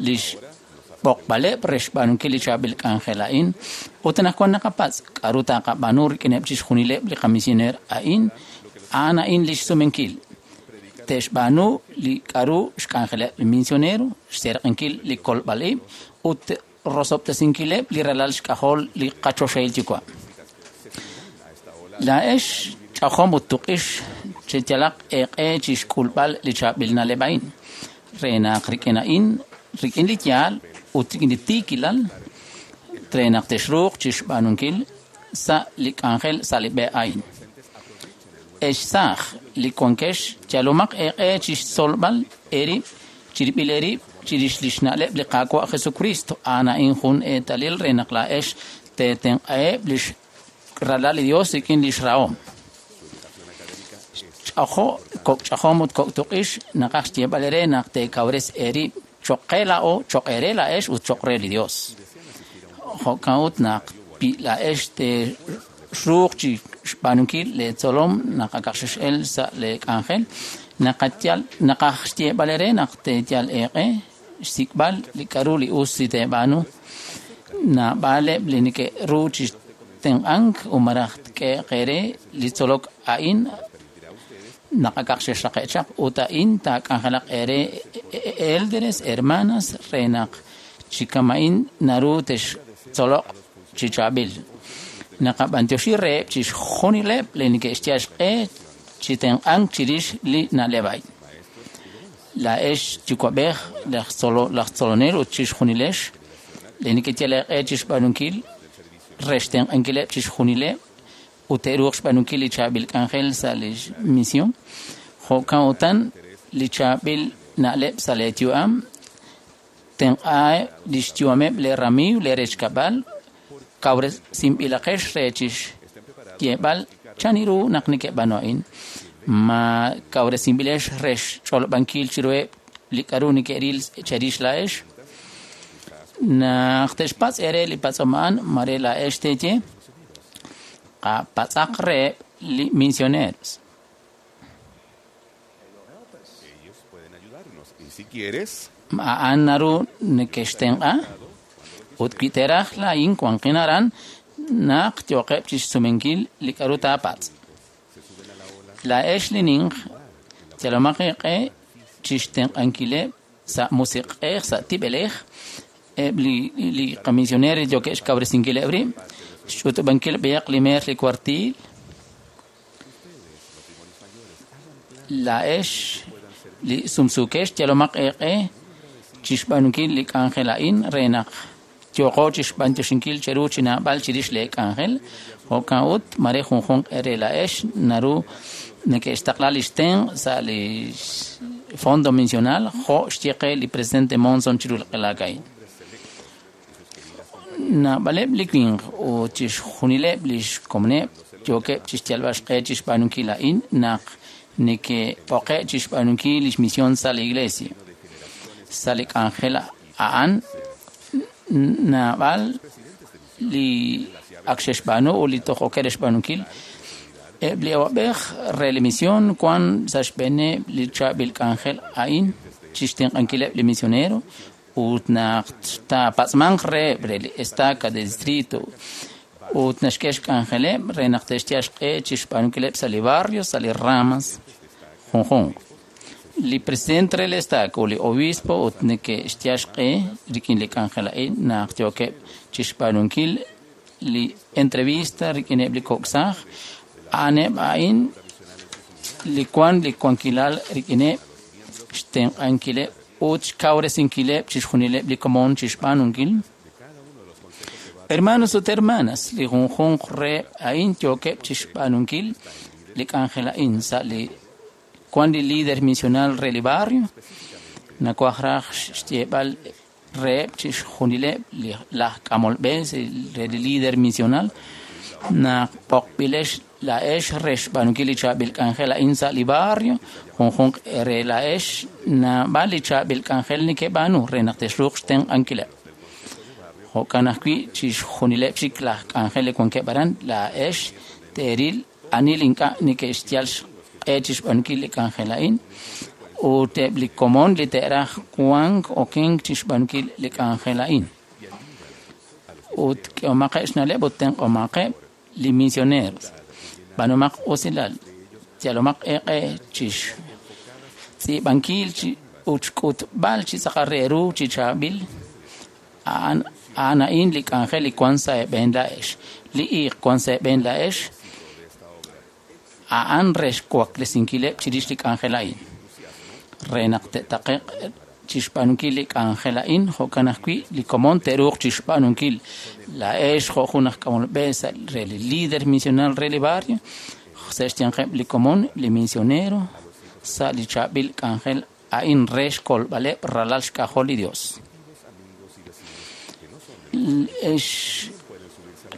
li xb'oqb'aleb' re xb'aanunkil li chaab'il k'anjel a'in ut anaqwan naqapatz' k'a'ru taqab'aanu rik'ineb' chixjunileb' li qamisioneer a'in a'an a'in li xsumenkil te'xb'aanu li k'a'ru xk'anjeleb' li misionero xserq'inkil li kolb'al ib' ut rosob'tesinkileb' li ralal xk'ajol li qachoxahil yuwa'. Laa'ex ch'ajom ut tuq'ix cheyalaq eeq'e chixk'ulb'al li chaab'il na'leb' a'in re naq rik'in a'in rik'in li yaal ut rik'in li tiikilal re naq texruuq chixb'aanunkil sa' li k'anjel sa' li b'e a'in. Ex saaj li wankex yalomaq eeq'e chixtzolb'al eerib' chirib'il eerib' chirix li xna'leb' li Qaawa' Jesucristo a'an a'in jun eetalil re naq laa'ex teetenq'aheb' li ralal li Dios rik'in li xrahom. Ch'ajo kok' ch'ajom ut kok' tuq'ix naqaj xyeeb'al eere naq teekawres eerib' cho'q qe laa'o cho'q eere laa'ex ut cho'q re li Dios. Jo'kan ut naq pi laa'ex te'ruuq chi xb'aanunkil leetzolom naq akaq xex'el sa' leek'anjel naqayal naqaj xyeeb'al eere naq teeyal eeq'e xsik'b'al li k'a'ru li us li teeb'aanu naab'aleb' li neke'ru chi tenq'ank umaraj tk'eeq eere li tzolok a'in naq akaq xexraqe' chaq ut a'in taak'anjelaq eere élderes hermanas re naq chi kama'in naru textzoloq chi chaab'il. Naqab'antioxi reheb' chixjunileb' li neke'xyal xq'e chi tenq'ank chirix li na'leb' a'in. Laa'ex yuwa'b'ej laj tzolo laj tzolonel ut chixjunilex li neke'yal eeq'e chixb'aanunkil re xtenq'ankileb' chixjunileb' ut te'ruuq xb'aanunkil li chaab'il k'anjel sa' li misión. Jo'kan utan li chaab'il na'leb' sa' leeyu'am tenq'aheb' li xyu'ameb' leeramiiw leerechkab'al kawresinb'ilaqex re chixyeeb'al chan ru naq neke'b'aanu a'in. Ma kawresinb'ilex re xch'olob'ankil chiruheb' li k'a'ru neke'ril cherix laa'ex. Naq te'xpatz' eere li patz'om a'an mare laa'ex teeye qapatz'aq reheb' li misioneros. Ellos pueden ayudarnos. Y si quieres, A'an naru neke'xtenq'a ut wi teeraj laa'in wanqin aran naq yooqeb' chixsumenkil li k'a'ru taapatz'. Laa'ex li ninq yalomaq eeq'e chixtenq'ankileb' sa' musiq'ej sa' tib'elej eb' li li qamisioneros yookeb' xkawresinkileb' rib' xch'utub'ankil b'ayaq li meer li kuartiil. Laa'ex li sumsuukex yalomaq eeq'e chixb'aanunkil li k'anjel a'in re naq yooqo chixb'antioxinkil cheru chi naab'al chirix leek'anjel. Jo'kan ut mare junjunq eere laa'ex naru neke'xtaqla li xtenq' sa' li fondo misional jo' xye qe li presidente Monson chiru li q'elaak a'in. Naab'aleb' li winq ut chixjunileb' li xkomoneb' yookeb' chixyalb'al xq'e chixb'aanunkil a'in naq neke'b'oqe' chixb'aanunkil li xmisión sa' li iglesia. Sa' li k'anjel a'an naab'al li ak xe'xb'aanu ut li toj ok re xb'aanunkil eb' li awab'ej re li misión wan sa' xb'eeneb' li chaab'il k'anjel a'in. chixtenq'ankileb' li misionero ut naq taapatz'manq reheb' re li estaca de distrito ut naxk'e xk'anjeleb' re naq te'xyal xq'e chixb'aanunkileb' sa' li barrio, sa' li ramas junjunq. Li presidente re li estaca ut li obispo ut neke'xyal xq'e rik'in li k'anjel a'in naq yookeb' chixb'aanunkil li entrevista rik'ineb' li kok' saaj, a'aneb' a'in li wan li wankilal rik'ineb' xtenq'ankileb' ut xkawresinkileb' chixjunileb' li komon chixb'aanunkil. Hermanos ut hermanas, li junjunq re a'in yookeb' chixb'aanunkil li k'anjel a'in sa' li wan li líder misional re li barrio, nawaj raj xyeeb'al reheb' chixjunileb' li laj k'amol b'e re li líder misional naq b'oqb'ilex laa'ex re xb'aanunkil li chaab'il k'anjel a'in sa' li barrio, junjunq re laa'ex naab'al li chaab'il k'anjel nekeb'aanu re naq texruuq xtenq'ankileb'. Jo'kan ajwi' chixjunileb' chik laj k'anjel li wankeb' aran laa'ex teeril ani li ink'a' neke'xyal xq'e chixb'aanunkil li k'anjel a'in ut eb' li komon li te'raj wank okenk chixb'aanunkil li k'anjel a'in. Ut k'ehomaqeb' xna'leb' ut tenq'omaqeb' li misioneros. B'aanumaq usilal, yalomaq eeq'e chixtz'iib'ankil ut xk'utb'al chi tz'aqal re ru chi chaab'il a'an a'an a'in li k'anjel li wan sa' eeb'een laa'ex. Li iiq wan sa' eeb'een laa'ex a'an re xwaklesinkileb' chirix li k'anjel a'in. Re naq te'taqe'q chixb'aanunkil li k'anjel a'in, jo'kan ajwi' li komon te'ruuq chixb'aanunkil laa'ex jo' jun aj k'amol b'e sa' re li líder misional re li barrio, sa' xyanqeb' li komon, li misionero, sa' li chaab'il k'anjel a'in re xkolb'aleb' ralal xk'ajol li Dios. Ex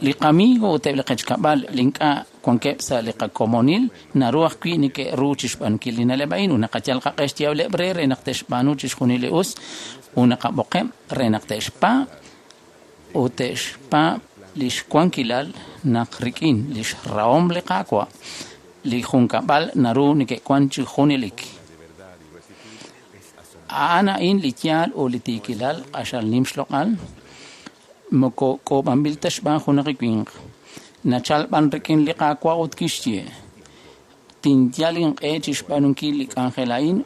li qamigo ut eb' li qechkab'al li ink'a' wankeb' sa' li qakomonil naru ajwi' neke'ru chixb'aanunkil li na'leb' a'in ut naqayal qaq'e xyeeb'leb' re re naq te'xb'aanu chixjunil li us ut naqab'oqeb' re naq te'xpaab' ut te'xpaab' li xwankilal naq rik'in li xrahom li Qaawa' li junkab'al naru neke'wan chi junelik. A'an a'in li yaal ut li tiikilal q'axal nim xloq'al moko k'oob'anb'il ta xb'aan junaq li winq. Nachal b'an rik'in li Qaawa' ut kixye, tinyal inq'e chixb'aanunkil li k'anjel a'in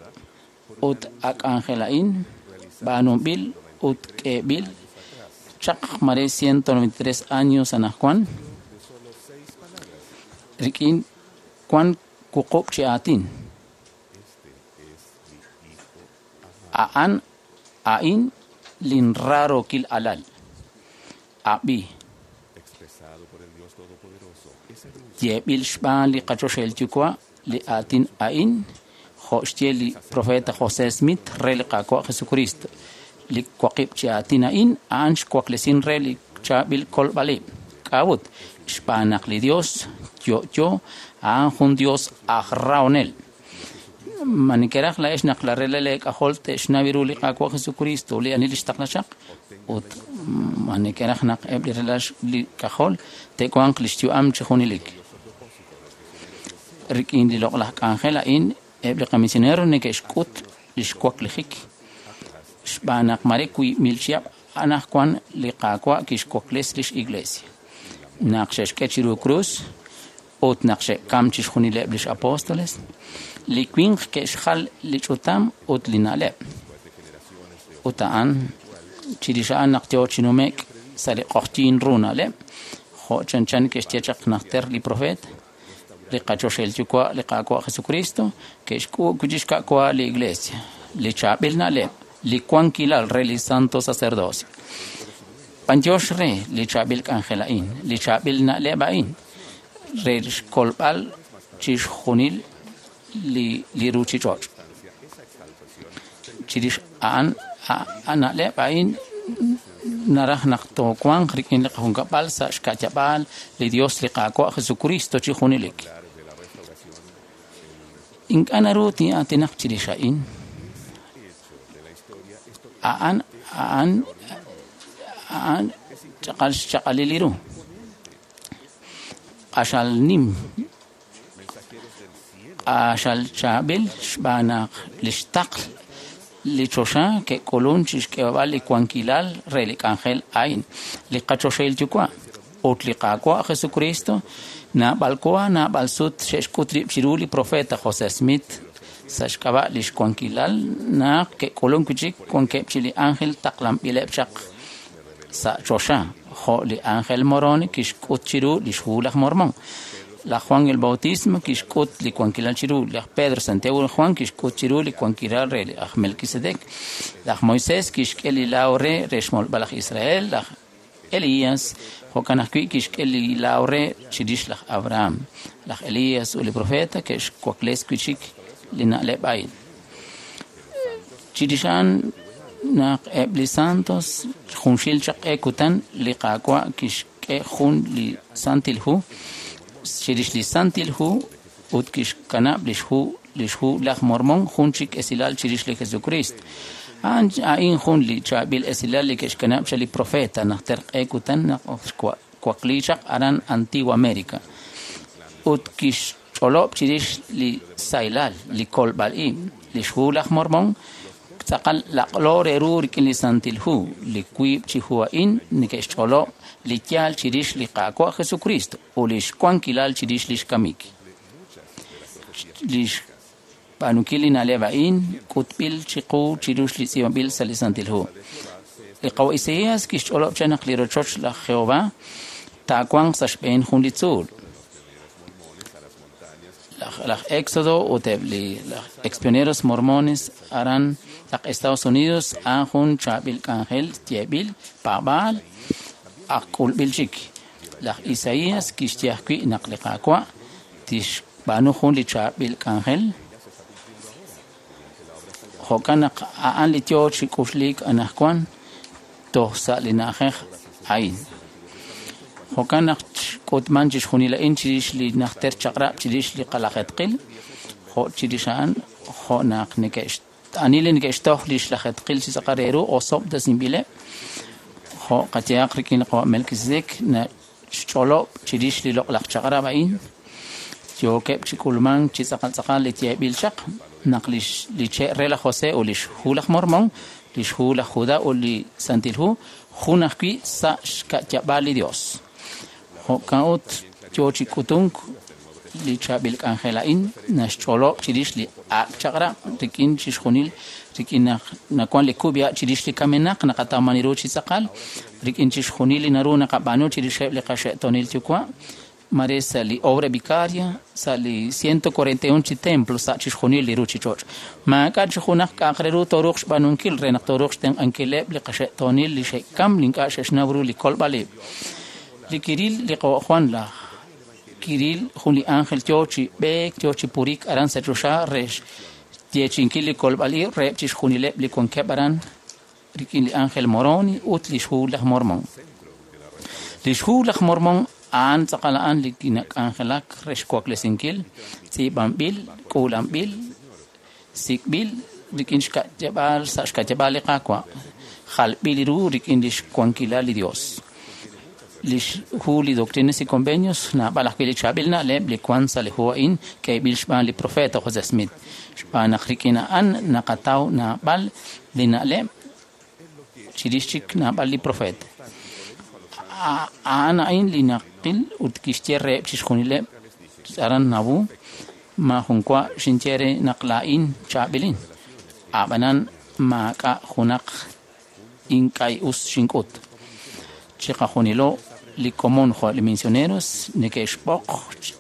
ut a k'anjel a'in b'aanunb'il ut k'eeb'il chaq mare ciento noventa y tres años anajwan rik'in wan wuqub' chi aatin. A'an a'in linraarokil alal. Ab'i. Yeeb'il xb'aan li qachoxahil yuwa' li aatin a'in jo' xye li profeta José Smith re li Qaawa' Jesucristo. Li waqib' chi aatin a'in a'an xwaklesin re li chaab'il kolb'alib'. K'a'ut xb'aan naq li Dios yo'yo a'an jun Dios aj rahonel. Ma nekeraj laa'ex naq la rela leek'ajol te'xnaw ru li Qaawa' Jesucristo li ani li xtaqla chaq ut ma nekeraj naq eb' li rela li k'ajol te'wanq li xyu'am chi junelik. Rik'in li loq'laj k'anjel a'in eb' li qamisionero neke'xk'ut li xwaklijik xb'aan naq mare wiib' mil chihab' anajwan li Qaawa' kixwakles lix iglesia. Naq xe'xk'e chiru krus ut naq xe'kam chixjunileb' lix apóstoles, li winq ke'xjal li ch'utam ut li na'leb'. Ut a'an chirix a'an naq yoo chi nume'k sa' li q'oqyiin ru na'leb', jo' chanchan ke'xye chaq najter li profeet, li qachoxahil yuwa' li Qaawa' Jesucristo ke'xk'uub' wi' chixka'wa li iglesia, li chaab'il na'leb', li wankilal re li santo sacerdocio. B'antiox re li chaab'il k'anjel a'in, li chaab'il na'leb' a'in, re xkolb'al chixjunil li li ruuchich'och'. Chirix a'an a na'leb' a'in naraj naq toowanq rik'in li qajunkab'al sa' xka'yab'aal li Dios li Qaawa' Jesucristo chi junelik. Ink'a' naru tin'aatinaq chirix a'in. A'an a'an a'an ch'aqal xchaq'alil li ru. Q'axal nim q'axal chaab'il xb'aan naq li xtaql li choxa ke'k'ulun chixk'eeb'al li wankilal re li k'anjel a'in, li qachoxahil yuwa' ut li Qaawa' Jesucristo naab'al wa naab'al sut xe'xk'ut rib' chiru li profeta José Smith sa' xk'ab'a' li xwankilal naq ke'k'ulun wi' chik wankeb' chi li ángel taqlanb'ileb' chaq sa' choxa jo' li ángel Moroni kixk'ut chiru li xhu laj Mormón. Laj Juan el Bautismo kixk'ut li wankilal chiru, laj Pedro, Santiago y Juan kixk'ut chiru li wankilal re laj Melquisedec, laj Moisés kixk'e li laaw re re xmolb'al laj Israel, laj Elías jo'kan ajwi' kixk'e li laaw re chirix laj Abraham. Laj Elías ut li profeta ke'xwakles wi' chik li na'leb' a'in. Chirix a'an naq eb' li santos junxil chaq q'e kutan li Qaawa' kixk'e jun li Santil Hu chirix li Santil Hu ut kixkanab' li xhu li xhu laj Mormón jun chik esilal chirix li Jesucristo. A'an a'in jun li chaab'il esilal li ke'xkanab' chaq li profeta najter q'e kutan naq xwakli chaq aran Antigua América ut kixch'olob' chirix li saylal li kolb'al ib' li xhu laj Mormón tz'aqal laq'lo re ru rik'in li Santil Hu li wiib' chi hu a'in neke'xch'olob' li yaal chirix li Qaawa' Jesucristo ut li xwankilal chirix li xkamik. Li xb'aanunkil li na'leb' a'in k'utb'il chiqu chirix li tz'iib'anb'il sa' li Santil Hu. Li Qawa' Isaías kixch'olob' chaq naq li rochoch laj Jehová taawanq sa' xb'een jun li tzuul. Laj Éxodo ut eb' li laj expioneros mormones aran laj Estados Unidos a'an jun chaab'il k'anjel yeeb'il paab'aal ak k'ulb'il chik. Laj Isaías kixye ajwi' naq li Qaawa' tixb'aanu jun li chaab'il k'anjel jo'kan naq a'an li yoo chi k'uxliik anaqwan toj sa' li na'ajej a'in. Jo'kan naq xk'utman chixjunil a'in chirix li najter chaq'rab' chirix li qalajetqil jo' chirix a'an jo' naq neke'x ani li neke'xtoj li xlajetqil chi tz'aqal re ru osob'tesinb'ileb' jo' qayehaq rik'in li Qawa' Melquisedec naxch'olob' chirix li loq'laj chaq'rab' a'in yookeb' chi k'ulmank chi tz'aqal tz'aqal li yeeb'il chaq naq li li che' re laj José ut li xhu laj Mormón, li xhu laj Judá ut li Santil Hu jun ajwi' sa' xka'yab'aal li Dios. Jo'kan ut yoo chi k'utunk li chaab'il k'anjel a'in naxch'olob' chirix li ak' chaq'rab' rik'in chixjunil rik'in naq nawan li kub'ya chirix li kamenaq naqatawman ru chi tz'aqal rik'in chixjunil li naru naqab'aanu chirixeb' li qaxe'toonil yuwa' mare sa' li obra vicaria sa' li ciento cuarenta y un chi templo sa' chixjunil li ruchich'och'. Maak'a' chi junaq k'a'aq re ru tooruuq xb'aanunkil re naq tooruuq xtenq'ankileb' li qaxe'toonil li xe'kam li ink'a' xe'xnaw ru li kolb'al ib'. Li kiril li Qawa' Juan laj kiril jun li ángel yoo chi b'eek yoo chi purik aran sa' choxa re xyeechi'inkil li kolb'al ib' reheb' chixjunileb' li wankeb' aran rik'in li ángel Moroni ut li xhu laj Mormón. Li xhu laj Mormón a'an tz'aqal a'an li kinak'anjelak re xwaklesinkil tz'iib'anb'il k'uulanb'il sik'b'il rik'in xka'yab'aal sa' xka'yab'aal li Qaawa' jalb'il ru rik'in li xwankilal li Dios. Li xhu li Doctrinas y Convenios naab'al ajwi' li chaab'il na'leb' li wan sa' li hu a'in k'eeb'il xb'aan li profeta José Smith. Xb'aan naq rik'in a'an naqataw naab'al li na'leb' chirix chik naab'al li profeta. A'an a'in li naqil ut kixye reheb' chixjunileb' aran Nauvoo maajun wa xinye re naq laa'in chaab'ilin. A'b'anan maak'a' junaq ink'a' us xink'ut. Chiqajunilo li komon jo' li misioneros neke'xb'oq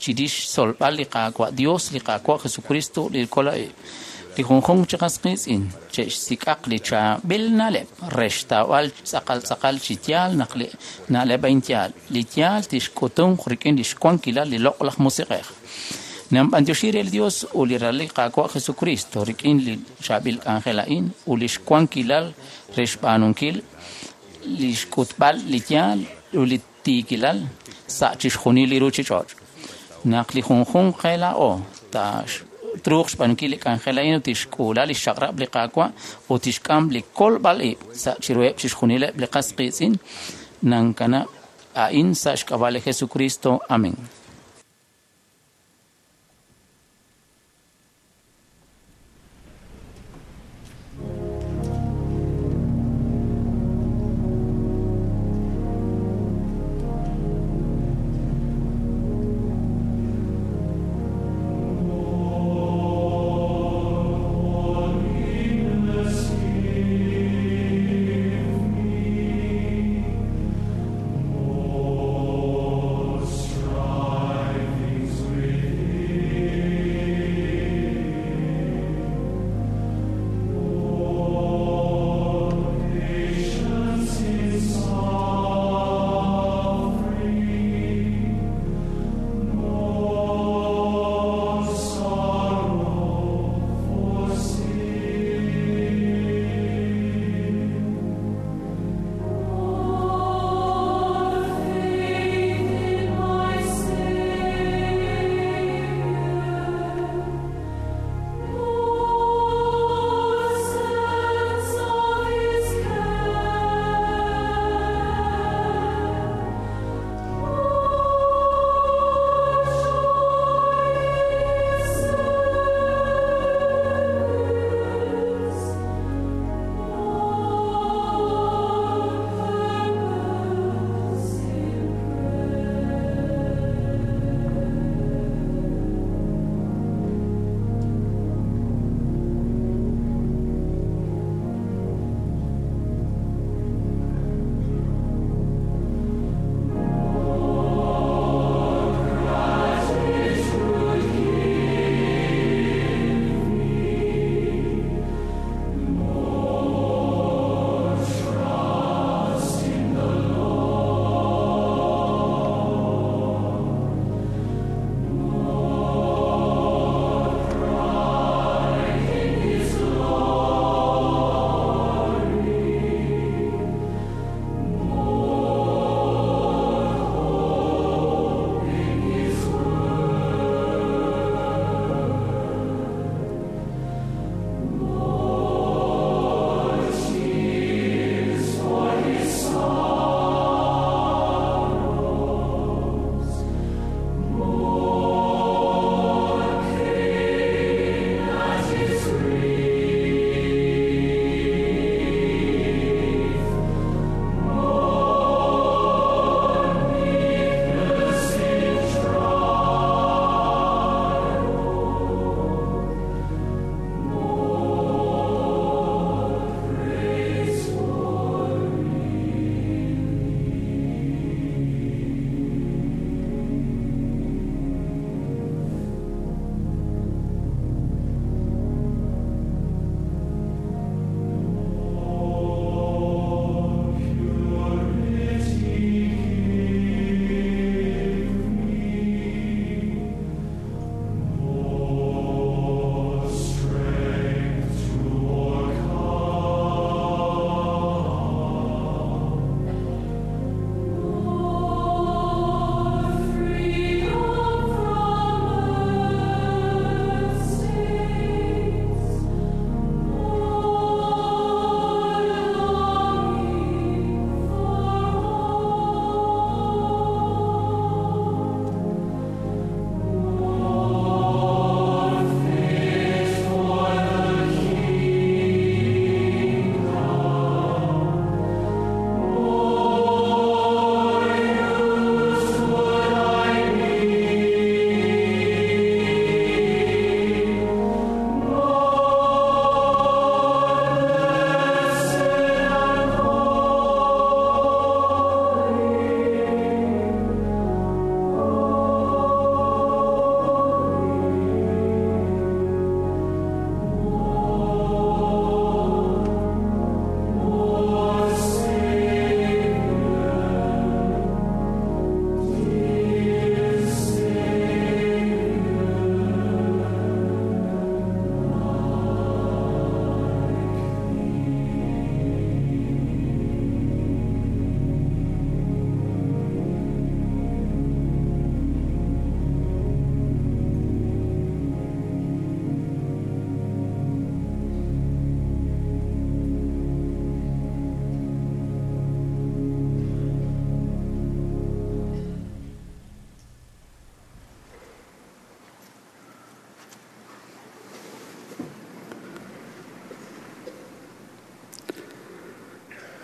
chirix xtzolb'al li Qaawa' Dios, li Qaawa' Jesucristo, li kolonel. Li junjunq chi qas qiitz'in che'xsik'aq li chaab'il na'leb' re xtawb'al tz'aqal tz'aqal chi yaal naq li na'leb' a'in yaal. Li yaal tixk'utunq rik'in li xwankilal li loq'laj musiq'ej. Namb'antioxi re li Dios ut li ralal li Qaawa' Jesucristo rik'in li chaab'il k'anjel a'in ut li xwankilal re xb'aanunkil li xk'utb'al li yaal ut li tiikilal sa' chixjunil li ruchich'och'. Naq li junjunq qe laa'o truuq xb'aanunkil li k'anjel a'in ut tixk'uula li xchaq'rab' li Qaawa' ut tixk'am li kolb'al ib' sa' chiruheb' chixjunileb' li qas qiitz'in nankanab' a'in sa' xk'ab'a' li Jesucristo. Amén.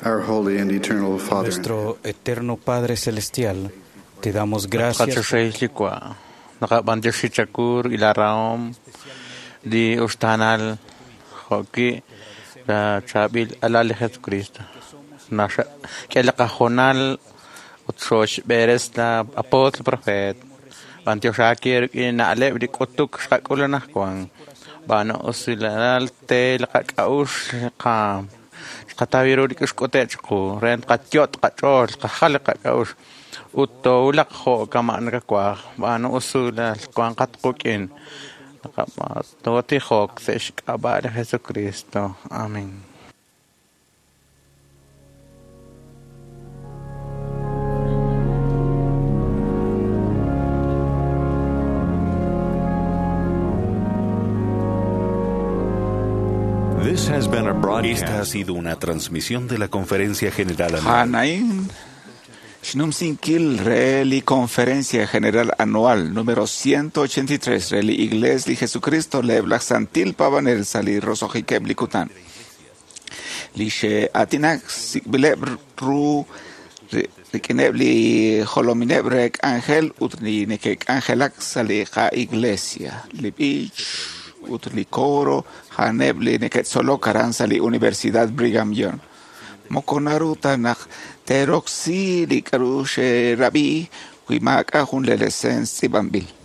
Our holy and eternal Father. Nuestro eterno Padre Celestial, te damos gracias. Naqab'antioxi chakur ilarahom li uxtaanal jo'ki la chaab'il alal li Jesucristo. K'e li qajonal ut xooxb'eres la apóstol profet. B'antioxaaki rik'in na'leb' li k'utuk xqak'ul anaqwan. B'ano usilal te li qak'a'uxl qa xqataw ru li k'ixk'ute' chiqu re qatyot' qach'ool qajal li qak'a'uxl ut toowulaq jo' kama' nakawaaj. B'ano usilal wanqat quk'in. Tootijok sa' xk'ab'a' li Jesucristo. Amén. This has been a broadcast. Esta ha sido una transmisión de la Conferencia General Anual. Hanain Xnumsinkil re li Conferencia General Anual número ciento ochenta y tres re li Igles li Jesucristo le blaj santil pavanel sali rosojikeb li kutan. Li xe atinak sikbileb ru rikineb li jolomineb rek ángel ut li nekek angelak sali qa iglesia. Li bich ut li coro haneb li neketzolok aran sa li Universidad Brigham Young. Moko naru ta naq teroksi li k'aru xerabi wi maak'a' jun li lesens tz'iib'anb'il.